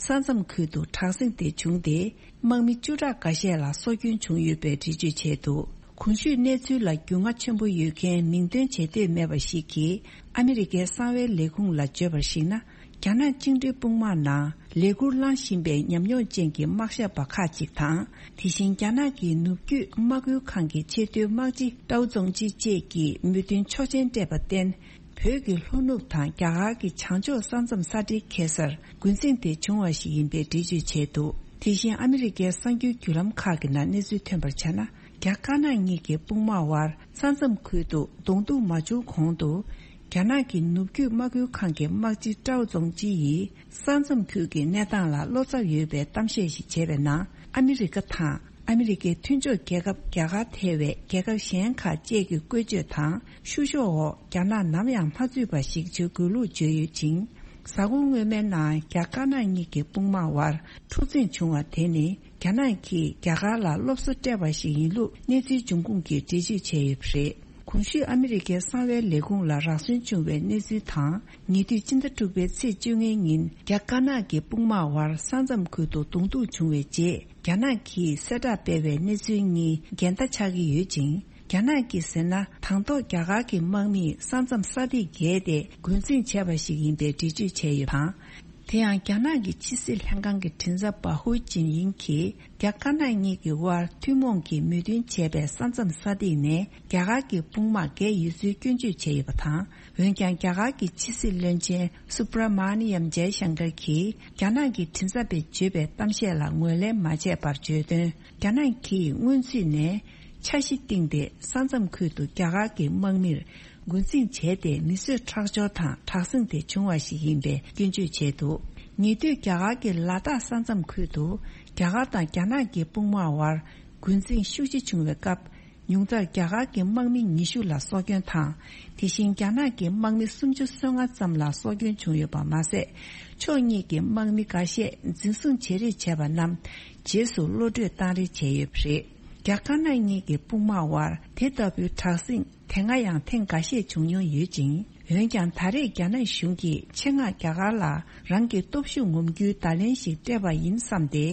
ས་མཚམས་ཁུལ་དུ་དྲག་ཟིང་དེ་བྱུང་སྟེ། དམག་མི་བཅུ་ཕྲག་འགའ་ཤས་ལ་སྲོག་སྐྱོན་བྱུང་ཡོད་པའི་འགྲེལ་བརྗོད་བྱས་འདུག་གོང་ཞུས་གནས་ཚུལ་ལ་རྒྱུས་མངའ་ཆེན་པོ་ཡོད་མཁན་མིང་འདོན་བྱེད་འདོད་མེད་པ་ཞིག་གིས་ཨ་མི་རི་ཀའི་གསང་བའི་ལས་ཁུངས་ལ་བརྗོད་པར་གཞིགས་ན། རྒྱ་ནག་བཅིངས་འགྲོལ་དཔུང་དམག་ནང་ལས་འཁུར་བླངས་བཞིན་པའི་ཉམས་མྱོང་ཅན་གྱི་དམག་ཞབས་པ་ཁག་ཅིག་དང་། དེ་བཞིན་རྒྱ་ནག་གི་ནུབ་རྒྱུད་དམག་ཁུལ་ཁང་གི་ཆེས་མཐོའི་དམག་སྤྱི་ཀྲའོ་ཙོང་ཅི་བཅས་ཀྱིས་མོས་མཐུན་ཆོག་མཆན་སྤྲད་པར་བརྟེན། བོད་ཀྱི་ལྷོ་ནུབ་དང་རྒྱ་གར་གྱི་བྱང་ཕྱོགས་ས་མཚམས་ས་འབྲེལ་འཁེལ་སར་འགོ་འཛིང་དེ་བྱུང་བ་ཞིག་ཡིན་པའི་འགྲེལ་བརྗོད་བྱས་འདུག་དེ་བཞིན་ཨ་མི་རི་ཀའི་གསར་འགྱུར་བརྒྱུད་ལམ་ཁག་གི་ནང་གནས་ཚུལ་ཐོན་པར་བྱས་ན། རྒྱ་དཀར་ནག་གཉིས་ཀྱི་དཔུང་དམག་དབར་ས་མཚམས་ཁུལ་དུ་གདོང་ཐུག་མ་བྱུང་གོང་དུ། རྒྱ་ནག་གི་ནུབ་རྒྱུད་དམག་ཁུལ་ཁང་གི་དམག་སྤྱི་ཀྲའོ་ཙོང་ཅི་ཡིས་ས་མཚམས་ཁུལ་གྱི་གནས་སྟངས་ལ་བློ་འཚབ་ཡོད་པའི་གཏམ་བཤད་ཞིག་བྱས་པའི་ནང་ཨ་མི་རི་ཀ་དང་། ཨ་མི་རི་ཀའི་མཐུན་ཕྱོགས་རྒྱལ་ཁབ་རྒྱ་གར་ཐེ་བའི་རྒྱལ་ཁབ་གཞན་ཁག་བཅས་ཀྱི་བཀོལ་སྤྱོད་དང་བཤུ་གཞོག་འོག་རྒྱ་ནག་ནམ་ཡང་མ་ཚུད་པ་ཞིག་བྱེད་དགོས་ལུགས་བརྗོད་ཡོད་ཅིང་། གཟའ་འཁོར་སྔོན་མའི་ནང་རྒྱ་དཀར་ནག་གཉིས་ཀྱི་དཔུང་དམག་དབར་འཁྲུག་འཛིང་བྱུང་བ་དེ་ནི་རྒྱ་ནག་གིས་རྒྱ་གར་ལ་སློབ་གསོ་སྤྲད་པ་ཞིག་ཡིན་ལུགས་གནས་ཚུལ་འབྱུང་ཁུངས་ཀྱིས་འགྲེལ་བརྗོད་བྱས་ཡོད་པ་རེད། གོང་ཞུས་ཨ་མི་རི་ཀའི་གསང་བའི་ལས་ཁུངས་ལ་རག་སོན་བྱུང་བའི་གནས་ཚུལ་དང་། ཉེ་དུས་སྤྱི་ཟླ་དྲུག་པའི་ཚེས་བཅོ་ལྔའི་ཉིན་རྒྱ་དཀར་ནག་གི་དཔུང་དམག་དབར་ས་མཚམས་ཁུལ་དུ་གདོང་ཐུག་བྱུང་བའི་རྗེས། རྒྱ་ནག་གིས་གསལ་བསྒྲགས་སྤེལ་བའི་གནས་ཚུལ་གཉིས་འགལ་ཟླ་ཆགས་ཀྱི་ཡོད་ཅིང་། རྒྱ་ནག་གིས་ཟེར་ན། དང་ཐོག་རྒྱ་གར་གྱི་དམག་མིས་ས་མཚམས་ས་ཐིག་བརྒལ་ཏེ་འགོ་འཛིང་བྱས་པ་ཞིག་ཡིན་པའི་འགྲེལ་བརྗོད་བྱས་ཡོད་པ་དང་། དེ་ཡང་རྒྱ་ནག་གི་ཕྱི་སྲིད་ལྷན་ཁང་གི་མགྲིན་ཚབ་པ་ཧུའུ་ཅིན་ཡིང་གིས། རྒྱ་དཀར་ནག་གཉིས་ཀྱི་དབར་ཐུན་མོང་གིས་མོས་མཐུན་བྱས་པའི་ས་མཚམས་ས་ཐིག་ནས་རྒྱ་གར་གྱི་དཔུང་དམག་བརྒལ་ཡོད་ཚུལ་སྐྱོན་བརྗོད་བྱས་ཡོད་པ་དང་། འོན་ཀྱང་། རྒྱ་གར་གྱི་ཕྱི་སྲིད་བློན་ཆེན་སུབ་ར་མ་ནི་ཡམ་ཇའི་ཤང་ཀར་གྱིས། རྒྱ་ནག་གི་མགྲིན་ཚབ་པས་བརྗོད་པའི་གཏམ་བཤད་ལ་ངོས་ལེན་མ་བྱས་པར་བརྗོད་དོན། རྒྱ་ནག་གིས་སྔོན་ཚུད་ནས་འཆར་གཞི་བཏིང་སྟེ། ས་མཚམས་ཁུལ་དུ་རྒྱ་གར་གྱི་དམག་མིར་འགོ་འཛིང་བྱས་ཏེ། མི་གསོད་ཁྲག་སྦྱོར་དང་། དྲག་ཟིང་དེ་བྱུང་བ་ཞིག་ཡིན་པའི་སྐྱོན་བརྗོད་བྱས་འདུག་ཉེ་དུས་རྒྱ་གར་གྱི་ལ་དྭགས་ས་མཚམས་ཁུལ་དུ། རྒྱ་གར་དང་རྒྱ་ནག་གི་དཔུང་དམག་དབར་འགོ་འཛིང་ཤུགས་ཆེ་བྱུང་བའི་སྐབས། ཉུང་མཐར་རྒྱ་གར་གྱི་དམག་མི་ཉི་ཤུ་ལ་སྲོག་སྐྱོན་དང་། དེ་བཞིན་རྒྱ་ནག་གི་དམག་མི་སུམ་ཅུ་སོ་ལྔ་ཙམ་ལ་སྲོག་སྐྱོན་བྱུང་ཡོད་པ་མ་ཟད། ཕྱོགས་གཉིས་ཀྱི་དམག་མི་འགའ་ཤས་འཛིན་བཟུང་བྱེད་རེས་བྱས་པ་རྣམས་རྗེས་སུ་གློད་བཀྲོལ་བཏང་རེས་བྱས་ཡོད་པ་རེད། རྒྱ་དཀར་ནག་གཉིས་ཀྱི་དཔུང་དམག་དབར་དེ་ལྟ་བུའི་དྲག་ཟིང་དེ་སྔ་ཡང་ཐེངས་འགའ་ཤས་བྱུང་མྱོང་ཡོད་ཅིང་། འོན་ཀྱང་། ད་རེས་རྒྱ་ནག་གཞུང་གིས་ཆེད་མངགས་རྒྱ་གར་ལ་རང་གི་སྟོབས་ཤུགས་ངོམ་རྒྱུའི་བརྡ་ལན་ཞིག་སྤྲད་པ་ཡིན་བསམ་སྟེ།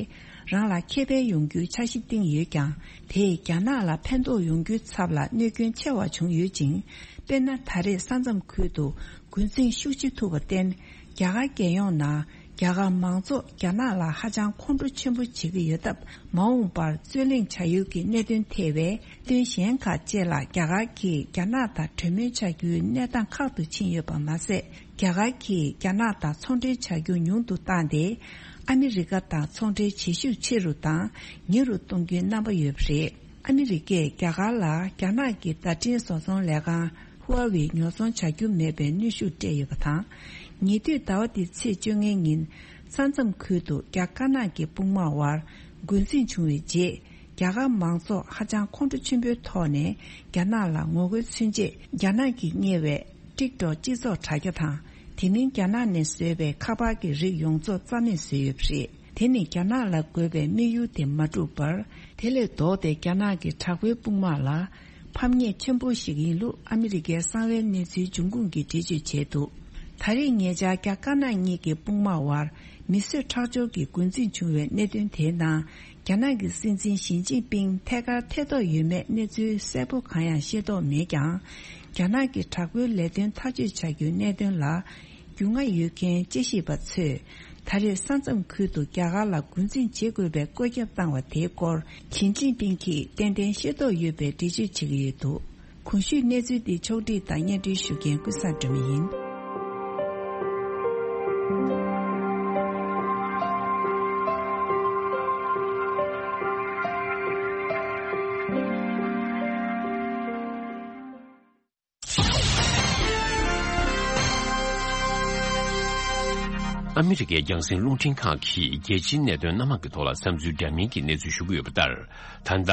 རང་ལ་ཁེ་ཕན་ཡོང་རྒྱུའི་འཆར་གཞི་བཏིང་ཡོད་ཀྱང་། དེས་རྒྱ་ནག་ལ་ཕན་ཐོགས་ཡོང་རྒྱུའི་ཚབ་ལ་གནོད་སྐྱོན་ཆེ་བ་བྱུང་ཡོད་ཅིང་། དཔེར་ན། ད་རེས་ས་མཚམས་ཁུལ་དུ་འགོ་འཛིང་ཤུགས་ཆེ་ཐུབ་པར་བརྟེན། རྒྱ་གར་རྒྱལ་ཡོངས་ནང་ རྒྱ་གར་མང་ཚོགས་རྒྱ་ནག་ལ་ཧ་ཅང་ཁོང་ཁྲོ་ཆེན་པོ་བྱེད་ཀྱི་ཡོད་སྟབས། མ་འོངས་པར་རྩོད་གླེང་བྱ་ཡུལ་གྱི་གནད་དོན་ཐེ་བའི་གནད་དོན་གཞན་ཁག་བཅས་ལ་རྒྱ་གར་གྱིས་རྒྱ་ནག་དང་གྲོས་མོལ་བྱ་རྒྱུའི་གནས་སྟངས་ཁག་ཏུ་ཕྱིན་ཡོད་པ་མ་ཟད། རྒྱ་གར་གྱིས་རྒྱ་ནག་དང་ཚོང་འབྲེལ་བྱ་རྒྱུ་ཉུང་དུ་བཏང་སྟེ། ཨ་མི་རི་ཀ་དང་ཚོང་འབྲེལ་བྱེད་ཤུགས་ཆེ་རུ་དང་ཉེ་རུ་གཏོང་རྒྱུའི་རྣམ་པ་ཡོད་པ་རེད། ཨ་མི་རི་ཀས་རྒྱ་གར་ལ་རྒྱ་ནག་གི་བརྡ་འཕྲིན་བཟོ་ཚོང་ལས་ཁང་ཧུའེ་ཝེ་ཉོ་ཚོང་བྱ་རྒྱུ་མེད་པའི་གནོན་ཤུགས་སྤྲད་ཡོད་པ་དང་། ཉེ་དུས་ཟླ་བ་འདིའི་ཚེས་བཅོ་ལྔ་ཉིན། ས་མཚམས་ཁུལ་དུ་རྒྱ་དཀར་ནག་གི་དཔུང་དམག་དབར་འགོ་འཛིང་བྱུང་བའི་རྗེས། རྒྱ་གར་མང་ཚོགས་ཧ་ཅང་ཁོང་ཁྲོ་ཆེན་པོའི་ཐོག་ནས་རྒྱ་ནག་ལ་ངོ་རྒོལ་མཚོན་ཆེད། རྒྱ་ནག་གིས་གཉེར་བའི་ཊིག་ཊོག་སྤྱི་ཚོགས་དྲ་རྒྱ་དང་། དེ་མིན་རྒྱ་ནག་ནས་བཟོས་པའི་ཁ་པར་གྱི་རིགས་ཡོངས་རྫོགས་རྩ་མེད་བཟོས་ཡོད་པ་རེད། དེ་ནི་རྒྱ་ནག་ལ་དགོས་པའི་དམིགས་ཡུལ་དེ་མ་འགྲུབ་པར། དེ་ལས་ལྡོག་སྟེ་རྒྱ་ནག་གི་དྲག་པོའི་དཔུང་དམག་ལ་ཕམ་ཉེས་ཆེན་པོ་ཞིག་ཡིན་ལུགས་ཨ་མི་རི་ཀའི་གསང་བའི་གནས་ཚུལ་འབྱུང་ཁུངས་ཀྱིས་འགྲེལ་བརྗོད་བྱས་འདུག། ད་རེས་ཉེ་ཆར་རྒྱ་དཀར་ནག་གཉིས་ཀྱི་དཔུང་དམག་དབར་མི་གསོད་ཁྲག་སྦྱོར་གྱི་འགོ་འཛིང་བྱུང་བའི་གནད་དོན་དེའི་ནང་། རྒྱ་ནག་གི་སྲིད་འཛིན་ཞི་ཅིན་ཕིང་ཐད་ཀར་ཐེ་གཏོགས་ཡོད་མེད་གནས་ཚུལ་གསལ་པོ་གང་ཡང་ཤེས་རྟོགས་མེད་ཀྱང་། རྒྱ་ནག་གི་དྲག་པོའི་ལས་དོན་ཐག་གཅོད་བྱ་རྒྱུའི་གནད་དོན་ལ་རྒྱུས་མངའ་ཡོད་མཁན་དཔྱད་ཞིབ་པ་ཚོས། ད་རེས་ས་མཚམས་ཁུལ་དུ་རྒྱ་གར་ལ་འགོ་འཛིང་བྱེད་དགོས་པའི་བཀོད་ཁྱབ་བཏང་བ་དེའི་སྐོར་ཞི་ཅིན་ཕིང་གིས་ཏན་ཏན་ཤེས་རྟོགས་ཡོད་པའི་འགྲེལ་བརྗོད་བྱེད་ཀྱི་ཡོད་འདུག། གོང་ཞུས་གནས་ཚུལ་འདི་ཕྱོགས་སྒྲིག་དང་སྙན་སྒྲོན་ཞུ་མཁན་ཀུན་བཟང་སྒྲོལ་མ་ཡིན། ཨ་མི་རི་ཀའི་རྒྱང་སྲིང་རླུང་འཕྲིན་ཁང་གིས་རྒྱལ་སྤྱིའི་གནད་དོན་སྣ་མང་གི་ཐོག་ལ་བསམ་ཚུལ་འདྲ་མིན་གྱི་གནས་ཚུལ་ཞུ་གི་ཡོད་པ་ལྟར། ད་ལྟ་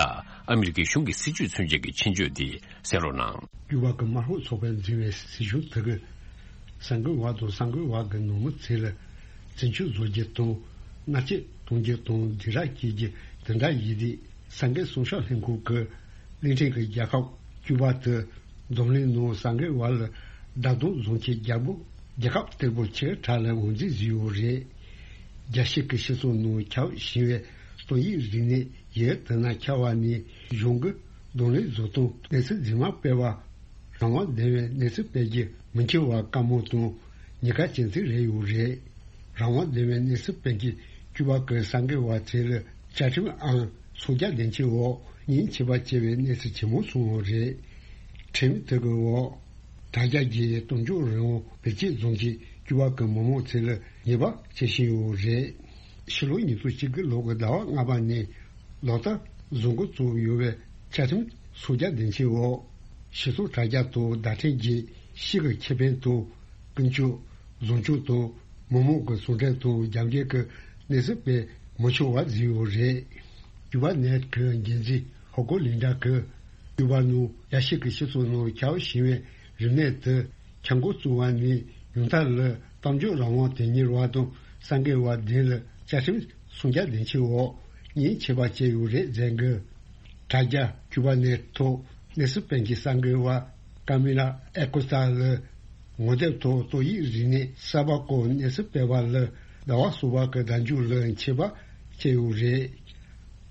ཨ་མི་རི་ཀའི་གཞུང་གི་སྲིད་བྱུས་མཚོན་བྱེད་ཀྱི་ཆེད་བརྗོད་འདི་གསན་རོགས་གནང་། ཀྱུ་པ་གི་དམར་ཤོག་ཚོགས་པས་འཛིན་པའི་སྲིད་གཞུང་དེ་གིས་གསར་འགོད་པ་དང་གསར་འགོད་པ་གི་ནང་མི་ཚོ་ལ་བཙན་སྐྱོབ་བཟོ་རྒྱུ་དང་མནར་གཅོད་གཏོང་རྒྱུ་དང་སྡིགས་ར་སྐྱེལ་རྒྱུ་དེ་འདྲ་ཡིན་དུས། གསར་འགོད་གསུང་བཤད་ལྷན་ཁང་གི་གླིང་ཕྲན་གྱི་རྒྱལ་ཁབ་ཀྱུ་པ་དེ་འཛམ་གླིང་ནང་གསར་འགོད་པ་ལ་བརྡ་སྟོན་བཟོ་མཁན་རྒྱལ་པོ་རྒྱལ་ཁབ་སྟེགས་བུ་ཆེ་གྲས་ལ་ངོས་འཛིན་བཟོས་ཡོད་རེད། རྒྱལ་སྤྱི་གི་སྤྱི་ཚོགས་ནང་ཁྱབ་བཞིན་པའི་ཏོག་དབྱིབས་རིམས་ནད་ཡི་དེ་ན་ཁྱབ་པ་ནས་གཞུང་གི་གདོང་ལེན་བཟོ་སྟངས་གནས་ཚུལ་རྫུན་མ་སྤེལ་བ། རང་དབང་ལྡན་པའི་གནས་ཚུལ་སྤེལ་རྒྱུ་མི་འཁྱོལ་བ་དཀའ་མོ་དང་ཉེན་ཁ་ཅན་ཅིག་རེད་ཡོད་རེད། རང་དབང་ལྡན་པའི་གནས་ཚུལ་སྤེལ་མཁན་ཀྱུ་པ་གི་གསར་འགོད་པ་ཚོ་ལ་བཅའ་ཁྲིམས་ཨང་སུམ་བརྒྱ་བདུན་ཅུ་འོག་ཉེན་ཆེ་བ་བྱས་པའི་གནས་ཚུལ་ཇེ་མང་སོང་བ་རེད། ཁྲིམས་དེ་གི་འོག་དྲ་རྒྱ་བརྒྱུད་གཏམ་བརྗོད་རང་དབང་བེད་སྤྱོད་བཟོ་མཁན་ཀྱུ་པ་གི་མི་མང་ཚོ་ལ་ཉེས་པ་བྱེད་བཞིན་ཡོད་རེད། ཕྱི་ལོ་ཉིས་སྟོང་བཅུ་དགུ་ལོ་གི་ཟླ་བ་ལྔ་པ་ནས་ལག་བསྟར་བཟོ་འགོ་བཙུགས་ཡོད་པའི་བཅའ་ཁྲིམས་སུམ་བརྒྱ་བདུན་ཅུ་འོག་སྤྱི་ཚོགས་དྲ་རྒྱ་དང་བརྡ་འཕྲིན་བརྒྱུད་ཕྱི་གི་ཁེ་ཕན་དང་ཀུན་སྤྱོད་བཟང་སྤྱོད་དང་མི་མང་གི་ཟུང་འབྲེལ་དང་རྒྱབ་འགལ་གྱི་གནས་ཚུལ་སྤེལ་མི་ཆོག་པ་བཟོས་ཡོད་རེད། ཀྱུ་པ་ནེཊ་གི་འགན་འཛིན་ཧོ་ཀོ་ལིན་ཌ་གིས་ཀྱུ་པ་ནང་རྒྱལ་སྤྱི་གི་སྤྱི་ཚོགས་ནང་ཁྱབ་བཞིན་པའི་རིམས་ནད་དེ་ཁྱབ་འགོ་བཙུགས་པ་ནས་ཉུང་མཐའ་ལ་གཏམ་བརྗོད་རང་དབང་དོན་གཉེར་བ་དང་གསར་འགོད་པ་བདུན་ལ་བཅའ་ཁྲིམས་སུམ་བརྒྱ་བདུན་ཅུ་འོག་ཉེན་ཆེ་བ་བྱས་ཡོད་རེད་ཟེར་གི། དྲ་རྒྱ་ཀྱུ་པ་ནེཊ་ཐོག་གནས་ཚུལ་སྤེལ་མཁན་གསར་འགོད་པ་ཀ་མི་ལ་ཨེ་ཀོ་སྟ་ལ་ངོ་དེབ་ཐོག་ཏོག་དབྱིབས་རིམས་ནད་གསར་པ་སྐོར་གནས་ཚུལ་སྤེལ་བ་ལ་ཟླ་བ་གསུམ་པ་གི་ཟླ་མཇུག་ལ་ཆད་པ་བཅད་ཡོད་རེད།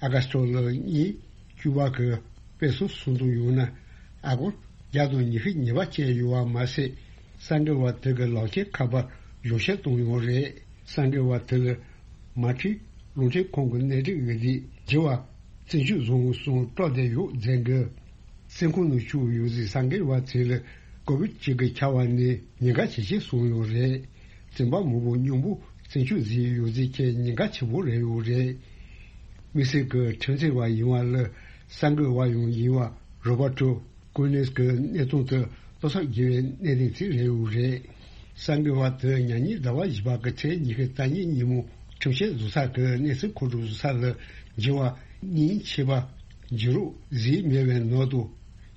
ཨ་ག་སྟོ་ལ་གཉིས་ཀྱུ་པ་གི་དཔེ་སྲོལ་སྲུང་སྐྱོབ་ཡོང་ན་ཨ་སྒོར་བརྒྱ་དང་ཉི་ཤུ་ཉེས་པ་བཅད་ཡོད་པ་མ་ཟད། གསར་འགོད་པ་དེ་གི་ལག་ཁྱེར་ཁ་པར་གཞུང་བཞེས་བཏང་ཡོད་རེད། གསར་འགོད་པ་དེ་ལ་མ་ཁྲིག་རླུང་འཕྲིན་ཁང་གི་གནས་སྒྲིག་འོས་བསྡུ་བགྱི་བ་བཙན་སྐྱོབ་བཟོ་དགོས་གསུངས་སྤྲོ་བསྡད་ཡོད་ཟེར་གི། བཙོན་ཁང་ནང་བཅུག་ཡོད་ཟེར་གསར་འགོད་པ་ཚོ་ལ་ཀོ་བིད་བཅུ་དགུ་ཁྱབ་པ་ནས་ཉེན་ཁ་ཇེ་ཆེ་སོང་ཡོད་རེད། བཙོན་པ་མང་པོ་སྙོམས་པོ་བཙོན་འཇུག་བཟོས་ཡོད་ཟེར་མཁན་ཉེན་ཁ་ཆེན་པོ་རེད་ཡོད་རེད། དམིགས་བསལ་གྱི་ཁྲིམས་རྩོད་པ་ཡིན་པ་ལ་གསར་འགོད་པ་ཡང་ཡིན་པ་རོ་བར་ཏོ་ཀོ་ནེས་ཀྱི་གནས་སྟངས་དེ་ལྟ་ཚོད་དགོས་པའི་གནད་དོན་ཅིག་རེད་ཡོད་རེད། གསར་འགོད་པ་དེ་ཉ་ཉིན་ཟླ་བ་བཞི་པ་གི་ཚེས་ཉི་ཤུ་རྩ་གཉིས་ཉིན་མོ་ཁྲིམས་བཤེར་བཟོ་ས་གི་གནས་ཚུལ་མཁོ་སྒྲུབ་བཟོ་ས་ལ་འགྱུར་བ་གཉིས་ཆེ་བ་འགྱུར་རོགས་བཟོས་མེད་པའི་ནང་དུ་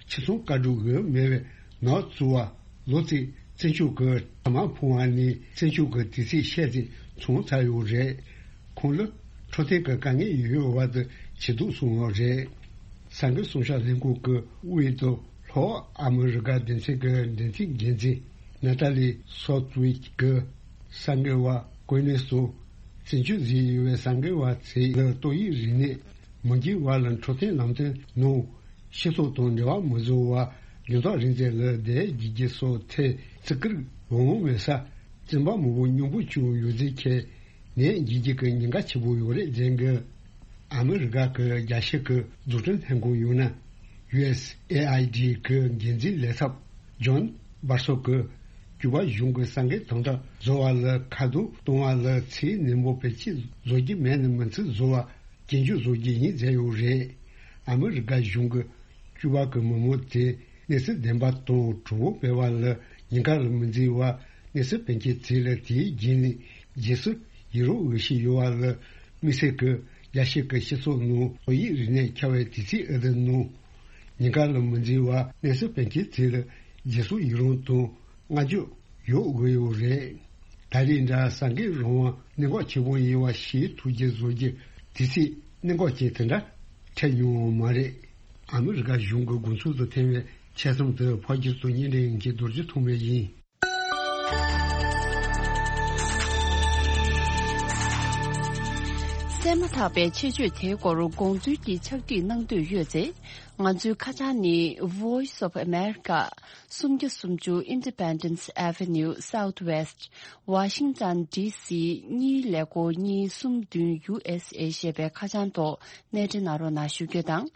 ཁྱིམ་ཚང་བཀའ་སྒྲུབ་འོས་མེད་པའི་ནང་བཙུགས་པ། ལོ་གཅིག་བཙོན་འཇུག་གི་ཐ་མག་འཕངས་པ་ནས་བཙོན་འཇུག་གི་དུས་ཚོད་ཤས་ཅིག་ཚང་ཚར་ཡོད་རེད། ཁོང་ལ་འཕྲོད་བསྟེན་གྱི་དཀའ་ངལ་ཡོད་པ་དེ་ཇེ་སྡུག་སོང་བ་རེད། གསར་འགོད་གསུང་བཤད་ལྷན་ཁང་གི་དབུས་དང་ལྷོ་ཨ་མི་རི་ཀ་སྡེ་ཚན་གྱི་འབྲེལ་མཐུད་འགན་འཛིན་ནཱ་ཏཱ་ལི་སོ་ཏུ་ཝིཆ་གིས་གསར་འགོད་པ་ཀོ་ནེ་སོ་བཙོན་འཇུག་བཟོས་ཡོད་པའི་གསར་འགོད་པ་ཚོ་ལ་ཏོག་དབྱིབས་རིམས་ནད་མི་འགོས་པ་ལ་འཕྲོད་བསྟེན་ལམ་སྟོན་ནང་སྤྱི་ཚོགས་དང་འབྲེལ་བ་མི་བཟོ་བ། རྒྱང་ཐག་རིང་ཚད་ལ་བསྡད་རྒྱུ་སོགས་ཐད་བརྩི་བཀུར་འོས་འོས་མེད་ས་བཙོན་པ་མང་པོ་སྙོམས་པོ་བཅུག་ཡོད་ཚུལ་འཁྱེར། ནད་འབྱིན་རྒྱུ་གི་ཉེན་ཁ་ཆེ་པོ་ཡོད་རེད་ཟེར་གི། ཨ་མི་རི་ཀ་གི་རྒྱལ་སྤྱི་གི་འཛུགས་སྐྲུན་ལྷན་ཁང་ཡང་ན་ཡུ་ཨེས་ཨེ་ཨའི་ཌི་གི་འགན་འཛིན་ལས་ཚབ་ཇོན་སྦར་སོ་གིས་ཀྱུ་པ་གཞུང་གི་ས་འགན་དམ་དྲག་བཟོ་བ་ལ་ཁ་རྡུང་གཏོང་བ་ལ་ཚད་ནན་པོ་བེད་སྤྱད་བཟོ་རྒྱུ་མེད་ན་མི་ཚེ་བཟོ་བ་གྱེན་བཅུག་བཟོ་རྒྱུ་ཡིན་ཟེར་ཡོད་རེད། ཨ་མི་རི་ཀ་གཞུང་གིས་ཀྱུ་པ་གི་མི་མང་དེ་གནས་ཚུལ་བདེན་པ་དང་གྲོས་འགོ་སྤེལ་བ་ལ་ཉེན་ཁ་ལ་མི་འཛེམ་པར་གནས་ཚུལ་སྤེལ་མཁན་ཚོ་ལ་དེའི་རྗེས་ནས་རྗེས་སུ་ཡི་རང་འོས་ཤིག་ཡོད་པ་ལ་དམིགས་བསལ་གྱི་རྒྱལ་སྤྱི་གི་སྤྱི་ཚོགས་ནང་ཏོག་དབྱིབས་རིམས་ནད་ཁྱབ་པའི་དུས་ཚིགས་འདི་ནང་ཉེན་ཁ་ལ་མི་འཛེམ་པར་གནས་ཚུལ་སྤེལ་མཁན་ཚོ་ལ་རྗེས་སུ་ཡི་རང་དང་བསྔགས་བརྗོད་ཡོད་དགོས་ཡོད་རེད། ད་རེས་འདྲ་ས་འགན་རང་དབང་གནད་འགག་ཆེ་པོ་ཡིན་པ་ཤེས་ཐུབ་རྒྱུ་བཟོ་རྒྱུ་དུས་ཚིགས་གནད་འགག་ཅན་དེ་འདྲ་འཕྲད་མྱོང་བ་མ་རེད། ཨ་མི་རི་ཀ་གཞུང་གི་དགོངས་ཚུལ་དུ་ཐེ་བའི་ཆ་ཚང་དུ་ཕབ་སྒྱུར་དང་སྙན་སྒྲོན་གྱི་རྡོ་རྗེ་ཐོགས་མེད་ཡིན། གསན་མ་ཐག་པའི་ཆེད་བརྗོད་དེའི་སྐོར་དགོངས་ཚུལ་གྱི་ཕྱག་བྲིས་གནང་འདོད་ཡོད་ཚེ། ང་ཚོའི་ཁ་བྱང་ནི་Voice of America། སུམ་བརྒྱ་སུམ་ཅུ་Independence Avenue Southwest Washington D C གཉིས་ཀླད་ཀོར་གཉིས་གསུམ་བདུན་U S A ཞེས་པའི་ཁ་བྱང་ཐོག་གནས་འབྲེལ་གནང་རོགས་གནང་ཞུ་རྒྱུ་དང་།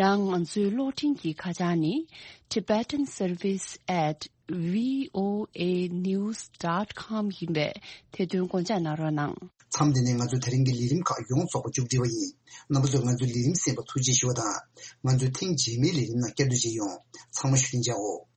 ཡང་ང་ཚོའི་གློག་འཕྲིན་གྱི་ཁ་བྱང་ནི་tibetan service at V O A news dot com ཡིན་པས་དེ་དོན་དགོངས་འཇགས་གནང་རོགས་གནང་། མཚམས་འདི་ནས་ང་ཚོའི་ད་རིང་གི་ལས་རིམ་ཁག་ཡོངས་རྫོགས་པ་མཇུག་སྒྲིལ་བ་ཡིན། རྣམ་པ་ཚོས་ང་ཚོའི་ལས་རིམ་གསན་པར་ཐུགས་རྗེ་ཞུ་བ་དང་། ང་ཚོའི་ཐེངས་རྗེས་མའི་ལས་རིམ་ནང་བསྐྱར་དུ་མཇལ་ཡོང་། ཚང་མ་བཞུགས་གདན་འཇགས་འོ།